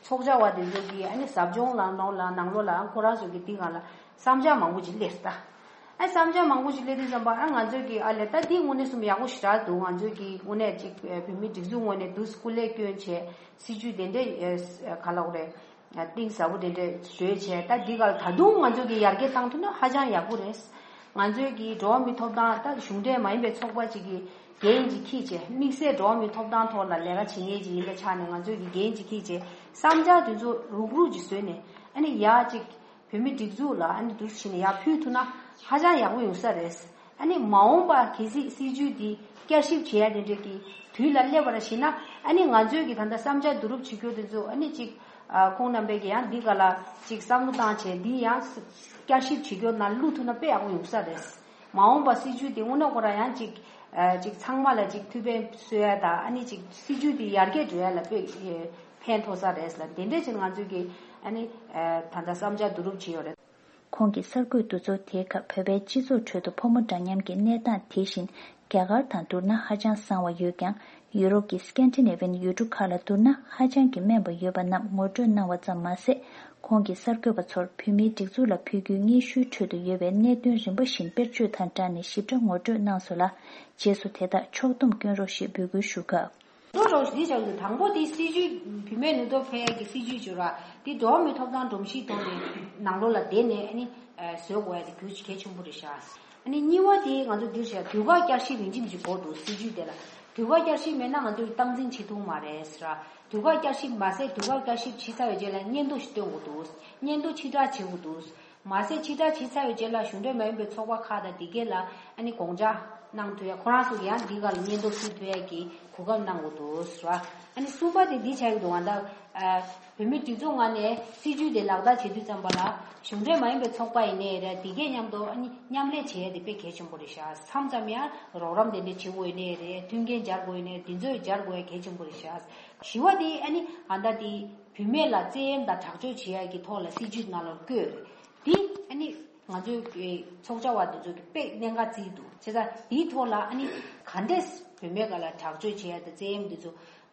ཚོགས་བཅར་བ་དེ་ཚོ་གི་ཨ་ནི་ཟབ་སྦྱོང་ལ་ནང་ལ་ནང་ལོགས་ལ་ཨ་ཁོ་རང་ཚོ་གི་འདི་སྒང་ལ་བསམ་འཆར་མང་པོ་ཅིག་སླེབས་ད། ཨ་བསམ་འཆར་མང་པོ་ཞིག་སླེབས་དུས་ཙམ་པ་ཨ་ང་ཚོས་ཀྱིས་ཨ་ལས་ད་འདི་དངོས་གནས་སུ་ཡག་པོ་ཞེ་དྲག་འདུག་ང་ཚོས་ཀྱིས་དངོས་གནས་ཅིག་ཨ་བོད་མིའི་སྒྲིག་འཛུགས་ངོས་ནས་འདུག་སྐུ་ལས་བསྐྱོན་བྱས་སྲིད་ཇུས་དེ་འདྲས་ཨ་ག་ལབ་དགོས་རེད། གཏིང་ཟབ་པོ་དེ་འདྲས་བཟོས་བྱས། ད་འདི་ག་ལ་ད་དུང་ང་ཚོས་ཀྱིས་ཡར་རྒྱས་བཏང་ཐུབ་ན་ཧ་ཅང་ཡག་པོ་རེད། ང་ཚོས་ཀྱིས་འགྲོ་བ་མིའི་ཐོབ་ཐང་ད་གཞུང་འབྲེལ་མ་ཡིན་པའི་ཚོགས་པ་ཅིག་གི་འགན་ཅིག་འཁྱེར་བྱས། དམིགས་བསལ་འགྲོ་བ་མིའི་ཐོབ་ཐང་ཐོག་ལ་ལས་ཀ་བྱེད་མཁན་ཅིག་ཡིན་པའི་ཆ་ནས། ང་ཚོས་ཀྱིས་འགན་ཅིག་འཁྱེར་བྱས་བསམ་འཆར་དེ་ཚོ་རུག་རུག་ཅིག་བཟོས་ནས། ཨ་ནི་ཡར་ཅིག་བོད་མིའི་སྒྲིག་འཛུགས་ལ་ཨ་ནི་འདུག་སེ་བྱས་ནས་ཡར་ཕུལ་ཐུབ་ན་ཧ་ཅང་ཡག་པོ་ཡོང་ས་རེད། ཨ་ནི་མ་འོངས་པ་གལ་སྲིད་སྲིད་ཇུས་འདི་བསྐྱར་ཞིབ་བྱེད་ཡ་དེ་འདྲས་ཀྱི་དུས་ལ་སླེབས་པར་བྱས་ན། ཨ་ནི་ང་ཚོས་ཀྱི་ད་ལྟ་བསམ་འཆར་བསྡུ་རུབ་བྱེད་རྒྱུ་དེ་ཚོ་ཨ་ནི་ཅིག་ཨ་ཁོང་རྣམ་པས་ཀྱི་ཡང་འདི་ག་ལ་ཅིག་བསམ་བློ་བཏང་བྱས། འདི་ཡང་བསྐྱར་ཞིབ་བྱེད་རྒྱུ་ནང་བླུག་ཐུབ་ན་དཔེ་ཡག་པོ་ཡོང་ས་རེད། མ་འོངས་པ་སྲིད་ཇུས་དེ་དངོས་གནས་ཁོ་རང་ཡང་ཅིག་ཨ་ཅིག་ཚང་མ་ལ་ཅིག་ཐུགས་ཕན་གསོས་ཡ་དང་། ཨ་ནི་ཅིག་སྲིད་ཇུས་དེ་ཡར་རྒྱས་འགྲོ་ཡ་ལ་དཔེ་ཕན་ཐོགས་ས་རེད་ལ། དེ་འདྲས་ཅིག་ང་ཚོས་ཀྱི་ ཨ་ནི་ད་ལྟ་བསམ་འཆར་བསྡུ་རུབ་བྱས་ཡོད་རེད། ཁོང་གིས་གསར་འགོད་འདུ་ཚོགས་དེའི་སྐབས་བོད་པའི་སྤྱི་ཚོགས་ཁྲོད་དུ་ཕོ་མོ་འདྲ་མཉམ་གྱི་གནས་སྟངས་དེ་བཞིན་རྒྱ་གར་དང་བསྡུར་ན་ཧ་ཅང་བཟང་བ་ཡོད་ཀྱང་། ཡུ་རོབ་ཀྱི་སྐན་ཏི་ནེ་ཝི་ཡན་ཡུལ་གྲུ་ཁག་ལ་བསྡུར་ན་ཧ་ཅང་གི་དམན་པ་ཡོད་པ་རྣམས་ངོ་སྤྲོད་གནང་བ་ཙམ་མ་ཟད། ཁོང་གིས་གསར་འགོད་པ་ཚོར་བོད་མིའི་སྒྲིག་འཛུགས་ལ་ཕུལ་རྒྱུའི་སྙན་ཞུའི་ཁྲོད་དུ་ཡོད་པའི་གནད་དོན་རིམ་པ་བཞིན་དཔེར་བརྗོད་དང་སྦྲགས་ནས་ཞིབ་ཕྲ་ངོ་སྤྲོད་གནང་སོང་ལ། རྗེས་སུ་དེ་དག་ཕྱོགས་བསྡོམས་སྐྱོན་རོགས་ཞེས་འབོད་སྐུལ་ཞུ་སྐབས། ལོ་རོགས་འདི་བྱ་དགོས། དང་པོ་དེ་སྲིད་ཇུས། བུད་མེད་ནུས་སྟོབས་འཕེལ་ཡག་གི་སྲིད་ཇུས་བྱུང་ར། དེ་འགྲོ་བ་མིའི་ཐོབ་ཐང་སྒྲོམ་གཞིའི་ཐོག་ནས་ནང་ལོགས་ལ་བསྡད་ནས་ཨ་ནི་བཟོ་དགོས་ཡ་དེ་གལ་ཆེན་པོ་རེད་ཤག་ཨ་ནི་གཉིས་པ་དེ་ང་ཚོ་འདིར་བྱ་དུས་བཀག་བསྐྱར་ཞིབ་ཡིན་གཅིག་མིན་གཅིག་དགོས་འདུག་སྲིད་ཇུས་དེ་ལ་དུས་བཀག་བསྐྱར་ཞིབ་མེད་ན་ང་ཚོས་སྟངས་འཛིན་བྱེད་ཐུབ་མ་རེད་ཟེར་ར། དུས་བཀག་བསྐྱར་ཞིབ་མ་ཟད་དུས་བཀག་བསྐྱར་ཞིབ་བྱས་ཚར་བའི་རྗེས་ལ་སྙན་ཐོ་ཞིག་བཏོན་དགོས་འདུག་སྙན་ཐོ་ཕྱིར་བསྒྲགས་བྱེད་དགོས་འདུག་མ་ཟད་ཕྱིར་བསྒྲགས་བྱས་ཚར་བའི་རྗེས་ལ་གཞུང་འབྲེལ་མ་ཡིན་པའི་ཚོགས་པ་ཁག་དང་དེ་གས་ལ་ཨ་ནི་དགོངས་འཇགས་གནང་ཐུབ་ཡ། ཁོ་རང་ཚོ་གི་ཡང་འདི་ག་ལ་སྙན་ཐོ་ཕུལ་ཐུབ་ཡ་གི་གོ་སྐབས་གནང་དགོས་འདུག་ཟེར་བ། ཨ་ནི་གསུམ་པ་དེ་འདི་བྱ་གི་འདུག་ང་ད་བོད་མིའི་སྒྲིག་འཛུགས་ངོས་ནས་སྲིད་ཇུས་དེ་ལག་བསྟར་བྱེད་དུས་ཙམ་པ་ལ་གཞུང་འབྲེལ་མ་ཡིན་པའི་ཚོགས་པ་ཡིན་ནའི་རེད། དེ་གས་མཉམ་དུ་ཨ་ནི་མཉམ་ལས་བྱེད་ཡ་དེ་དཔེ་གལ་ཆེན་པོ་རེད་ཤག་མཚམས་མཚམས་ཡང་རོགས་རམ་དེ་འདྲ་བྱེད་དགོས་ཡིན་ནའི་རེད། མཐུན་རྐྱེན་སྦྱར་དགོས་ཡིན་ནའི་དེ་ཚོ་ཡི་སྦྱར་དགོས་ཡ་གལ་ཆེན་པོ་རེད་ཤག་བཞི་པ་དེ་ཨ་ནི་ཨ་ད་དེ་བུད་མེད་ལ་བཙན་གཡེམ་དང་དྲག་སྤྱོད་བྱེད་ཡ་གི་ཐོག་ལ་སྲིད་ཇུས་ནང་ལ་བཀོད་རེད། འདི་ཨ་ནི་ང་ཚོའི་ཚོགས་བཅར་བ་འདི་ཚོ་གི་དཔེ་གནད་འགག་བརྩིས་འདུག་བྱས་ཙང་འདིའི་ཐོག་ལ་ཨ་ནི་ག་འདྲས་བུད་མེད་སྒང་ལ་དྲག་སྤྱོད་བྱེད་ཡ་དང་བཙན་གཡེམ་འདི་ཚོ་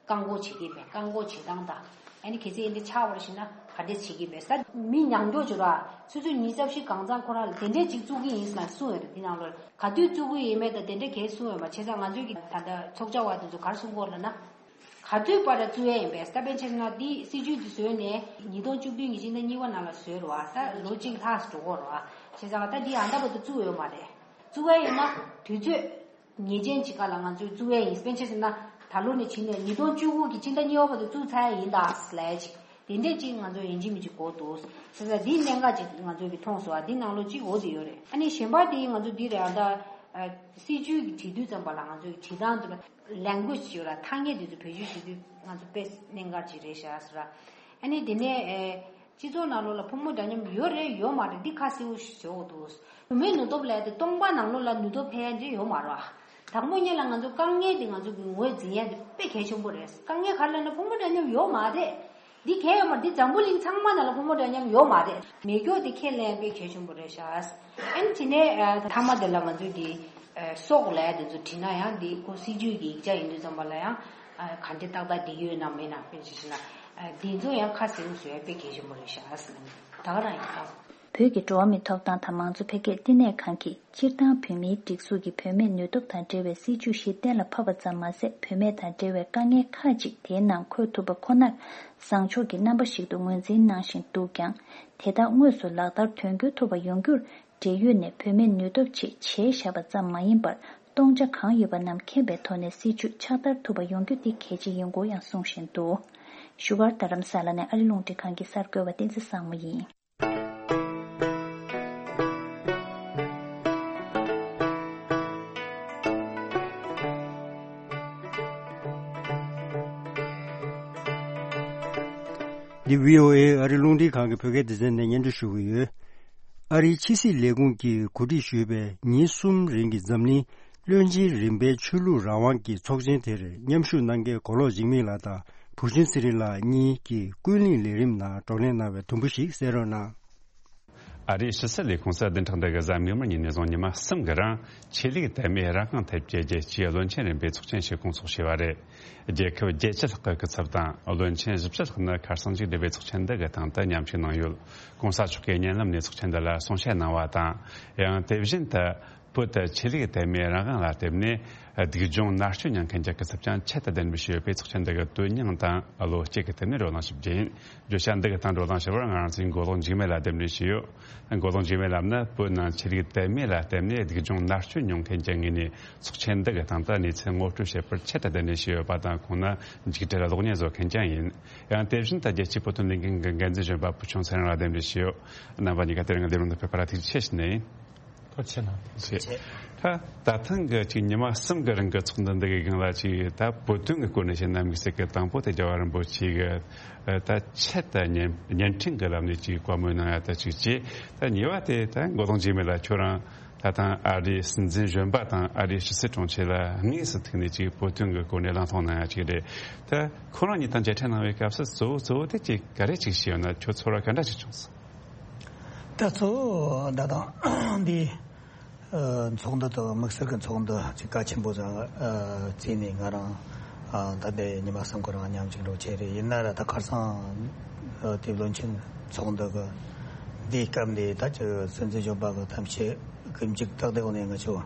བཀག་འགོག་བྱེད་ཀྱི་མེད། བཀག་འགོག་བྱེད་སྟངས་དང་ཨ་ནི་གལ་སྲིད་འདི་ཆགས་པར་ཤེས་ན་ག་འདྲས་བྱེད་ཀྱི་མེད་ཟེར། མི་མྱོང་རྒྱུ་བྱུང་ར། ཆུ་ཚོད་ཉི་ཤུ་རྩ་བཞི་གང་ཚང་ཁོ་རང་ལ་དེ་འདྲས་ཅིག་བཙུགས་ཀྱི་ཡིན་ཟེར་གསུངས་ཡོད་རེད། འདི་ནང་ལོགས་ག་དུས་བཙུགས་ཀྱི་ཡིན་མེད་དང་དེ་འདྲས་གས་གསུངས་ཡོད་མ། བྱས་ཙང་ང་ཚོའི་གི་ད་ལྟ་ཚོགས་བཅར་བ་དེ་ཚོ་ག་རེ་གསུང་གི་ཡོད་ལབ་ན། ག་དུས་བར་ལ་བཙུགས་ཡས་ཡིན་པས། ད་དཔེར་ན་ཆ་བཞག་ན་འདི་སྲིད་ཇུས་འདི་བཟོས་ནས་ཉིས་སྟོང་བཅུ་བདུན་གྱི་སྤྱི་ཟླ་གཉིས་པ་ནང་ལ་བཟོས་རེད་བ། ད་ལོ་གཅིག་ལྷག་འགྲོ་གི་རེད་བ། བྱས་ཙང་ད་འདི་ཨ་ད་བར་དུ་བཙུགས་ཡོད་མ་རེད། བཙུགས་ཡས་ཡིན་ན་དུས་ཚོད་ངེས་ཅན་ཅིག་སྒང་ལ་ང་ཚོས་བཙུགས་ཡས་ཡིན། དཔེར་ན་ཆ་བཞག་ན་ད་ལོ་ནས་བྱས་ནས་ཉིས་སྟོང་བཅུ་དགུ་གི་སྤྱི་ཟླ་གཉིས་པ་བར་དུ་བཙུགས་ཚར་ཡས་ཡིན་ད་ལབ་ཡས་ཅིག་དེ་འདྲས་ཅིག་ང་ཚོ་ཡིན་གཅིག་མིན་གཅིག་དགོས་འདུག་བྱས་ཙང་འདི་གནད་འགག་ཅིག་ང་ཚོ་གི་མཐོང་སོང་བ། འདི་ནང་ལོགས་གཅིག་འོ་དེ་ཡོད་རེད། ཨ་ནི་གཞན་པ་དེ་ང་ཚོ་འདི་རེད། ཨ་ད་སྲིད་ཇུས་ཀྱི་བྲིས་དུས་ཙམ་པ་ལ་ང་ཚོ་གི་བྲིས་སྟངས་དེ་ལ་language་ཡོད་ར། ཐ་སྙད་དེ་ཚོ་བེད་སྤྱོད་བྱེད་དུས་ང་ཚོ་དཔེ་གནད་འགག་ཅིག་རེད་ཤག་ཟེར་ར། ཨ་ནི་དེ་ནས་ཨེ་སྤྱི་ཚོགས་ནང་ལོགས་ལ་ཕོ་མོ་འདྲ་མཉམ་ཡོད་རེད་ཡོད་མ་རེད་འདི་ཁ་གསལ་པོ་ཞིག་བཟོ་དགོས་འདུག་བུད་མེད་ནུས་སྟོབས་ལབ་ཡ་དེ་སྟོང་པ་ནང་ལོགས་ལ་ནུས་སྟོབས་འཕེལ་ཡ་འདི་ཡོད་མ་རེད་བ། དང་པོ་ཉིད་ལ་ང་ཚོ་དཀའ་ངལ་འདི་ང་ཚོ་གི་ངོས་འཛིན་ཡ་འདི་དཔེ་གལ་ཆེན་པོ་རེད། དཀའ་ངལ་ག་རེ་ལབ་ན་ཕོ་མོ་འདྲ་མཉམ་ཡོད་མ་རེད། འདི་གལ་ཡོད་མ་རེད། འདི་འཛམ་བུ་གླིང་ཚང་མ་ནང་ལ་ཕོ་མོ་འདྲ་མཉམ་ཡོད་མ་རེད། མེད་རྒྱུ་དེ་ཁས་ལེན་དཔེ་གལ་ཆེན་པོ་རེད་ཤག་ཨ་ནི་དེ་ནས་ཨ་མཐའ་མ་དེ་ལ་ང་ཚོས་ཀྱི་ཨ་སྲོག་ལབ་ཡ་དེ་ཚོ་བྲིས་ན་ཡང་འདི་ཁོ་སྲིད་ཇུས་ཀྱི་ཡིག་ཆ་ཡིན་དུས་ཙམ་པ་ལ་ཡང་ཨ་ག་འདྲ་ཏག་ཏག་འགྲིག་ཡོད་ན་མེད་ན་དཔེ་ཅིག་བྱས་ན་ཨ་འདི་ཚོ་ཡང་ཁ་གསལ་པོ་བཟོ་ཡ་དཔེ་གལ་ཆེན་པོ་རེད་ཤག་ཨ་ཟེར་ན་ད་ག་རང་ཡིན་ཨ། བོད་ཀྱི་འགྲོ་བ་མིའི་ཐོབ་ཐང་དང་མང་གཙོ་འཕེལ་རྒྱས་བསྟི་གནས་ཁང་གིས་སྤྱིར་བཏང་བོད་མིའི་སྒྲིག་འཛུགས་ཀྱིས་བུད་མེད་ནུས་སྟོབས་དང་འབྲེལ་བའི་སྲིད་ཇུས་ཤིག་གཏན་ལ་ཕབ་པ་ཙམ་མ་ཟད། བུད་མེད་དང་འབྲེལ་བའི་དཀའ་ངལ་ཁག་ཅིག་དེའི་ནང་འཁོད་ཐུབ་པ་ཁོ་ནར་བཟང་ཕྱོགས་ཀྱི་རྣམ་པ་ཞིག་ཏུ་ངོས་འཛིན་གནང་བཞིན་འདུག་ཀྱང་། དེ་དག་དངོས་སུ་ལག་བསྟར་དོན་འཁྱོལ་ཐུབ་པ་ཡོང་རྒྱུར། འབྲེལ་ཡོད་ནས་བུད་མེད་ནུས་སྟོབས་ཆེད་བྱས་བཞག་པ་ཙམ་མ་ཡིན་པར། སྟོང་ཆ་གང་ཡོད་པ་རྣམས་མཁྱེན་པའི་ཐོག་ནས་སྲིད་ཇུས་ཕྱག་བསྟར་ཐུབ་པ་ཡོང་རྒྱུ་དེ་གལ་ཆེ་ཡིན་སྐོར་ཡང་གསུང་བཞིན་འདུག་བཞུགས་སྒར་རྡ་རམ་ས་ལ་ནས་ཨ་རི་རླུང་འཕྲིན་ཁང་གི་གསར་འགོད་པ་བསྟན་འཛིན་བཟང་མོ་ཡིན། འདི་བྷི་ཨོ་ཨེ་ཨ་རི་རླུང་འཕྲིན་ཁང་གི་བོད་སྐད་སྡེ་ཚན་ནས་སྙན་སྒྲོན་ཞུ་གི་ཡོད། ཨ་རིའི་ཕྱི་སྲིད་ལས་ཁུངས་ཀྱིས་གོ་སྒྲིག་ཞུས་པའི་ཉིན་གསུམ་རིང་གི་འཛམ་གླིང་བློན་ཆེན་རིམ་པའི་ཆོས་ལུགས་རང་དབང་གི་ཚོགས་ཆེན་དེར་མཉམ་ཞུགས་གནང་མཁན་གོ་ལོག་འཇིགས་མེད་ལགས་དང་བུ་ཆུང་ཚེ་རིང་ལགས་གཉིས་ཀྱིས་ཀུན་གླེང་ལས་རིམ་ནང་བགྲོ་གླེང་གནང་བའི་དུམ་བུ་ཞིག་གསན་རོགས་གནང་། ཨ་རིའི་ཕྱི་སྲིད་ལས་ཁུངས་སུ་བདུན་ཕྲག་འདི་གི་གཟའ་མིག་དམར་ཉིན་ནས་བཟུང་ཉི་མ་གསུམ་གྱི་རིང་ཆོས་ལུགས་དད་མོས་རང་དབང་ཐད་ཀྱི་རྒྱལ་སྤྱིའི་བློན་ཆེན་རིམ་པའི་ཚོགས་ཆེན་ཞིག་སྐོང་ཚོགས་བྱས་པ་རེད། རྒྱལ་ཁབ་བརྒྱད་ཅུ་ལྷག་གི་སྐུ་ཚབ་དང་བློན་ཆེན་བཞི་བཅུ་ལྷག་ནི་ཁ་སང་མཇུག་བསྒྲིལ་བའི་ཚོགས་ཆེན་འདི་གི་སྟེང་དུ་མཉམ་ཞུགས་གནང་ཡོད། ྋགོང་ས་མཆོག་གིས་བརྙན་ལམ་ནས་ཚོགས་ཆེན་འདི་ལ་གསུང་བཤད་གནང་བ་དང་། ཡང་དེ་བཞིན་དུ་བོད་དུ་ཆོས་ལུགས་དད་མོས་རང་དབང་ལ་བརྟེན་ནས་སྡུག་སྦྱོང་མནར་གཅོད་མྱོང་མཁན་གྱི་སྐུ་ཚབ་ཀྱང་ཆེད་དུ་གདན་འདྲེན་ཞུས་ཡོད་པས། ཚོགས་ཆེན་འདི་གི་དོན་སྙིང་དང་བློ་སྐྱེད་ཀྱི་ཐད་ནས་བགྲོ་གླེང་ཞུ་རྒྱུ་ཡིན། བརྗོད་བྱ་འདི་གི་སྟེང་བགྲོ་གླེང་ཞུ་བར་ང་རང་ཚོའི་མགོ་ལོག་འཇིགས་མེད་ལགས་གདན་འདྲེན་ཞུས་ཡོད། མགོ་ལོག་འཇིགས་མེད་ལགས་ནི་བོད་ནང་ཆོས་ལུགས་དད་མོས་ལ་བརྟེན་ནས་སྡུག་སྦྱོང་མནར་གཅོད་མྱོང་མཁན་གྱི་ངོས་ནས་ཚོགས་ཆེན་འདི་གི་སྟེང་དུ་གནས་ཚུལ་ངོ་སྤྲོད་བྱེད་པར་ཆེད་དུ་གདན་འདྲེན་ཞུས་ཡོད་པ་དང་། ཁོང་ནི་འཇིགས་བྲལ་གློག་བརྙན་བཟོ་མཁན་ཀྱང་ཡིན། ཡང་དེ་བཞིན་དུ་རྒྱལ་སྤྱིའི་བོད་དོན་ལས་འགུལ་གྱི་འགན་འཛིན་གཞོན་པ་བུ་ཆུང་ཚེ་རིང་ལགས་གདན་འདྲེན་ཞུས་ཡོད། རྣམ་པ་གཉིས་ཀ་དེ་རིང་གི་ལས་རིམ་དུ་ཕེབས་པ་ལ་ཐུགས་རྗེ་ཆེ་ཞུ་ནི་ཡིན། ཐུགས་རྗེ་གནང་། ཐུགས་རྗེ་ཆེ། ད་ད་ཐེངས་ཀྱི་ཅིག་ཉི་མ་གསུམ་གྱི་རིང་གི་ཚོགས་འདུ་འདི་གི་སྒང་ལ་ཅིག་ད་བོད་དོན་གྱི་སྐོར་ནས་བཤད་ན་དམིགས་བསལ་གྱི་དང་པོ་དེ་རྒྱལ་བ་རིན་པོ་ཆེ་གི་ད་ཆེད་དུ་བརྙན་བརྙན་འཕྲིན་གྱི་ལམ་ནས་ཅིག་བཀའ་མོལ་གནང་ཡ་ད་ཅིག་བྱས། ད་གཉིས་པ་དེ་ད་མགོ་ལོག་འཇིགས་མེད་ལགས་ཁྱོད་རང་ ད་ཐེངས་ཨ་རིའི་སྲིད་འཛིན་གཞོན་པ་དང་ཨ་རིའི་ཕྱི་སྲིད་དྲུང་ཆེ་ལ་དངོས་སུ་ཐུག་ནས་ཅིག་བོད་དོན་གྱི་སྐོར་ནས་གླེང་སློང་གནང་ཡ་ཅིག་རེད། ད་ཁོ་རང་གཉིས་དང་མཇལ་འཕྲད་གནང་བའི་སྐབས་སུ་གཙོ་བོ་གཙོ་བོ་དེ་ཅིག་ག་རེ་ཅིག་བྱས་ཡོད་ན། ཁྱོད་ཚོར་བ་ག་འདྲ་ཞིག་བྱུང་སོང་། ད་གཙོ་བོ་ད་ཐེངས་འདི་ཨ་ཚོགས་འདུ་དང་དམིགས་བསལ་གྱི་ཚོགས་འདུ་ཅིག་གལ་ཆེན་པོ་ཟིག་ཨ་བརྩིས་ནས། ང་རང་ཨ་ད་ལྟའི་ཉི་མ་གསུམ་གི་རིང་མཉམ་ཞུགས་འགྲོ་བྱས་རེད། ཡིན་ན་ར་ད་ཁ་སང་ཨ་དེ་བློན་ཆེན་ཚོགས་འདུ་གི་འདིའི་སྐབས་འདི་ད་ཅིག་སྲིད་འཛིན་གཞོན་པ་གི་ཐམས་ཅད་ཀྱི་མཇུག་ཏག་ཏག་ནས་ང་ཚོ་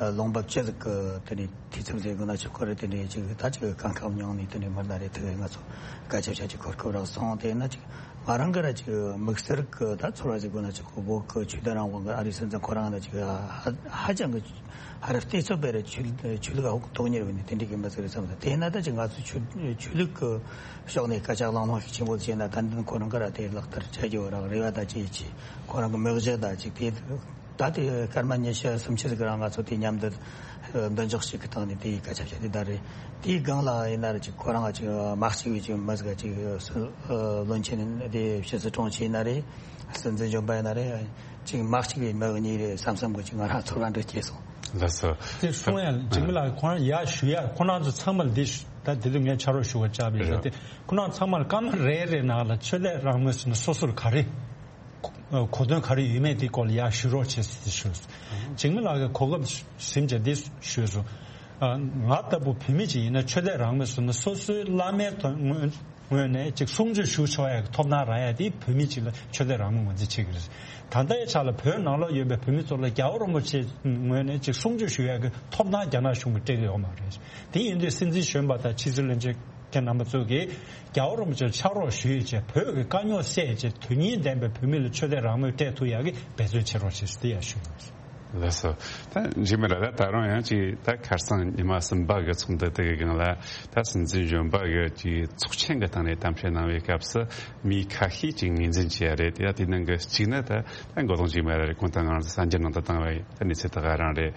ཨ་ལོང་འབབ་ཅི་ཟིག་གི་དེ་ནས་འཐུས་ཚབ་ཟེར་དགོས་ན་ཆོག་གི་རེད། དེ་འདྲའི་ཅིག་ད་ཅིག་གང་ཁག་མྱོང་ནས་དེ་འདྲའི་མི་སྣ་རེ་ཐུག་ང་ཚོ་སྐད་ཆ་བཤད་ཅིག་གོ་སྐབས་རག་སོང་། དེ་ན་ཅིག་ང་རང་གི་ར་ཅིག་དམིགས་བསལ་གི་ད་ཚོར་བ་ཟིག་དགོས་ན་ཅིག་བོད་གི་ཆོས་དད་རང་དབང་གི་ཨ་རིའི་སྲིད་འཛིན་ཁོ་རང་ལ་ཅིག་ཧ་ཧ་ཅང་གི་ཧ་ར་བལྟས་ཚོད་པའི་ར་ཆོས་ཆོས་ལུགས་ཧོག་དོག་གཉེར་བའི་ནི་དེ་འདྲའི་གི་མི་ཟིག་རེད་བསམ་སོང་། དེ་ན་ད་ཅིག་ང་ཚོ་ཆོས་ཆོས་ལུགས་གི་ཕྱོགས་ནས་སྐད་ཆ་གླེང་སློང་ཤུགས་ཆེན་པོ་བྱས་ན། ད་འདི་ཁོ་རང་གི་ར་དེ་ལག་བསྟར་བྱ་རྒྱུ་ར་རེ་བ་ད་ཅིག་ཅིག་ཁོ་རང་གི་མི་གཞི་ད་ཅིག་དེ། ད་དེ་སྐར་མ་ཉི་ཤུ་སུམ་ཅུ་ཟིག་རིང་ང་ཚོ་དེ་མཉམ་དུ་མདུན་འཇོག་ཞིག་གི་སྟེང་ནས་དེའི་སྐད་ཆ་བཤད་དེ་ད་རེད། དེའི་སྒང་ལ་ཡིན་ན་རེད་ཅིག་ཁོ་རང་ཅིག་མ་གཅིག་པའི་ཅིག་མི་ཟིག་ཅིག་བློན་ཆེན་དེ་ཕྱི་སྲིད་དྲུང་ཆེ་ཡིན་ན་རེད། སྲིད་འཛིན་གཞོན་པ་ཡིན་ན་རེད། ཅིག་མ་གཅིག་པའི་མི་གཉིས་རེད་བསམ་བསམ་གི་ཅིག་ང་རང་ཚོར་བ་འདྲ་སྐྱེས་སོང་། ལགས་སོ། དེ་གསུང་ཡ་འཇིགས་མེད་ལགས། ཁོ་རང་ཡར་ཞུ་ཡ་ཁོ་རང་ཚོ་ཚང་མ་ལ་འདི་ད་དེ་དུས་ངས་ཕྱག་རོགས་ཞུ་བ་བཅར་བས་ད་དེ་ཁོ་རང་ཚང་མ་ལ་སྐར་མ་རེ་རེ་ནང་ལ་ཆོས་དད་རང་མོས་ཟེར་ན་སོ་སོར་ག་རེ། གོ་དོན་ག་རེ་ཡོད་མེད་དེ་སྐོར་ལ་ཡར་ཞུ་རོགས་བྱེད་ཟེར་ཏེ་ཞུས་སོང་། འཇིགས་མེད་ལགས་ཀྱིས་གོ་སྐབས་ཟིན་བྱས་འདི་ཞུས་སོང་། ང་ལྟ་བུ་བོད་མི་ཅིག་ཡིན་ན་ཆོས་དད་རང་མོས་ཟེར་ན་སོ་སོའི་བླ་མའི་ངོས་ངོས་ནས་ཅིག་གསུང་ཆོས་ཞུ་ཆོག་ཡ་གི་ཐོབ་ཐང་རག་ཡ་དེ་བོད་མི་ཅིག་ལ་ཆོས་དད་རང་མོས་ངོས་འཛིན་བྱེད་ཀྱི་རེད། ད་ལྟའི་ཆ་ལ་བོད་ནང་ལོགས་ཡོད་པའི་བོད་མི་ཚོ་ལ་རྒྱལ་བ་རིན་པོ་ཆེ་ངོས་ནས་ཅིག་གསུང་ཆོས་ཞུ་ཡ་གི་ཐོབ་ཐང་རྒྱ་ནག་གཞུང་གིས་སྤྲད་ཀྱི་ཡོད་མ་རེད། དེ་ཡིན་དུས་སྲིད་འཛིན་གཞོན་པ་དང་ཕྱི་སྲིད་བློན་ཆེན་ཁྱེད་རྣམ་པ་ཚོ་གིས་རྒྱལ་བ་རིན་པོ་ཆེར་ཕྱག་རོགས་ཞུས་བྱས་བོད་ཀྱི་དཀའ་རྙོག་སེལ་བྱས་དོན་སྙིང་ལྡན་པའི་བོད་མི་ལ་ཆོས་དད་རང་མོས་སྤྲད་ཐུབ་ཡག་གི་འབད་བརྩོན་བྱེད་རོགས་ཞེས་དེ་ཡང་ཞུ་ཡོད། ལགས་སོ། ད་འཇིགས་མེད་ལགས་ད་ད་རུང་ཡང་ཅིག་ད་ཁ་སང་ཉི་མ་གསུམ་པ་གི་ཚོགས་འདུ་དེ་གི་སྒང་ལ་ད་སྲིད་འཛིན་གཞོན་པ་གི་ཅིག་ཚོགས་ཆེན་གི་སྟེང་ནས་གཏམ་བཤད་གནང་བའི་སྐབས་སུ་མི་ཁ་ཤས་ཅིག་ངོས་འཛིན་བྱས་རེད། དེ་ཡང་དེ་ནང་གི་གཅིག་ནི་ད་ད་མགོ་ལོག་འཇིགས་མེད་རེད། ཁོང་ད་ང་རང་ཚོ་གསར་འགྱུར་ནང་དུ་བཏང་བའི་ད་གནས་ཚུལ་ད་ག་རང་རེད།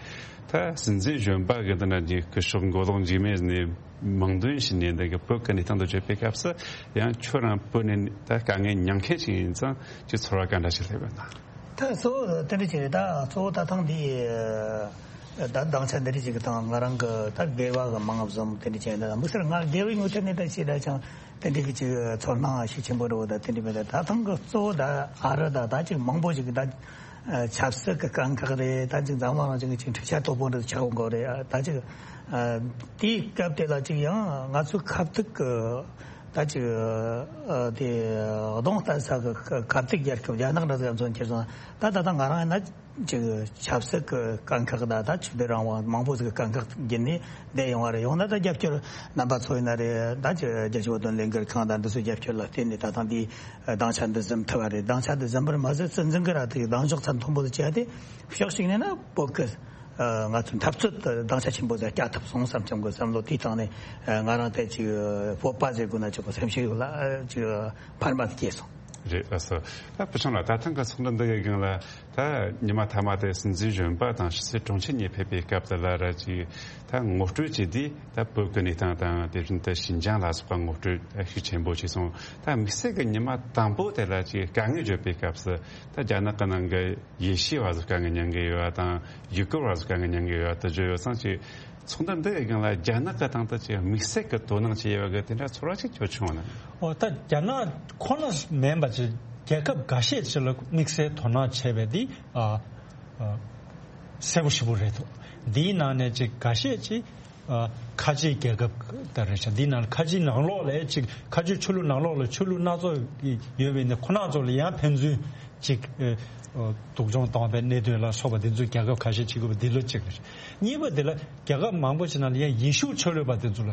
ད་སྲིད་འཛིན་གཞོན་པ་གི་འདི་ན་ཅིག་སྐུ་ཞབས་མགོ་ལོག་འཇིགས་མེད་ནས་མིང་འདོན་བྱས་ནས་འདི་གི་བོད་ཀྱི་གནས་སྟངས་དང་བཅས་པའི་སྐབས་སུ་ཡང་ཁྱོད་རང་བོད་ནས་ད་དཀའ་ངལ་མྱོང་མཁན་ཞིག་ཡིན་ཙང་ཅིག་ཚོར་བ་ག་འདྲ་ཞིག་སླེབས་ཡོད་ན། ད་གཙོ་བོ་དེ་འདྲ་ཅིག་རེད། ད་གཙོ་བོ་ད་ཐེངས་འདི་ད་སྡིངས་ཆ་འདི་འདྲ་ཅིག་གི་སྟེང་ང་རང་གི་ད་སྒེར་བ་གི་མང་བཟོ་དེ་འདྲ་ཅིག་ཡིན། ད་དམིགས་བསལ་ང་སྒེར་བའི་ངོས་ཐད་ནས་ད་ཅིག་ད་ཅང་དེ་འདྲ་གི་ཅིག་ཚོར་སྣང་ཤུགས་ཆེན་པོ་འདྲ་བོ་ད་དེ་འདྲ་མེད། ད་ད་ཐེངས་གི་གཙོ་བོ་ད་ཨ་རི་ད་ད་ཅིག་མང་པོ་ཞིག་གི་ད་ཆབ་སྲིད་གི་དཀའ་ཁག་རེད། ད་ཅིག་འཛམ་གླིང་རང་བཞིན་གི་ཅིག་འཕྲུལ་ཆས་དོད་པོ་འདྲ་ཆགས་ཡོང་གི་རེད། ད་ཅིག་དེའི་སྐབས་དེ་ལ་ཅིག་ཡང་ང་ཚོའི་ཁ་ཐུག་གི་ད་ཅིག་ཨ་དེ་གདོང་གཏད་ས་གི་ཁ་ཐུག་རྒྱལ་ཁབ་རྒྱ་ནག་འདྲ་ཟིག་མཚོན་ཁྱེར་སོང་། ད་ད་ལྟ་ང་རང་ཡིན་ན་ཅིག་ཆབ་སྲིད་ཀྱི་དཀའ་ཁག་དང་ད་ཆོས་དད་རང་དབང་མང་པོ་ཟིག་གི་དཀའ་ཁག་བརྒྱུད་ནས་བསྡད་ཡོང་བ་རེད། ཡང་ན་ད་རྒྱབ་སྐྱོར་རྣམ་པ་ཚོ་ཡིན་ན་རེད། ད་ཅིག་རྒྱལ་སྤྱིའི་བོད་དོན་ལས་འགུལ་ཁང་དང་འདི་ཚོའི་རྒྱབ་སྐྱོར་ལ་བརྟེན་ནས་ད་ཐེངས་འདིའི་སྡིངས་ཆ་འདི་འཛོམས་ཐུབ་པ་རེད། སྡིངས་ཆ་འདི་འཛོམས་པར་མ་ཟད་སྲིད་འཛིན་གྱིས་ར་དེ་གདེང་འཇོག་ཚད་མཐོན་པོ་ཟིག་བྱས་ཏེ་ཕྱོགས་གཅིག་ནས་ན་བོད་ཀྱི་ང་ཚོའི་འཐབ་རྩོད་དེ་སྡིངས་ཆ་ཆེན་པོ་ཟིག་བསྐྱལ་ཐུབ་སོང་བསམ་བསམ་གི་བསམ་བློ་དེའི་སྟེང་ནས་ང་རང་དེ་ཅིག་སྤོབས་པ་ཟེར་དགོས་ན་ཆོག་གི་སེམས་ཤུགས་ལ་ཅིག་འཕར་མ་སྐྱེས་སོང་། རེད། ལགས་སོ། ད་ཕུ་ཆུང་ལགས་ད་ཐེངས་ཀྱི་ཚོགས་འདུ་འདི་གི་སྒང་ལ་ད་ཉི་མ་མཐའ་མ་དེ་སྲིད་འཛིན་གཞོན་པ་དང་ཕྱི་སྲིད་དྲུང་ཆེ་གཉིས་ཕེབས་པའི་སྐབས་དེ་ལ་ར་ཅིག་ད་ངོ་སྤྲོད་བྱས་དུས་ད་བོད་ཀྱི་གནས་སྟངས་དང་དེ་བཞིན་དུ་ཞིན་ཅང་ལ་སོགས་པ་ངོ་སྤྲོད་ཤུགས་ཆེན་པོ་བྱས་སོང་། ད་དམིགས་བསལ་གྱི་ཉི་མ་དང་པོ་དེ་ལ་ཅིག་དཀའ་ངལ་བརྗོད་པའི་སྐབས་སུ་ད་རྒྱ་ནག་གི་ནང་གི་ཡེ་ཤུ་བ་ཚོ་དཀའ་ངལ་མྱོང་གི་ཡོད་པ་དང་ཡུ་གུར་བ་ཚོ་དཀའ་ངལ་མྱོང་གི་ཡོད་པ་དེ་བརྗོད་ཡོད་ཙང་ཅིག་ཚོགས་འདུ་འདི་གི་སྒང་ལ་རྒྱ་ནག་གི་སྟེང་དུ་ཅིག་དམིགས་བསལ་གྱི་དོ་སྣང་བྱས་ཡོད་པ་གི་དེ་འདྲ་ཚོར་བ་ཅིག་ཁྱོད་བྱུང་བ་ན། འོ་ད་རྒྱ་ནག་ཁོ་ན་མིན་པ་ཅིག་རྒྱལ་ཁབ་འགའ་ཤས་ཅིག་ལ་དམིགས་བསལ་དོ་སྣང་བྱས་པ་འདི་ཨ་ཨ་གསལ་པོ་ཞེ་པོ་རེད་འདུག་འདིའི་ནང་ནས་ཅིག་འགའ་ཤས་ཅིག་ཨ་ཁ་ཆེའི་རྒྱལ་ཁབ་ད་རེད་ཤག་འདིའི་ནང་ལ་ཁ་ཆེའི་ནང་ལོགས་ལ་ཅིག་ཁ་ཆེའི་ཆོས་ལུགས་ནང་ལོགས་ལ་ཆོས་ལུགས་སྣ་ཚོགས་ཡོད་པའི་ནི་ཁོ་ན་ཚོ་ལ་ཡང་ཕན་ཚུན་ཅིག་ཨ་སྡུག་སྦྱོང་བཏང་བའི་གནད་དོན་ལ་སོགས་པ་འདི་ཚོ་རྒྱལ་ཁབ་ཁ་ཤས་ཅིག་ཡོད་པ་འདི་ལོ་གཅིག་རེད། གཉིས་པ་འདི་ལ་རྒྱལ་ཁབ་མང་པོ་ཞིག་ནང་ལ་ཡང་ཡེ་ཤུ་ཆོས་ལུགས་པ་འདི་ཚོ་ལ་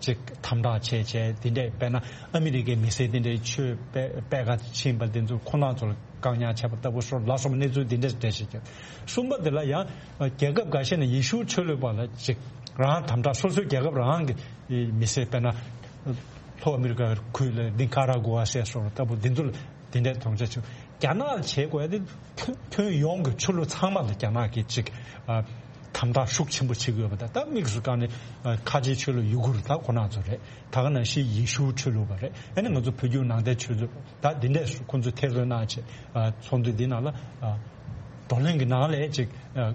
ཅིག་དམ་དྲག་བྱས་བྱས་འདི་འདྲས། དཔེར་ན་ཨ་མི་རི་ཀའི་མི་སེར་འདི་འདྲས་ཆོས་སྤེལ་སྤེལ་ག་ཕྱིན་པ་འདི་ཚོ་ཁོ་ན་ཚོ་ལ་བཀག་ཉར་བྱས་པ་ལྟ་བུ་སོགས་ལ་སོགས་པ་གནས་ཚུལ་འདི་འདྲས་འགྲེལ་བཤད་བྱས། གསུམ་པ་འདི་ལ་ཡང་རྒྱལ་ཁབ་འགའ་ཤས་ནས་ཡེ་ཤུ་ཆོས་ལུགས་པ་ལ་ཅིག་རང་དམ་དྲག་སོ་སོའི་རྒྱལ་ཁབ་རང་གི་མི་སེར་དཔེར་ན་ལྷོ་ཨ་མི་རི་ཀ་ཁུལ་ལ་ནི་ཀ་ར་གུ་ཝ་ཟེར་སོགས་ལ་ལྟ་བུ་འདི་ཚོ་ལ་དེ་འདྲའི་དོན་རྐྱེན་བྱུང་། རྒྱ་ནག་ལ་བྱེད་དགོས་ཡ་དེ་ཁྱོན་ཁྱོན་ཡོངས་ཀྱི་ཆོས་ལུགས་ཚང་མ་ལ་རྒྱ་ནག་གིས་ཅིག་ཨ་དམ་དྲག་ཤུགས་ཆེན་པོ་བྱེད་ཀྱི་ཡོད་པ་དང་། ད་དམིགས་སུ་བཀར་ནས་ཨ་ཁ་ཆེའི་ཆོས་ལུགས་ཡུ་གུར་ད་ཁོ་ན་ཚོ་རེད། ད་ག་ནང་བཞིན་ཡེ་ཤུ་ཆོས་ལུགས་པ་རེད། ཨ་ནི་ང་ཚོ་བོད་བརྒྱུད་ནང་བསྟན་ཆོས་ལུགས་ད་འདི་འདྲས་སུ་ཁོ་ཚོས་ཐེར་འདོན་གནང་བྱས་ཨ་ཚོགས་འདུ་འདི་ནང་ལ་ཨ་ བགྲོ་གླེང་གི་ནང་ལས་ཅིག་ཨ་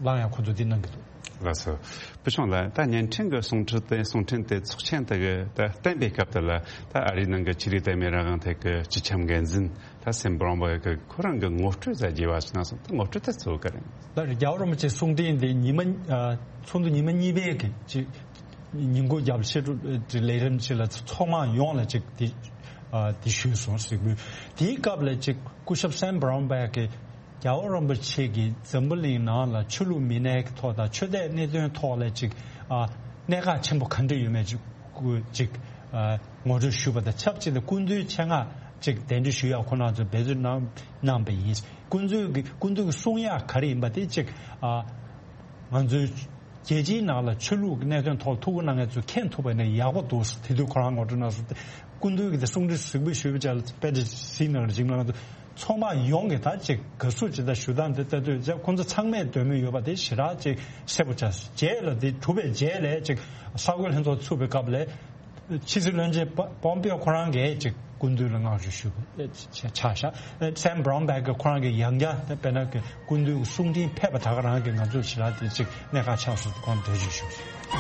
ལངས་ཡ་ཁོ་ཚོ་འདི་གནང་གི་འདུག་ལགས་སོ། བུ་ཆུང་ལགས། ད་བརྙན་འཕྲིན་གྱི་གསུང་འཕྲིན་དེ་གསུང་འཕྲིན་དེ་ཚོགས་ཆེན་དེ་གི་ད་བསྟན་པའི་སྐབས་དེ་ལ། ད་ཨ་རིའི་ནང་གི་ཆོས་རིག་དད་མོས་རང་དབང་ཐད་ཀྱི་སྤྱི་ཁྱབ་འགན་འཛིན་ད་སེམ་བྷ་རོན་པར་གི་ཁོ་རང་གི་ངོ་སྤྲོད་ཟེར་རྒྱས་པ་ཞིག་གནང་སོང་། ད་ངོ་སྤྲོད་དེ་གཙོ་བོ་ག་རེ་ཡིན། ད་རྒྱལ་བ་རིན་པོ་ཆེ་གསུང་འཕྲིན་དེ་ཉི་མ་ཨ་ཚོགས་འདུ་ཉི་མ་གཉིས་པའི་གི་ཅིག་ཉིན་གུང་རྒྱབ་ཕྱི་དྲོ་ལས་རིམ་ཅིག་ལ་ཚོགས་མང་ཡོངས་ལ་ཅིག་དེ་ཨ་དེ་ཞུས་སོང་ཟེར་གི། དེའི་སྐབས་ལ་ཅིག་སྐུ་ཞབས་སེམ་བྷ་རོན་པར་གི་རྒྱལ་བ་རིན་པོ་ཆེ་གིས་འཛམ་བུ་གླིང་ནང་ལ་ཆོས་ལུགས་མི་སྣའི་ཐོག་དང་ཆོས་དད་གནད་དོན་ཐོག་ལ་ཅིག་ཨ་གནད་འགག་ཆེན་པོ་ག་འདྲ་ཡོད་མེད་ཅིག་སྐུ་ཅིག་ཨ་ངོ་སྤྲོད་ཞུས་པ་དང་ཆབས་ཅིག་ཏུ་སྐུ་མདུན་ཆེད་མངགས་ཅིག་གདན་འདྲེན་ཞུ་ཡག་ཁོ་རང་ཚོས་འབད་བརྩོན་གནང་གནང་པ་ཡིན། སྐུ་མདུན་གྱི་སྐུ་མདུན་གྱི་གསུང་ཡག་ག་རེ་ཡིན་པ་དེ་ཅིག་ཨ་ང་ཚོའི་རྒྱལ་སྤྱིའི་ནང་ལ་ཆོས་ལུགས་ཀྱི་གནད་དོན་ཐོག་ཐུགས་ཁུར་གནང་མཁན་ཚོས་མཁྱེན་ཐུབ་པ་ཡིན་ན་ཡག་པོ་འདུག་དེ་དུས་ཁོ་རང་ངོ་སྤྲོད་གནང་སོང་སྟེ། སྐུ་མདུན་གྱིས་དེ་གསུང་འཕྲིན་གཟིགས་འབུལ་ཞུས་པ་ཅིག་ལ་དཔེ་འདྲ་ཟིན་ནང་རིགས་ནང་དུ་ཚོགས་མང་ཡོངས་ཀྱིས་ད་ཅིག་དགའ་བསུ་ཇི་ལྟར་ཞུ་སྟངས་དེ་ལྟ་དུས་ཅིག་ཁོང་ཚོ་ཚང་མས་འདོད་མོས་ཡོད་པ་དེ་ཞེ་དྲག་ཅིག་གསལ་པོ་ཆགས་སོང་། རྗེས་ལ་དེ་གྲུབ་པའི་རྗེས་ལ་ཅིག་གསར་འགོད་ལྷན་ཚོགས་ཚུགས་པའི་སྐབས་ལ། ཕྱི་སྲིད་བློན་ཆེན་པོ་པོམ་པེའོ་ཁོ་རང་གིས་ཅིག་སྐུ་མདུན་ལ་བསྔགས་བརྗོད་ཞུས་པ་ཆགས་ཤག་སེམ་བྷ་རོན་པར་གྱིས་ཁོ་རང་གིས་ཡང་བསྐྱར་དཔེར་ན་གི་སྐུ་མདུན་གྱི་གསུང་འཕྲིན་ཕེབས་པ་ད་ག་རང་གིས་ང་ཚོར་ཞེ་དྲག་དེ་ཅིག་གནད་འགག་ཆགས་སོང་ཟེར་ཁོང་འགྲེལ་བརྗོད་ཞུས་སོང་།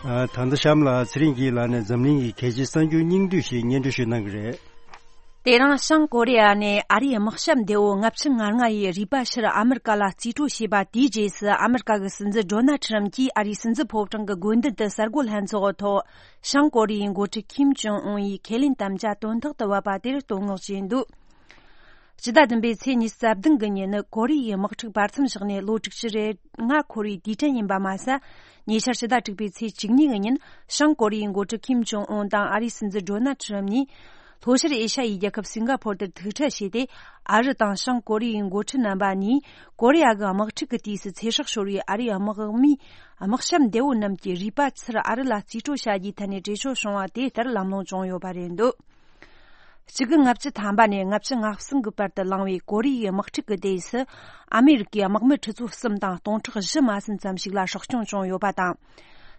ཨ། ད་ལྟ་གཤམ་ལ་ཚེ་རིང་སྐྱིད་ལགས་ནས་འཛམ་གླིང་གི་གལ་ཆེའི་གསར་འགྱུར་སྙིང་བསྡུས་ཤིག་སྙན་སྒྲོན་ཞུས་གནང་གི་རེད། དེ་རིང་བྱང་ཀོ་རི་ཡ་ནས་ཨ་རིའི་དམག་ཞབས་འདས་པོ་ལྔ་བཅུ་ང་ལྔ་ཡི་རུས་པ་ཕྱིར་ཨ་མི་རི་ཀ་ལ་རྩིས་སྤྲོད་བྱས་པ་དེའི་རྗེས་སུ། ཨ་མི་རི་ཀ་གི་སྲིད་འཛིན་ཌོ་ནལ་ཁྲི་རམ་གྱིས་ཨ་རིའི་སྲིད་འཛིན་ཕོ་བྲང་གི་དགོན་སྡེ་དུ་གསར་འགོད་ལྷན་ཚོགས་ཐོག་བྱང་ཀོ་རི་ཡའི་འགོ་ཁྲིད་ཁིམ་ཇོང་ཨུན་ཡིས་ཁས་ལེན་དམ་བཅའ་དོན་ཐོག་ཏུ་བབས་པ་དེར་བསྟོད་བསྔགས་བྱས་འདུག་སྤྱི་ཟླ་བདུན་པའི་ཚེས་ཉི་ཤུ་རྩ་བདུན་གི་ཉིན་ནི་ཀོ་རི་ཡའི་དམག་འཁྲུག་བར་མཚམས་བཞག་ནས་ལོ་དྲུག་ཅུ་རེ་ལྔ་འཁོར་བའི་དུས་དྲན་ཡིན་པ་མ་ཟད། ཉེ་ཆར་ཕྱི་ཟླ་དྲུག་པའི་ཚེས་བཅུ་གཉིས་ཀྱི་ཉིན་བྱང་ཀོ་རི་ཡའི་འགོ་ཁྲིད་ཁིམ་ཇོང་ཨུན་དང་ཨ་རིའི་སྲིད་འཛིན་ཌོ་ནལ་ཁྲི་རམ་གཉིས་ལྷོ་ཤར་ཨེ་ཤ་ཡའི་རྒྱལ་ཁབ་སིང་ག་ཕོར་དུ་ཐུག་འཕྲད་བྱས་ཏེ། ཨ་རི་དང་བྱང་ཀོ་རི་ཡའི་འགོ་ཁྲིད་རྣམ་པ་གཉིས་ཀོ་རི་ཡ་གི་དམག་འཁྲུག་གི་དུས་སུ་ཚེ་སྲོག་ཤོར་བའི་ཨ་རིའི་དམག་མིའི་དམག་ཞབས་འདས་པོ་རྣམས་ཀྱི་རུས་པ་ཚུར་ཨ་རི་ལ་རྩིས་སྤྲོད་བྱ་རྒྱུའི་ཐད་ནས་གྲོས་ཆོད་བྱུང་བ་དེ་ལྟར་ལམ་ལྷོང་བྱུང་ཡོད་པ་རེད་འདུག་གཅིག་དགུ་ལྔ་བཅུ་ཐམ་པ་ནས་ལྔ་བཅུ་ང་གསུམ་གྱི་བར་དུ་ལངས་པའི་ཀོ་རི་ཡའི་དམག་འཁྲུག་གི་དུས་སུ། ཨ་མེ་རི་ཀའི་དམག་མི་ཁྲི་ཚོ་གསུམ་དང་སྟོང་ཕྲག་བཞི་མ་ཟིན་ཙམ་ཞིག་ལ་སྲོག་སྐྱོན་བྱུང་ཡོད་པ་དང་།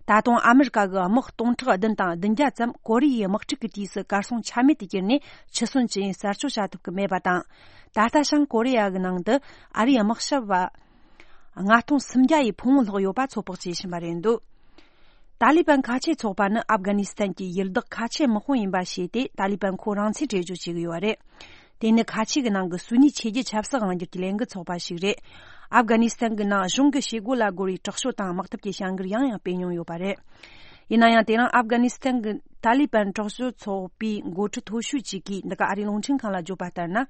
ད་དུང་ཨ་མེ་རི་ཀ་གི་དམག་སྟོང་ཕྲག་བདུན་དང་བདུན་བརྒྱ་ཙམ་ཀོ་རི་ཡའི་དམག་འཁྲུག་གི་དུས་སུ་གར་སོང་ཆ་མེད་དུ་གྱུར་ནས་འཆི་གསོན་ཇི་ཡིན་གསལ་ཆོད་བྱ་ཐུབ་ཀྱི་མེད་པ་དང་། ད་ལྟ་བྱང་ཀོ་རི་ཡ་གི་ནང་དུ་ཨ་རིའི་དམག་ཞབས་པ་ལྔ་སྟོང་སུམ་བརྒྱ་ཡི་ཕུང་བོ་ལྷག་ཡོད་པ་ཚོད་དཔག་བྱེད་བཞིན་པ་རེད་འདུག་ཏཱ་ལི་བན་ཁ་ཆེ་ཚོགས་པ་ནི་ཨབ་གྷ་ནི་སི་ཐན་གྱི་ཡུལ་བདག་ཁ་ཆེ་དམག་དཔོན་ཡིན་པ་བྱས་ཏེ། ཏཱ་ལི་བན་ཁོ་རང་ཚོས་གྲོས་བསྡུར་བྱེད་ཀྱི་ཡོད་པ་རེད། དེ་ནི་ཁ་ཆེ་གི་ནང་གི་སུ་ནི་ཆོས་བརྒྱུད་ཆབ་སྲིད་དབང་སྒྱུར་གྱི་ལས་འགུལ་ཚོགས་པ་ཞིག་རེད། ཨབ་གྷ་ནི་སི་ཐན་གྱི་ནང་གཞུང་གི་བྱེད་སྒོ་ལ་རྒོལ་བའི་དྲག་སྤྱོད་དང་དམག་འཐབ་ཀྱི་བྱ་འགུལ་ཡང་ཡང་སྤེལ་མྱོང་ཡོད་པ་རེད། ཡིན་ན་ཡང་། དེ་རིང་ཨབ་གྷ་ནི་སི་ཐན་གྱི་ཏཱ་ལི་བན་དྲག་སྤྱོད་ཚོགས་པའི་འགོ་ཁྲིད་མཐོ་ཤོས་གཅིག་གིས་འདི་ག་ཨ་རིའི་རླུང་འཕྲིན་ཁང་ལ་བརྗོད་པ་ལྟར་ན།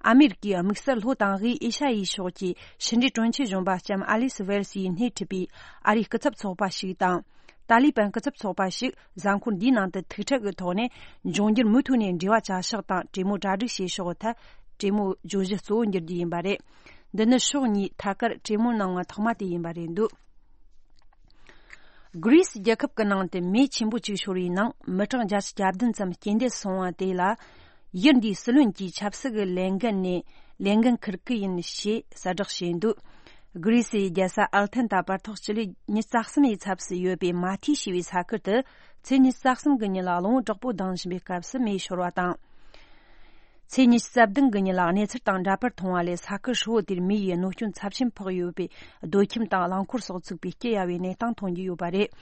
ཨ་མེ་རི་ཀའི་དམིགས་བསལ་ལྷོ་དང་དབུས་ཨེ་ཤ་ཡའི་ཕྱོགས་ཀྱི་ཕྱི་འབྲེལ་དྲུང་ཆེ་གཞོན་པ་ལྕམ་ཨ་ལི་སི་ཝེལ་སི་ཡིས་སྣེ་ཁྲིད་པའི་ཨ་རིའི་སྐུ་ཚབ་ཚོགས་པ་ཞིག་དང་། ཏཱ་ལི་བན་སྐུ་ཚབ་ཚོགས་པ་ཞིག་གཟའ་འཁོར་འདིའི་ནང་དུ་ཐུག་འཕྲད་ཀྱི་ཐོག་ནས། འབྱུང་འགྱུར་མུ་མཐུད་ནས་འབྲེལ་བ་བྱ་ཕྱོགས་དང་གྲོས་མོལ་གྲ་སྒྲིག་བྱེད་ཕྱོགས་ཐད་གྲོས་མོལ་བརྗོད་གཞི་གཙོ་བོ་འགྱུར་རྒྱུ་ཡིན་པ་རེད། འདི་ནི་ཕྱོགས་གཉིས་ཐད་ཀར་གྲོས་མོལ་གནང་བ་ཐོག་མ་དེ་ཡིན་པ་རེད་འདུག་གྷི་རི་སི་རྒྱལ་ཁབ་ཀྱི་ནང་དུ་མེ་ཆེན་པོ་གཅིག་ཤོར་བའི་ནང་མི་གྲངས་བརྒྱ་ཆ་གྱ་བདུན་ཙམ་རྐྱེན་འདས་སུ་སོང་བ་དེ་ལ། ཡུལ་འདིའི་སྲིད་བློན་གྱིས་ཆབ་སྲིད་ཀྱི་ལས་འགན་ནས་ལས་འགན་འཁུར་གི་ཡིན་ཞེས་གསལ་བསྒྲགས་བྱས་འདུག་གྷི་རི་སིའི་རྒྱལ་ས་ཨལ་ཐན་དང་བར་ཐག་སྤྱི་ལེ་ཉི་ཤུ་རྩ་གསུམ་ཡི་ཚབ་སུ་ཡོད་པའི་མ་ཐི་ཞེས་པའི་ས་ཁུལ་དུ་ཚེས་ཉི་ཤུ་རྩ་གསུམ་གྱི་ཉིན་ལ་གླང་པོ་བྲག་པོ་ལྡང་བཞིན་པའི་སྐབས་སུ་མེ་ཤོར་བ་དང་། ཚེས་ཉི་ཤུ་རྩ་བདུན་གྱི་ཉིན་ལ་གནས་ཚུལ་དང་འདྲ་པར་མཐོང་བ་ལས། ས་ཁུལ་ཧྲིལ་བོ་དེར་མེ་ཡིས་གནོད་སྐྱོན་ཚབས་ཆེན་ཕོག་ཡོད་པའི་སྡོད་ཁྱིམ་དང་རླངས་འཁོར་སོགས་ཚུགས་པའི་སྐྱི་གཡའ་བའི་གནས་སྟངས་མཐོང་རྒྱུ་ཡོད་པ་རེད།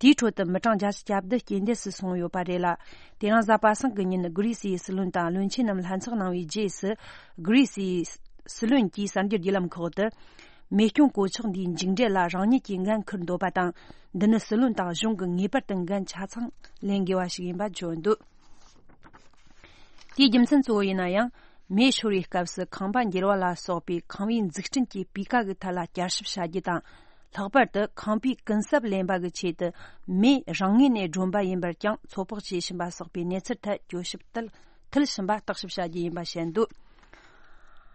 དེའི་ཁྲོད་དུ་མི་གྲངས་བརྒྱ་ཆ་གྱ་བདུན་རྐྱེན་འདས་སུ་སོང་ཡོད་པ་རེད་ལ། དེ་རིང་གཟའ་པ་སངས་ཀྱི་ཉིན་གྷི་རི་སིའི་སྲིད་བློན་དང་བློན་ཆེན་རྣམས་ལྷན་ཚོགས་གནང་བའི་རྗེས་སུ། གྷི་རི་སིའི་སྲིད་བློན་གྱིས་གསར་འགྱུར་བརྒྱུད་ལམ་ཁག་ཏུ། མེ་སྐྱོན་གོད་ཆག་འདིའི་མཇུག་འབྲས་ལ་རང་ཉིད་ཀྱིས་འགན་འཁུར་འདོད་པ་དང་། འདི་ནི་སྲིད་བློན་དང་གཞུང་གིས་ངེས་པར་དུ་འགན་ཆ་ཚང་ལེན་དགོས་པ་ཞིག་ཡིན་པ་བརྗོད་འདུག་དེའི་རྒྱུ་མཚན་གཙོ་བོ་ཡིན་ན་ཡང་། མེ་ཤོར་བའི་སྐབས་སུ་ཁང་པ་འགྱེལ་བ་ལ་སོགས་པའི་ཁང་པའི་འཛུགས་སྐྲུན་གྱི་སྤུས་ཀ་གི་ཐད་ལ་བསྐྱར་ཞིབ་བྱ་རྒྱུ་དང་། ལྷག་པར་དུ་ཁང་པའི་གུན་གསབ་ལེན་པ་གི་ཆེད་དུ་མེ་རང་ངོས་ནས་སྒྲོན་པ་ཡིན་པར་ཀྱང་ཚོད་དཔག་བྱེད་བཞིན་པ་སོགས་པའི་གནས་ཚུལ་ཐད་གྱོད་ཞིབ་དུ་མཐུད་བཞིན་པ་བརྟག་ཞིབ་བྱ་རྒྱུ་ཡིན་པ་བཤད་འདུག་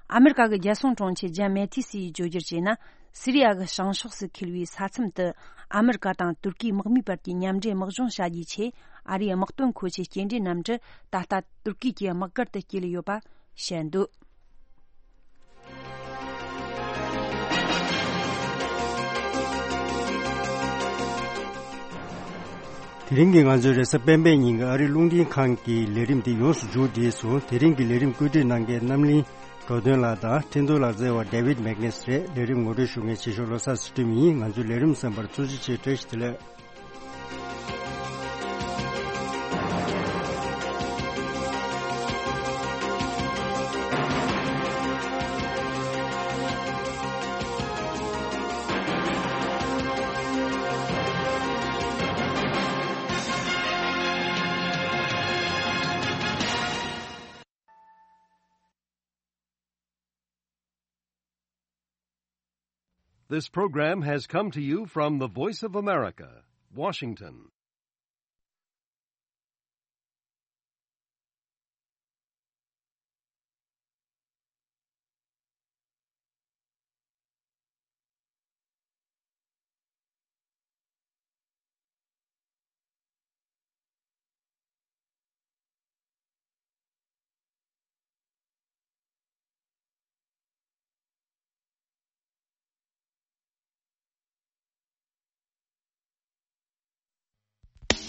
ཨ་མེ་རི་ཀ་གི་རྒྱལ་སྲུང་དྲུང་ཆེ་ཇན་མེ་ཐི་སི་ཡིས་བརྗོད་བསྒྱུར་བྱས་ན། སི་རི་ཡ་གི་བྱང་ཕྱོགས་སུ་འཁེལ་བའི་ས་མཚམས་དུ་ཨ་མེ་རི་ཀ་དང་ཏུར་ཀིའི་དམག་མིའི་བར་གྱི་མཉམ་འབྲེལ་དམག་སྦྱོང་བྱ་རྒྱུའི་ཆེད། ཨ་རིའི་དམག་དོན་མཁོ་ཆས་སྐྱེལ་འདྲེན་གནམ་གྲུ་ད་ལྟ་ཏུར་ཀི་གི་དམག་སྒར་དུ་སྐྱེལ་ཡོད་པ་བཤད་འདུག་དེ་རིང་གི་ང་ཚོའི་རེས་གཟའ་སྤེན་པའི་ཉིན་གྱི་ཨ་རིའི་རླུང་འཕྲིན་ཁང་གི་ལས་རིམ་འདི་ཡོངས་སུ་མཇུག་བསྒྲིལ་སོང་། དེ་རིང་གི་ལས་རིམ་བཀོད་སྒྲིག་གནང་མཁན་རྣམ་གླིང་འགྲོ་དོན་ལགས་དང་ཁྲིན་ཏུ་ལག་རྩལ་བ་ཌེ་ཝིད་མེག་ནེ་སི་རེད། ལས་རིམ་ངོ་སྤྲོད་ཞུ་མཁན་ཆེ་ཤོས་བློ་བཟང་ཚུལ་ཁྲིམས་ཡིན། ང་ཚོའི་ལས་རིམ་གསན་པར་ཐུགས་རྗེ་ཆེ། བཀྲ་ཤིས་བདེ་ལེགས། This program has come to you from the Voice of America, Washington.